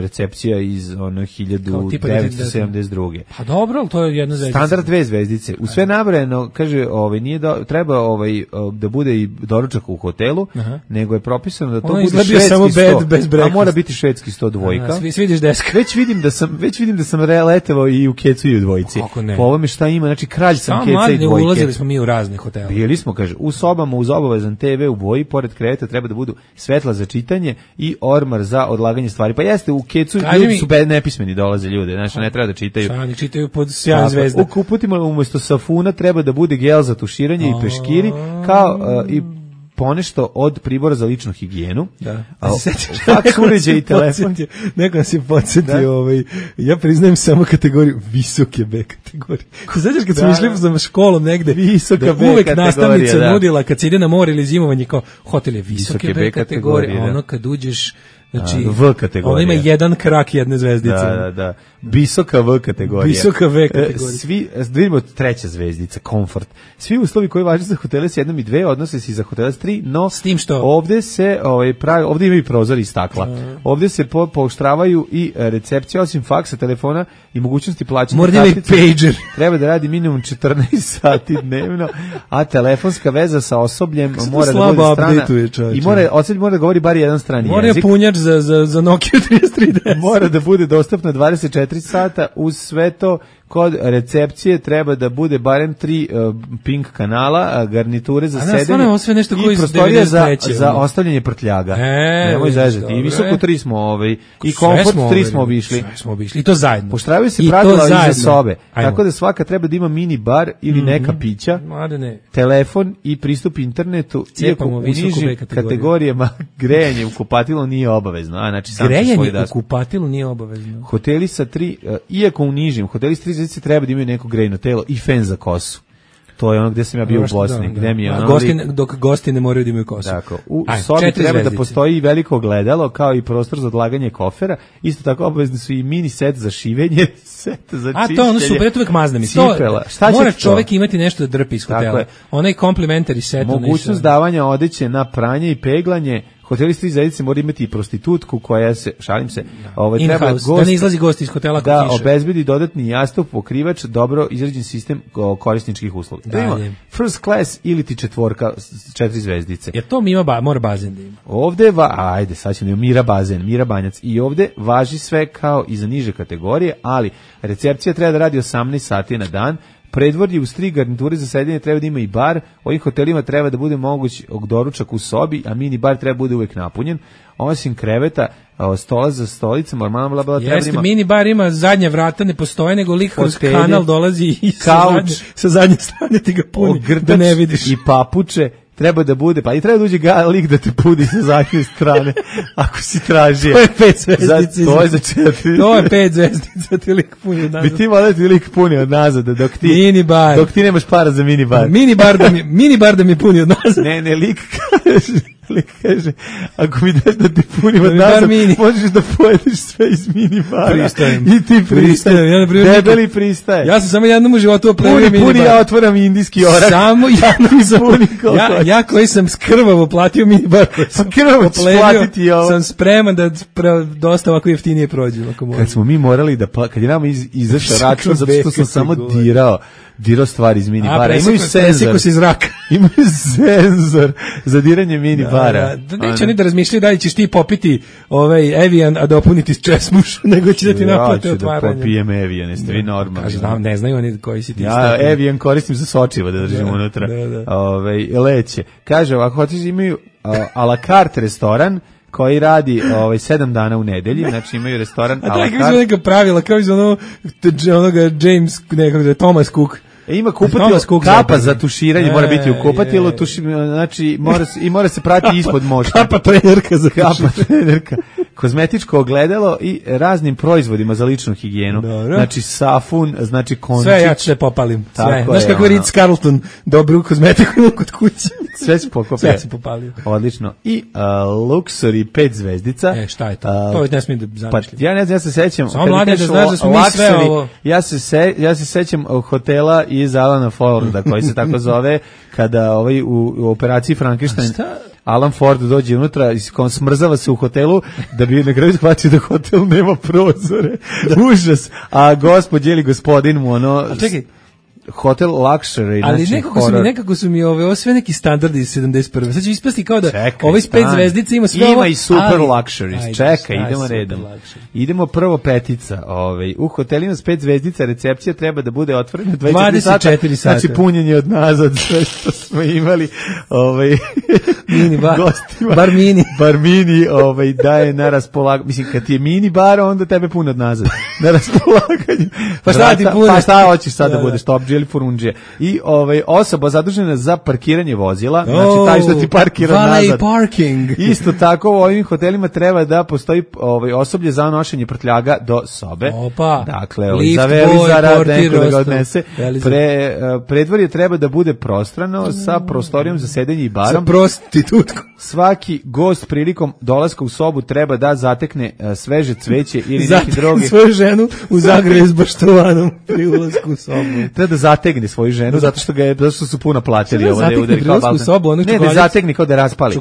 recepcija iz 1972. Pa dobro, ali to je jedna zvezdica. Standard 2 zvezdice. U sve nabrojeno, kaže, nije treba da bude i doručak u hotelu, nego je propisano da to bude švedski samo sto. Bez a mora biti švedski 100 dvojka. Vidiš deska. Već vidim da sam letevao i u kecu i u dvojici. Po ovome šta ima, znači kralj sam keca i dvojke. Ulazili smo mi u razne hotele. Bili smo, kaže, u sobama uz obavezan TV u boji, pored kreveta treba da budu svetla za čitanje i ormar za odlaganje stvari. Pa jeste, u kecu ljudi su nepismeni dolaze ljude, znači ne treba da čitaju. Oni čitaju pod sjajom zvezda. U kuputima umjesto safuna treba da bude gel za tuširanje i peškiri, kao i ponešto od pribora za ličnu higijenu. Da. Faks uređaj i telefon. Neko se podsjetio, ja priznajem samo kategoriju visoke B kategorije. Znaš kad smo išli za školom negde, visoka B uvek nastavnica nudila kad se ide na more ili zimovanje kao hotel je visoke B kategorije, a ono kad uđeš znači, V kategorija. Ona ima jedan krak jedne zvezdice. Da. Visoka V kategorija. Visoka V kategorija. Svi, vidimo treća zvezdica, komfort. Svi uslovi koji važe za hotele s 1 i 2 odnose se i za hotele s 3, no s tim što ovde se ovde ima i prozor i stakla. Ovde se pooštravaju i recepcija, osim faksa, telefona i mogućnosti plaćanja kartice. Pager. Treba da radi minimum 14 sati dnevno, a telefonska veza sa osobljem mora da bude strana i osoblje mora da govori bar jedan strani jezik. Mora punjač za Nokia 3310. Mora da bude dostupno 24 sata, uz sve to kod recepcije treba da bude barem 3 pink kanala, garniture za sedenje i prostorija za ostavljanje prtljaga. Nemoj zezati. I visoko 3 smo, i komfort 3 smo obišli. I to zajedno. Poštravaju se pravila iza sobe. Tako da svaka treba da ima mini bar ili neka pića, telefon i pristup internetu. Iako u nižim kategorijama grejanje u kupatilu nije obavezno. Grejanje u kupatilu nije obavezno. Hoteli sa 3, iako u nižim, hoteli sa 3 zvezdice treba da imaju neko grejno telo i fen za kosu. To je ono gde sam ja bio u Bosni. Gde mi je dok gosti ne moraju da imaju kosu. Tako, u sobi treba da postoji veliko ogledalo, kao i prostor za odlaganje kofera. Isto tako obavezni su i mini set za šivenje, set za čišćenje. A to ono super, to uvek maznem. Mora čovek imati nešto da drpi iz hotela. Onaj complimentary set. Mogućnost davanja odeće na pranje i peglanje. Hoteli s 3 zvezdice mora imati i prostitutku koja se, šalim se, treba gost, da ne izlazi gost iz hotela kod da obezbedi dodatni jastuk, pokrivač, dobro izrađen sistem korisničkih usluga. First class ili ti 4 zvezdice. Jer to mora bazen da ima. Ovde ajde, sad ćemo Mira bazen, Mira banjac. I ovde važi sve kao i za niže kategorije, ali recepcija treba da radi 18 sati na dan. Predvorje uz 3 garniture za sedenje treba da ima i bar. Ovim hotelima treba da bude moguć doručak u sobi, a mini bar treba bude uvek napunjen. Osim kreveta, stola za stolicama, treba da ima... Mini bar ima zadnja vrata, ne postoje, nego lik kroz kanal dolazi i sa zadnje strane ti ga puni, da ne vidiš. I papuče. treba da bude, pa i treba da uđe lik da te pudi sa zadnje strane, ako si tražio. To je 5 zvezdica. To je za 4. To je 5 zvezdica, ti lik puni od nazad. Bi ti volio ti lik puni od nazad, dok ti nemaš para za minibar. Minibar da mi puni od nazad. Ne, lik kaže, ako mi daš da ti punim od nazad, možeš da pojedeš sve iz minibara. Pristajem. I ti pristajem. Debeli pristaje. Ja sam samo jednom u životu opremio minibar. Puni, ja otvoram indijski orak. Samo ja koji sam skrvavo platio minibar. Pa krvavo ćeš platiti ovo. Sam spreman da dosta ovako jeftinije prođu. Kad smo mi morali da, kad je nama izašao račun, zato što sam samo dirao stvari iz minibara. Imaju senzor. Imaju senzor za diranje minibara. Neće oni da razmišljaju da li ćeš ti popiti Evian, a dopuniti česmuš, nego će da ti naplate otvaranje. Ja ću da popijem Evian, jeste vi normalni. Ne znaju oni koji si ti. Ja Evian koristim za sočivo da držim unutra. Leće. Kaže, ovako, hoćeš imaju a la carte restoran koji radi 7 dana u nedelji, znači imaju restoran a la carte. A tako je neka pravila, kao iz onoga James, nekog Thomas Cook. Ima kupatilo, kapa za tuširanje mora biti u kupatilu, znači mora se prati ispod mošta. Kapa trenerka za trenerka. Kozmetičko ogledalo i raznim proizvodima za ličnu higijenu. Dobro. Znači safun, znači končić. Sve ja se popalim. Sve. Znaš kako je Ritz Carlton dobru kozmetiku kod kuće. Sve se pokopio. Sve se popalio. Odlično. I Luxury 5 zvezdica. Šta je to? To ne smije da zamišljam. Pa ja ne znam, ja se sećam. Samo mlade da znaš da smo mi sve ovo. Ja se sećam hotela iz Alana Forda, koji se tako zove, kada u operaciji Frankenstein Alan Ford dođe unutra i smrzava se u hotelu da bi na kraju shvatio da hotel nema prozore. Užas. A gospođe ili gospodin mu Hotel Luxury, ali nekako su mi ovo sve neki standardi iz 71. Sad će ispasti kao da ovaj 5 zvezdica ima sve ovo. Ima i super luxuries. Čekaj, idemo redom. Idemo prvo petica. U hotelima s 5 zvezdica recepcija treba da bude otvorena 24 sata. Znači punjenje od nazad, sve što smo imali. Mini bar. Gostima. Bar mini. Daje na raspolaganju. Mislim, kad ti je mini bar, onda tebe pun od nazad. Na raspolaganju. Pa šta ti pune? Pa šta hoćeš sad da budeš top ili furundžije. I osoba zadužena za parkiranje vozila, znači taj što ti parkira nazad. Parking. Isto tako u ovim hotelima treba da postoji osoblje za nošenje prtljaga do sobe. Opa. Dakle, za velizara, neko da ga odnese. Predvorje treba da bude prostrano sa prostorijom za sedenje i barom. Sa prostitutkom. Svaki gost prilikom dolaska u sobu treba da zatekne sveže cveće ili neki drugi. Svoju ženu u zagrlje s baštovanom pri ulasku u sobu. Treba da zategne svoju ženu zato što su puno platili ovo da je udari kao balkan. Ne, da zategne kao da raspali.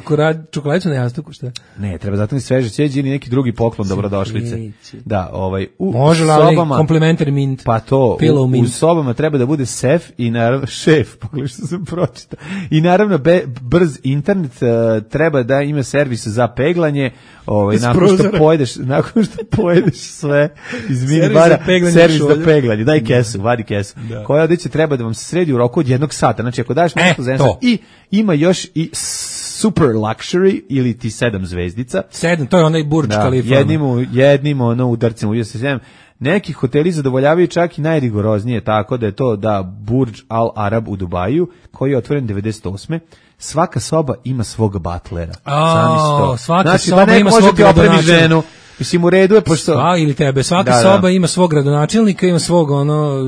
Čokoladicu na jastuku, šta? Ne, treba zatekne sveže cveće ili neki drugi poklon dobrodošlice. Da, u može sobama komplementari mint. Pa to, u sobama treba da bude sef i naravno šef, pogledaj što sam pročitao. I naravno brz internet treba da ima servis za peglanje, nakon što pojedeš sve iz minibara, servis za peglanje, daj kesu, vadi kesu. Koja odeća treba da vam se sredi u roku od 1 sata. Znači ako daš nešto za i ima još i super luxury ili ti 7 zvezdica. 7, to je onaj Burj Khalifa. Jednim udarcem u 7. Neki hoteli zadovoljavaju čak i najrigoroznije, tako da je to Burj Al Arab u Dubaju, koji je otvoren 98. Svaka soba ima svog butlera. Svaka soba ima svog gradonačelnika. Mislim, u redu je pošto... ili tebe, svaka soba ima svog gradonačelnika, ima svog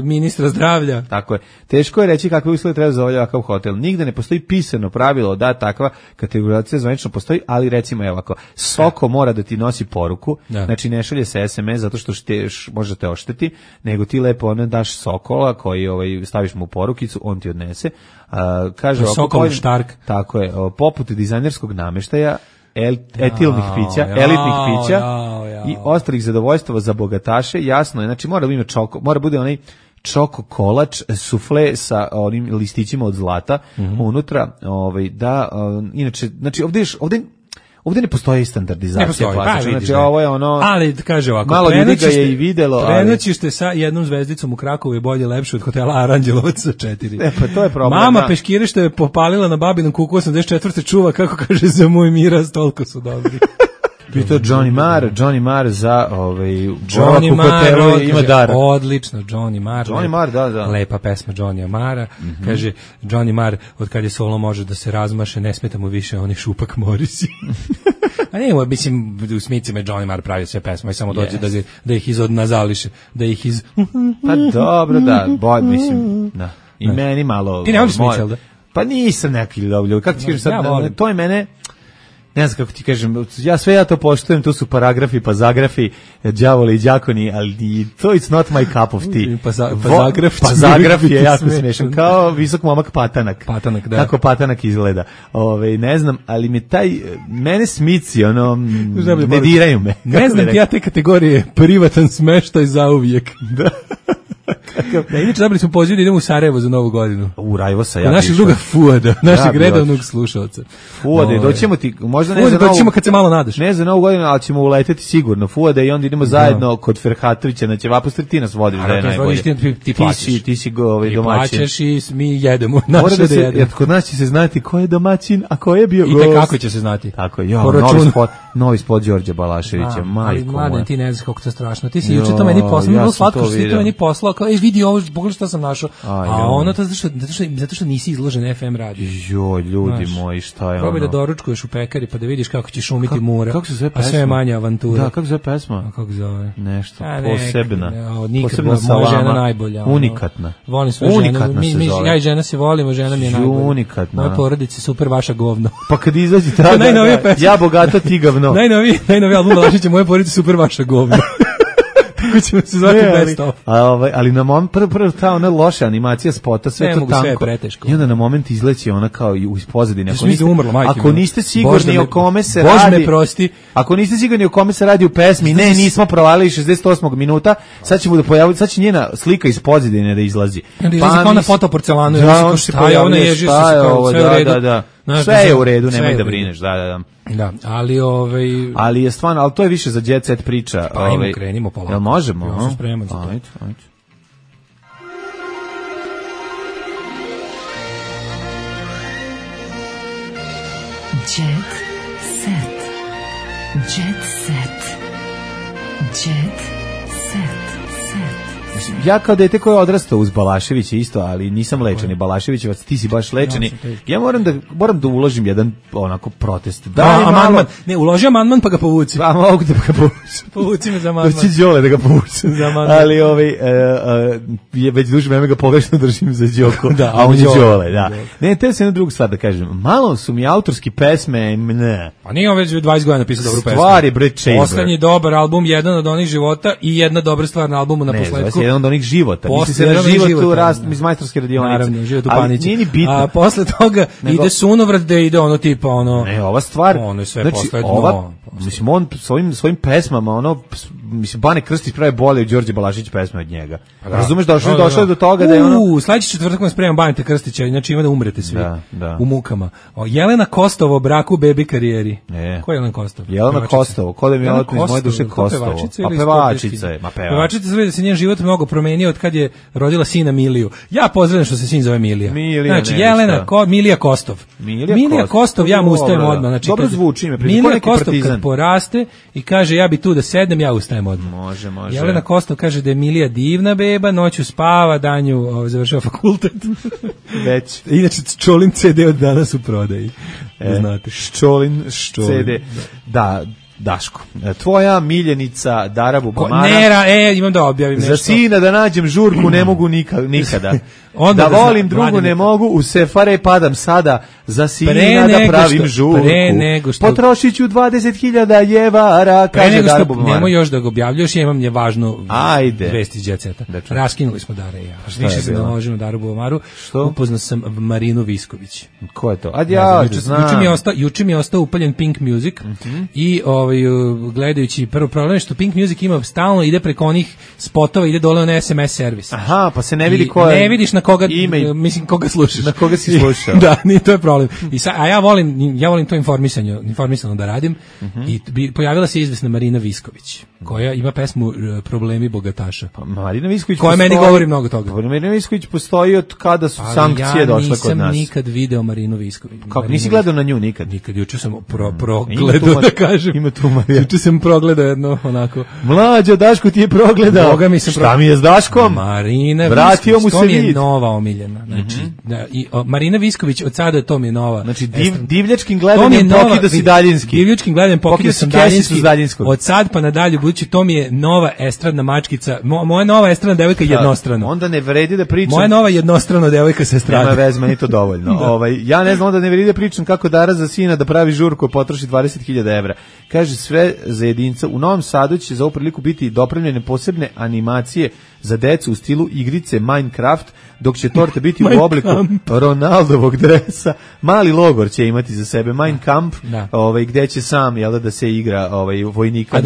ministra zdravlja. Tako je. Teško je reći kakve uslove treba za ovakav hotel. Nigde ne postoji pisano pravilo da takva kategorizacija zvanično postoji, ali recimo ovako, Soko mora da ti nosi poruku, znači ne šalje se SMS zato što možete ošteti, nego ti lepo daš Sokola koji staviš mu u porukicu, on ti odnese. Kaže Sokol Štark. Tako je, poput dizajnerskog nameštaja, etilnih pića, elitnih pića i ostalih zadovoljstava za bogataše, jasno je, znači mora bude onaj čoko kolač, sufle sa onim listićima od zlata unutra, inače, znači ovdje ne postoji standardizacija plaća, znači ovo je ali kaže ovako, malo ljudi ga je i videlo, prenoćište sa 1 zvezdicom u Krakovu je bolje lepše od hotela Aranđelovac sa 4. Pa to je problem. Mama peškire što je popalila na babinom kuku 84. čuva, kako kaže, za moj miraz, toliko su dobri. Pitao Johnny Marr za Johnny Marr ima dar. Odlično, Johnny Marr. Johnny Marr, da. Lepa pesma Johnny Marra. Kaže, Johnny Marr, od kad je solo može da se razmaše, ne smeta mu više oni šupak Morisi. A ne, mislim, u Smicima je Johnny Marr pravio sve pesme, i samo dođe da ih izodnazališe, da ih iz... Pa dobro, da, mislim, da. I meni malo... Ti ne voliš Smith, da? Pa nisam neki ljubljivý. Kako ti kažeš sad, to je mene... Ne znam kako ti kažem, ja to poštujem, tu su paragrafi, pa zagrafi, đavoli i đakoni, ali to it's not my cup of tea. Pa zagraf je jako smešan, kao visok momak Patanak. Patanak, da. Kako Patanak izgleda. Ne znam, ali mene Smici, ne diraju me. Ne znam ti ja te kategorije, privatan smeštaj zauvijek. Da. Da, inače dobili smo poziv da idemo u Sarajevo za Novu godinu. U Rajvosa ja. Našeg druga Fuada, našeg redovnog slušalca. Fuade, doćemo ti, možda ne Fuade, za doćemo kad se malo nadaš. Ne za Novu godinu, ali ćemo uleteti sigurno. Fuade i onda idemo zajedno kod Ferhatovića na Ćevapostre, ti nas vodiš da je najbolje. Ti si domaćin. Plaćaš i mi jedemo. Kod nas će se znati ko je domaćin, a ko je bio gost. I kako će se znati. Tako je, novi spot Đorđe Balaševića, majko moja. Mladen, ti ne znaš kako to strašno. Ti si juče to meni poslao, bilo slatko što ti to meni poslao, kao vidi ovo, pogledaj šta sam našao. A ono to zato što nisi izložen FM radiju. Joj, ljudi moji, šta je ono? Probaj da doručkuješ u pekari pa da vidiš kako će šumiti mura. Kako se zove pesma? A sve je manja avantura. Da, kako se zove pesma? A kako zove? Nešto posebna. Posebna moja žena najbolja. Unikatna. Volim svoju ženu. Ja i žena se volimo, žena mi je najbolja. Unikatna. Moja porodica super, vaša govno. Pa kad izađe tada, ja bogata, ti gavno. Najnoviji album Balaševića, moje porodice super, vaša govno. Tako ćemo se zvati best of. Ali na moment, prvo ta ona loša animacija spota, sve to tanko. I onda na moment izleće ona kao iz pozadine. Ako niste sigurni o kome se radi, ako niste sigurni o kome se radi u pesmi, nismo provalili 68. minuta, sad ćemo da pojaviti, sad će njena slika iz pozadine da izlazi. Pa kao na fotoporcelanu, šta je ona ježi se kao sve u redu. Sve je u redu, nemoj da brineš, da. Da, ali ali je stvarno, ali to je više za jet set priča. Pa krenimo polako. Jel možemo? Ja sam spreman za to. Ajde. Jet set. Jet set. Jet set. Ja kao dete koje je odrastao uz Balaševića isto, ali nisam lečeni Balaševićevac, ti si baš lečeni. Ja moram da uložim jedan onako protest. Amandman. Ne, uloži amandman pa ga povuci. Pa mogu da ga povuci. Povuci me za amandman. Doći Đole da ga povuci. Ali je već duže vreme ga pogrešno držim za Đoko, a on je Đole, da. Ne, te se jednu drugu stvar da kažem. Malo su mi autorski pesme, ne. Pa nije on već 20 godina napisao dobru pesmu. Stvari, bre, Chamber. Poslednji dobar album, jedan od onih života i jedna dobra stvar na albumu na posledku. Jedan od onih života. Misli se na život u rast iz majstorske radionice. Naravno, život u Panići. Nije ni bitno. A posle toga ide sunovrat da ide ono tipa ono... Ne, ova stvar... Ono je sve posledno. Mislim, on svojim pesmama, mislim, Bane Krstić pravi bolje od Đorđe Balašević pesme od njega. Razumeš, došlo je do toga da je ono... Sledeći četvrtak vam spremam Baneta Krstića, znači ima da umrete svi u mukama. Jelena Kostovo, braku, bebi karijeri. Ko je Jelena Kostovo? Jelena Kostovo, ko da mi je iz moje duše Kostovo. Pa pevačica je. Pevačica se vidi da se njen život mnogo promenio od kad je rodila sina Miliju. Ja pozdravljam što se sin zove Milija. Znači, Jelena, Milija Kostov. Milija Kostov, ja mu ustajem odmah. Znači, dobro zvuči ime. Milija Kostov kad poraste i kaže ja bi tu da sednem, ja ustajem odmah. Može. Jelena Kostov kaže da je Milija divna beba, noću spava, danju završava fakultet. Već. Inače, Čolin CD od danas u prodaji. Znate. Čolin CD. Da. Daško, tvoja miljenica Dara Bubamara. Imam da objavim nešto. Za sina da nađem žurku ne mogu nikada. Da volim drugu ne mogu, u sefare padam sada, za sina da pravim žurku. Potrošit ću 20.000 jevara, kaže Dara Bubamara. Nemoj još da ga objavljaš, ja imam je važnu vest iz Jet Seta. Raskinuli smo Dara i ja. Više se naložimo Daru Bubamaru. Upoznao sam Marinu Visković. Ko je to? Juče mi je ostao upaljen Pink Music i gledajući prvo problem što Pink Music ima stalno ide preko onih spotova, ide dole na SMS servis. Aha, pa se ne vidi ko je. Ne vidiš na koga, mislim, koga slušaš. Na koga si slušao. Da, ni to je problem. A ja volim to informisano da radim i pojavila se izvesna Marina Visković, koja ima pesmu Problemi bogataša. Pa Marina Visković koja meni govori mnogo toga. Pa Marina Visković postoji od kada su sankcije došle kod nas. Ja nisam nikad video Marinu Visković. Kako, nisi gledao na nju nikad? Nikad, juče sam progledao, da kažem. Ima tu Marija. Juče sam progledao jedno onako. Mlađo, Daško ti je progledao. Boga mi Šta mi je s Daškom? Marina Vratio mu se to mi je nova omiljena. Znači, Marina Visković od sada to mi je nova. Znači, divljačkim gledanjem pokida si daljinski. Divljačkim gledanjem pokida sam daljinski. Od sad pa nadalje, budući to mi je nova estradna mačkica. Moja nova estradna devojka jednostrano. Onda ne vredi da pričam. Moja nova jednostrana devojka sa estrade. Nema veze, meni to dovoljno. Ja ne znam, onda ne vredi da pričam kako Dara za sina da pravi žurku, potroši 20.000 evra. Kaže, sve za jedinca. U Novom Sadu će za ovu priliku biti dopremljene posebne animacije za decu u stilu igrice Minecraft, dok će torta biti u obliku Ronaldovog dresa. Mali logor će imati za sebe Mein Kampf, gde će sam da se igra vojnika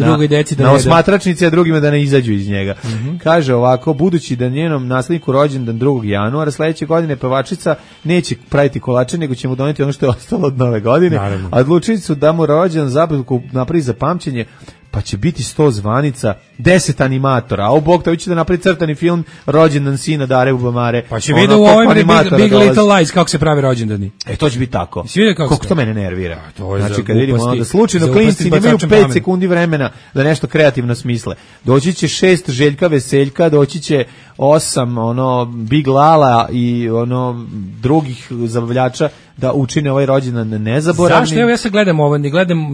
na osmatračnici, a drugima da ne izađu iz njega. Kaže ovako, budući da njenom nasledniku rođendan 2. januara, sledeće godine pevačica neće praviti kolače, nego će mu doneti ono što je ostalo od nove godine. A odlučili su da mu rođendan zabavku napravi za pamćenje, pa će biti 100 zvanica, 10 animatora, a u Bog to će da napravi crtani film rođendan sina Dare Ubamare. Pa će vidio u ovim Big Little Lies kako se pravi rođendani. To će biti tako. Kako to mene nervira. Znači kad vidimo onda slučajno klinci imaju 5 sekundi vremena da nešto kreativno smisle. Doći će 6 Željka Veseljka, doći će 8 Big Lala i drugih zabavljača da učine ovaj rođendan nezaboravnim. Zašto? Evo ja sad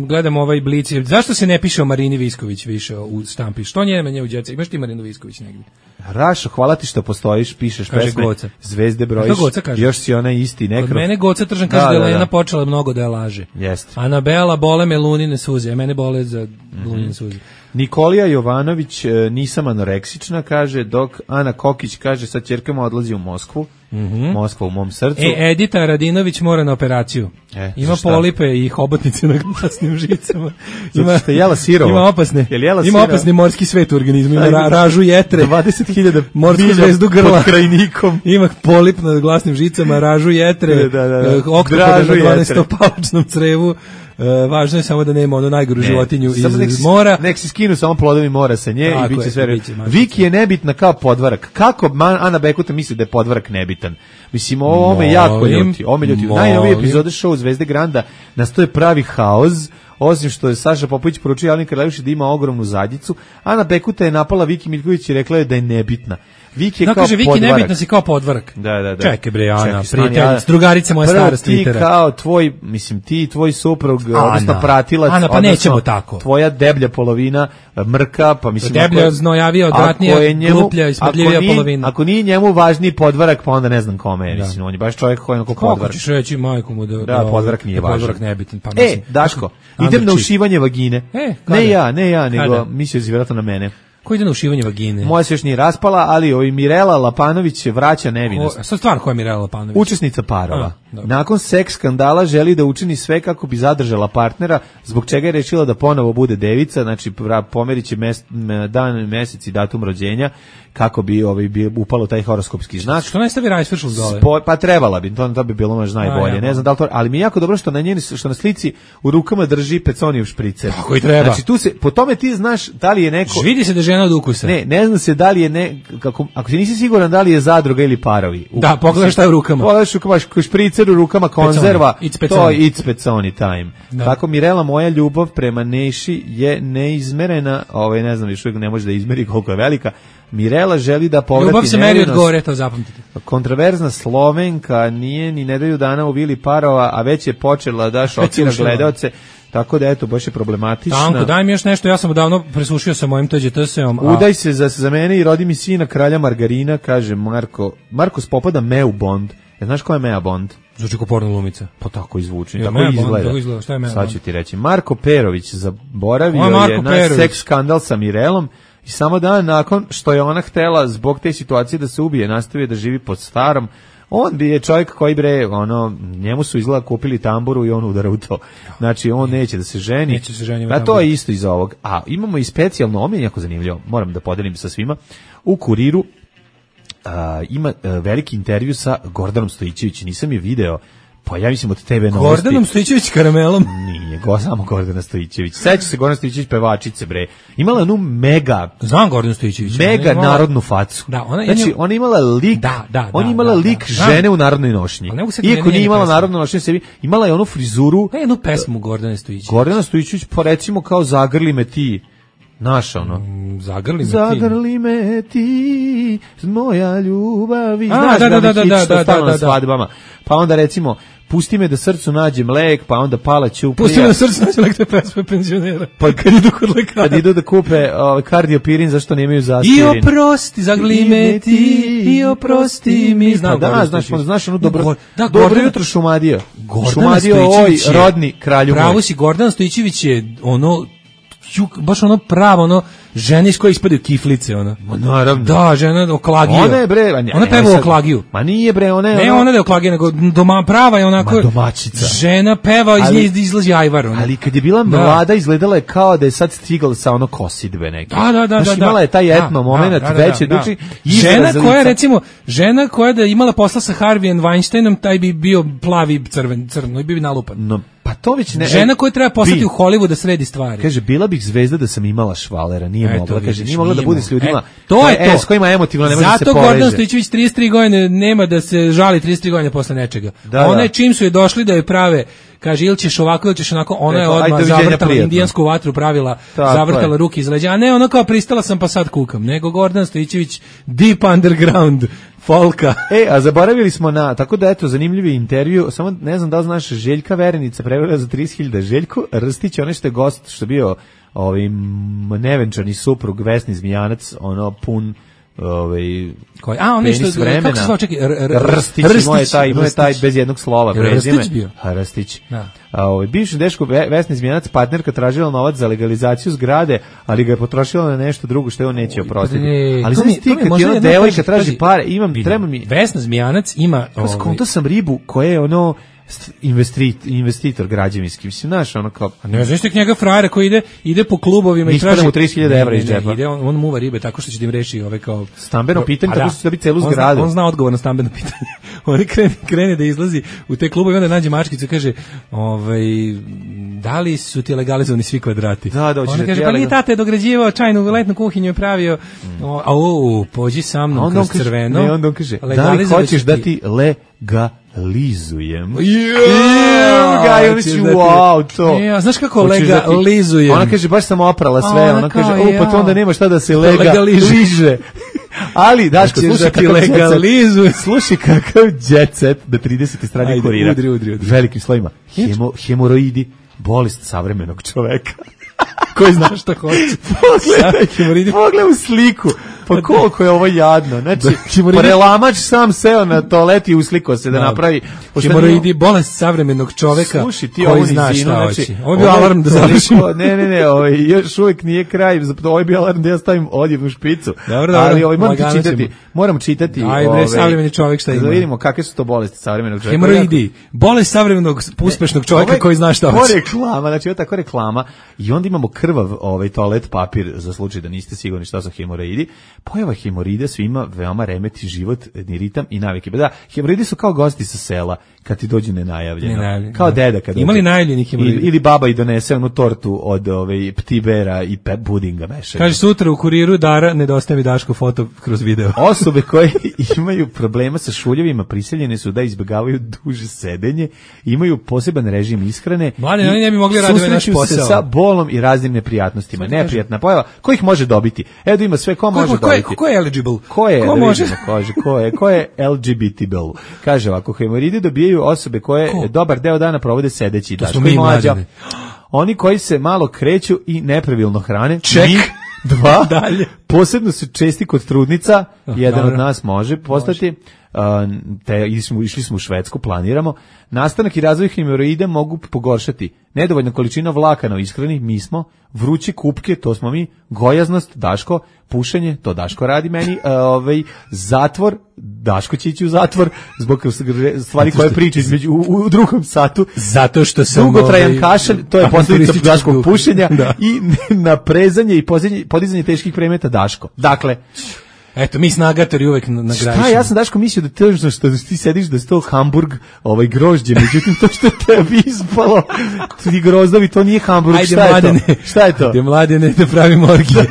gledam ovaj Blic. Zašto se ne piše o Marini Visković više u štampi? Što njeme nje u djece? Imaš ti Marinu Visković negdje? Rašo, hvala ti što postojiš, pišeš pesme, zvezde brojiš, još si ona isti nekrov. Kod mene Goca Tržan kaže da je Lena počela mnogo da je laže. Jeste. Anabela, bole me lunine suze, a mene bole za lunine suze. Nikolija Jovanović, nisam anoreksična, kaže, dok Ana Kokić kaže, sa ćerkama odlazi u Moskvu. Moskva u mom srcu. Edita Radinović mora na operaciju. Ima polipe i hobotnice na glasnim žicama. Jela sirovo. Ima opasni morski svet u organizmu. Ima ražu jetre. 20.000 morsku zvezdu grla. Pod krajnikom. Ima polip na glasnim žicama, ražu jetre. Oktopoda na 12-palačnom crevu. Važno je samo da nema onu najgoru životinju iz mora. Nek se skinu samo plodovi mora sa nje i bit će sve. Viki je nebitna kao podvarak. Kako Ana Bekuta misli da je podvarak nebitan? Mislim, ovo me jako ljuti. Najnovije epizode show Zvezde Granda nastoje pravi haos. Osim što je Saša Popović poručio Jeleni Karleuši da ima ogromnu zadnjicu, Ana Bekuta je napala Viki Miljković i rekla je da je nebitna. Viki je kao kaže, Viki nebitna si kao podvarak. Da. Čekaj bre, Ana, prijatelj, drugarica moja stara s Twittera. Ti kao ti i tvoj suprug, odnosno pratilac, Ana, pa nećemo tako. Tvoja deblja polovina mrka, pa mislim... Deblja, znojavija, odvratnija, gluplja, ispadljivija polovina. Ako nije njemu važniji podvarak, pa onda ne znam kome je. Mislim, on je baš čovjek koji je onako podvarak. Kako ćeš reći majku mu da podvarak nije važan. Podvarak nebitan. Daško, idem na ušivanje vagine. Ne ja, nego mislio si vjerojatno na mene. Ko ide na ušivanje vagine? Moja se još nije raspala, ali Mirela Lapanović vraća nevinost. Sad stvarno koja je Mirela Lapanović? Učesnica parova. Nakon seks skandala želi da učini sve kako bi zadržala partnera, zbog čega je rešila da ponovo bude devica, znači pomerit će dan, mesec i datum rođenja, kako bi upalo taj horoskopski znak. Što ne stavi Rajsvršl dole? Pa trebala bi, to bi bilo možda najbolje. Ne znam da li to, ali mi je jako dobro što na slici u rukama drži peconijev špricer. Tako i treba. Znači tu se, po tome ti znaš da li je neko... Vidi se da žena od ukusa. Ne zna se da li je ako ti nisi siguran da li je zadruga ili parovi. Da, pogledaš šta je u rukama. Pogledaš u rukama, špricer u rukama, konzerva, to je it's peconi time. Tako Mirela, moja ljubav prema Neši je neizmerena, ne znam, još uvijek ne može da izmeri koliko je velika. Mirela želi da povrati nevinost. Ljubav se meri od gore, to zapamtite. Kontroverzna Slovenka nije ni nedelju dana u vili parova, a već je počela da šokira gledaoce. Tako da eto, baš je problematična. Tanko, daj mi još nešto, ja sam odavno presušio sa mojim TGT-sem. Udaj se za mene i rodi mi sina kralja margarina, kaže Marko. Marko spopada Meu Bond. Znaš ko je Mea Bond? Zvuči ko porno glumica. Pa tako izvuči, tako izgleda. Šta je Mea Sad ću ti reći. Marko Perović zaboravio je na seks skandal sa Mirelom i samo dan nakon što je ona htela zbog te situacije da se ubije, nastavio da živi pod starom. On bi je čovjek koji njemu su izgleda kupili tamburu i on udara u to. Znači on neće da se ženi. A to je isto iz ovog. A imamo i specijalno, ovo mi je jako zanimljivo, moram da podelim sa svima. U Kuriru ima veliki intervju sa Gordanom Stojićevićem, nisam je video, pa ja mislim od TV Novosti. Gordanom Stojićević karamelom? Nije, samo Gordana Stojićević. Seća se Gordana Stojićević pevačice, bre. Imala jednu mega... Znam Gordanu Stojićević. Mega narodnu facu. Da, ona imala lik, ona imala lik žene u narodnoj nošnji. Iako nije imala narodnu nošnju sebi, imala je onu frizuru... jednu pesmu Gordane Stojićević. Gordana Stojićević, pa recimo kao Zagrli me ti... Naša ono. Zagrli me ti, moja ljubavi. Znaš što stalno na svadbama. Pa onda recimo, pusti me da srcu nađem lek, pa onda Pala Ćuprija. Pusti me da srcu nađem lek, to je pesma penzionera. Pa kad idu kod lekara. Kad idu da kupe kardiopirin, zašto nemaju zaspirin. I oprosti, zagrli me ti, i oprosti mi. Znaš ono dobro jutro Šumadio. Šumadio, oj, rodni kralju moj. Pravo si, Gordan Stojićević je ono... baš ono pravo, ono žene iz koje ispadaju kiflice, ono. Naravno. Da, žena oklagija. Ona je bre, ona peva oklagiju. Ma nije bre, ona je. Ne, ona je oklagija, nego prava je onako. Domaćica. Žena peva, iz nje izlazi ajvar, ono. Ali kad je bila mlada, izgledala je kao da je sad stigla sa ono kosidbe neke. Da. Znači, imala je taj etno moment, veće duči. Žena koja da imala posla sa Harveyem Weinsteinom, taj bi bio plavi crno i bi nalupan. No, pa to već ne. Žena koja treba poslati u Hollywood da sredi stvari. Kaže, bila bih zvezda da sam imala švalera, nije mogla. Kaže, nije mogla da bude s ljudima. To je to. S kojima emotivno ne može se poveže. Zato Gordan Stojićević 33 godine nema da se žali 33 godine posle nečega. Ona je čim su je došli da je prave, kaže, ili ćeš ovako, ili ćeš onako, ona je odmah zavrtala indijansku vatru, pravila, zavrtala ruke iz leđa, a ne ono kao pristala sam pa sad kukam, nego Gordan Stojićević deep underground folka. A zaboravili smo tako da eto, zanimljivi intervju, samo ne znam da li znaš, Željka Verenica prevela za 30.000, Željko Rstić, onaj što je gost, što je bio nevenčani suprug Vesni Zmijanac, ono pun penis vremena. Kako se zvao, čekaj, Rstić, imao je taj bez jednog slova prezime. Rstić bio? Rstić. Bivši dečko Vesni Zmijanac, partnerka tražila novac za legalizaciju zgrade, ali ga je potrošila na nešto drugo što je on neće oprostiti. Ali znaš ti, kad ti ona devojka traži pare, treba mi... Vesna Zmijanac ima... Skonto sam ribu koja je ono... investitor građevinski, mislim, znaš, ono kao... Ne znaš tek njega frajera koji ide po klubovima i traži... mu 30.000 evra iz džepa. On muva ribe tako što će da im reši kao... Stambeno pitanje, tako što će dobiti celu zgradu. On zna odgovor na stambeno pitanje. On krene da izlazi u te klubove i onda nađe mačkicu i kaže, da li su ti legalizovani svi kvadrati? Da, ona kaže, pa nije tate je dograđivao čajnu letnu kuhinju je pravio, pođi sa mnom kroz crveno. Ne, onda on kaže, da li hoćeš da ti legalizujem? Znaš kako legalizujem? Ona kaže, baš sam oprala sve. Ona kaže, pa to onda nema šta da se legaliže. Ali, Daško, slušaj kakav jet set da 30. strani Kurira. Udri. Velikim slovima. Hemoroidi, bolest savremenog čoveka. Koji zna šta hoće. Pogledaj u sliku. Pa koliko je ovo jadno. Znači, prelamač sam seo na toalet i uslikao se da napravi... Hemoroidi, bolest savremenog čoveka koji zna šta hoće. Ovo je bio alarm da završimo. Ne, još uvijek nije kraj. Ovo je bio alarm da ja stavim odjednu špicu. Ali moram čitati. Ajde, savremeni čovek šta ima. Da vidimo kakve su to bolesti savremenog čoveka. Hemoroidi, bolest savremenog uspešnog čoveka koji zna šta hoće. Ovo je reklama, znači ovo je tako reklama. I onda imamo krvav toalet papir za slučaj da niste sigurni šta su hemoroidi. Pojava hemorida svima veoma remeti život, ritam i navike. Da, hemoridi su kao gosti sa sela kad ti dođu nenajavljeno. Kao deda kad imali najavljenih hemorida. Ili baba i donese onu tortu od ptibera i budinga mešanja. Kaže, sutra u Kuriru Dara nedostaje mi Daško foto kroz video. Osobe koje imaju problema sa šuljevima prisiljene su da izbjegavaju duže sedenje, imaju poseban režim ishrane. Mlade, oni ne bi mogli raditi naš posao. Susreću se sa bolom i raznim neprijatnostima. Neprijatna pojava. Ko ih može dobiti? Evo ima sve, ko može dobiti? Ko je eligible? Ko je LGBTable? Kaže ovako, hemoridi dobijaju osobe koje dobar deo dana provode sedeći. To smo mi mlađani. Oni koji se malo kreću i nepravilno hrane. Ček. 2. Dalje. Posebno su česti kod trudnica. Jedan od nas može postati. Išli smo u Švedsku, planiramo. Nastanak i razvoj hemoroida mogu pogoršati nedovoljna količina vlakana u ishrani, mi smo, vruće kupke, to smo mi, gojaznost, Daško, pušenje, to Daško radi meni, zatvor, Daško će ići u zatvor zbog stvari koje priča u drugom satu. Zato što sam dugotrajan kašalj, to je posljedica Daškog pušenja i naprezanje i podizanje teških predmeta Daško. Dakle, Eto, mi snagatori uvek nagrađujemo. Šta, ja sam Daško mislio da težno što ti sediš da je to Hamburg, grožđe, međutim to što tebi ispalo, ti grozdovi, to nije Hamburg, ajde, šta je mladene, to? Šta je to? Ajde, mladene, da pravimo orgije.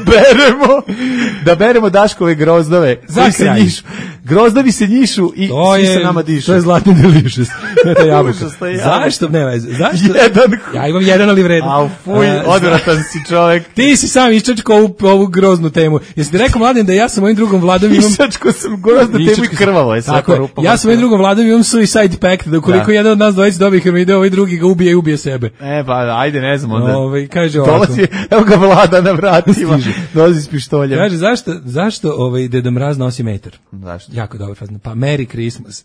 Da beremo Daškove grozdove, koji se njišu. Grozdovi se njišu i svi se nama dišu. To je zlatni delicious. To je jabuka. Zašto? Ne veze. Zašto? Ja imam jedan, ali vredan. Au, fuj, odvratan si čovek. Ti si sam iščačko ovu groznu temu. Jesi ti rekao, Mladen, da ja sa mojim drugom Vladom imam... Iščačko sam groznu temu i krvavo je sve po rupama. Ja sa mojim drugom Vladom imam suicide pact, da ukoliko jedan od nas dvojica dobije hemoroide, ovaj drugi ga ubije i ubije sebe. Pa ajde, ne znam onda. Kaže ovako. Dolazi, evo ga Vlada na vratima, dolazi s pištoljem. Kaže, zašto Deda Mraz nosi metar? Zašto? Jako dobro fazno. Pa Merry Christmas.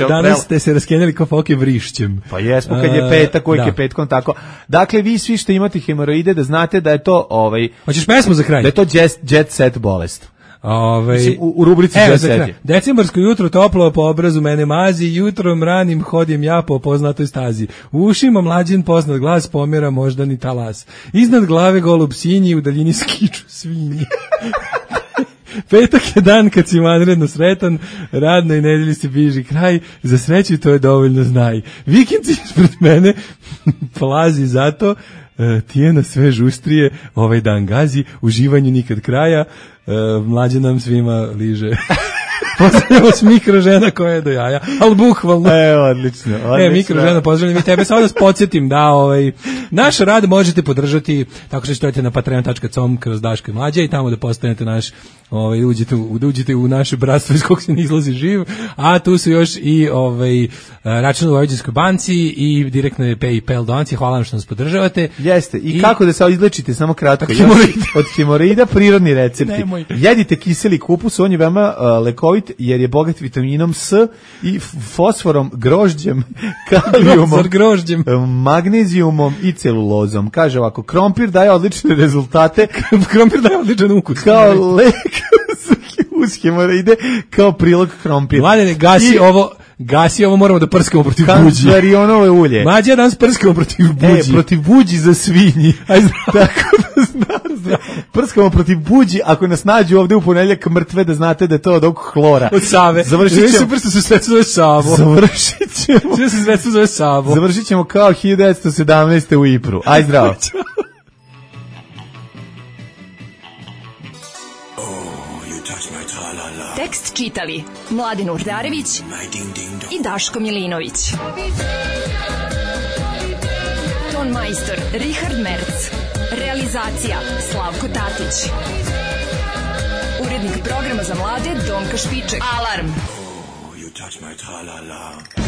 Danas ste se raskenjali kao foke vrišćem. Pa jesmo, kad je petak, uvijek je petkom tako. Dakle, vi svi što imate hemoroide, da znate da je to... Hoćeš pesmu za kraj? Da je to jet set bolest. Mislim, u rubrici jet set. Decembarsko jutro toplo po obrazu mene mazi, jutrom ranim hodim ja po poznatoj stazi. U ušima mlađen poznat glas pomjera moždani talas. Iznad glave golub sinji, u daljini skiču svinji. Petak je dan kad si vanredno sretan, radnoj nedelji se bliži kraj, za sreću to je dovoljno znaj. Vikend si ispred mene, plazi zato, tijena sve žustrije, ovaj dan gazi, uživanju nikad kraja, mlađe nam svima liže. Pozdravljamo s mikrožena koja je do jaja, ali bukvalno. Odlično. Mikrožena, pozdravljam i tebe. Samo da vas podsjetim da naš rad možete podržati tako što stojite na patreon.com kroz Daško i Mlađa i tamo da postanete naš, uđete u naše bratstvo iz kog se ne izlazi živ, a tu su još i račun u Vojvođanskoj banci i direktne PayPal donacije. Hvala vam što nas podržavate. Jeste. I kako da se izlečite, samo kratko. Od hemoroida prirodni recepti. Nemoj. Jedite kiseli kupus, on je veoma lekovit jer je bogat vitaminom S i fosforom, grožđem, kalijumom, magnezijumom i celulozom. Kaže ovako, krompir daje odlične rezultate. Krompir daje odličan ukus. Kao lek uz hemoroide, kao prilog krompir. Mladene, gasi ovo, moramo da prskamo protiv buđi. Kanzarionove ulje. Mlađe, danas prskamo protiv buđi. Protiv buđi za svinji. Tako da znam. Prskamo protiv buđi, ako nas nađu ovde u ponedjeljak mrtve, da znate da je to od ovog hlora. Od Save. Završit ćemo kao 1917. u Ipru. Aj zdravo. Tekst čitali Mladen Urdarević i Daško Milinović. Ton majstor Richard Merc. Realizacija Slavko Tatić. Urednik programa za mlade Donka Špiček. Alarm! You touch my tra-la-la.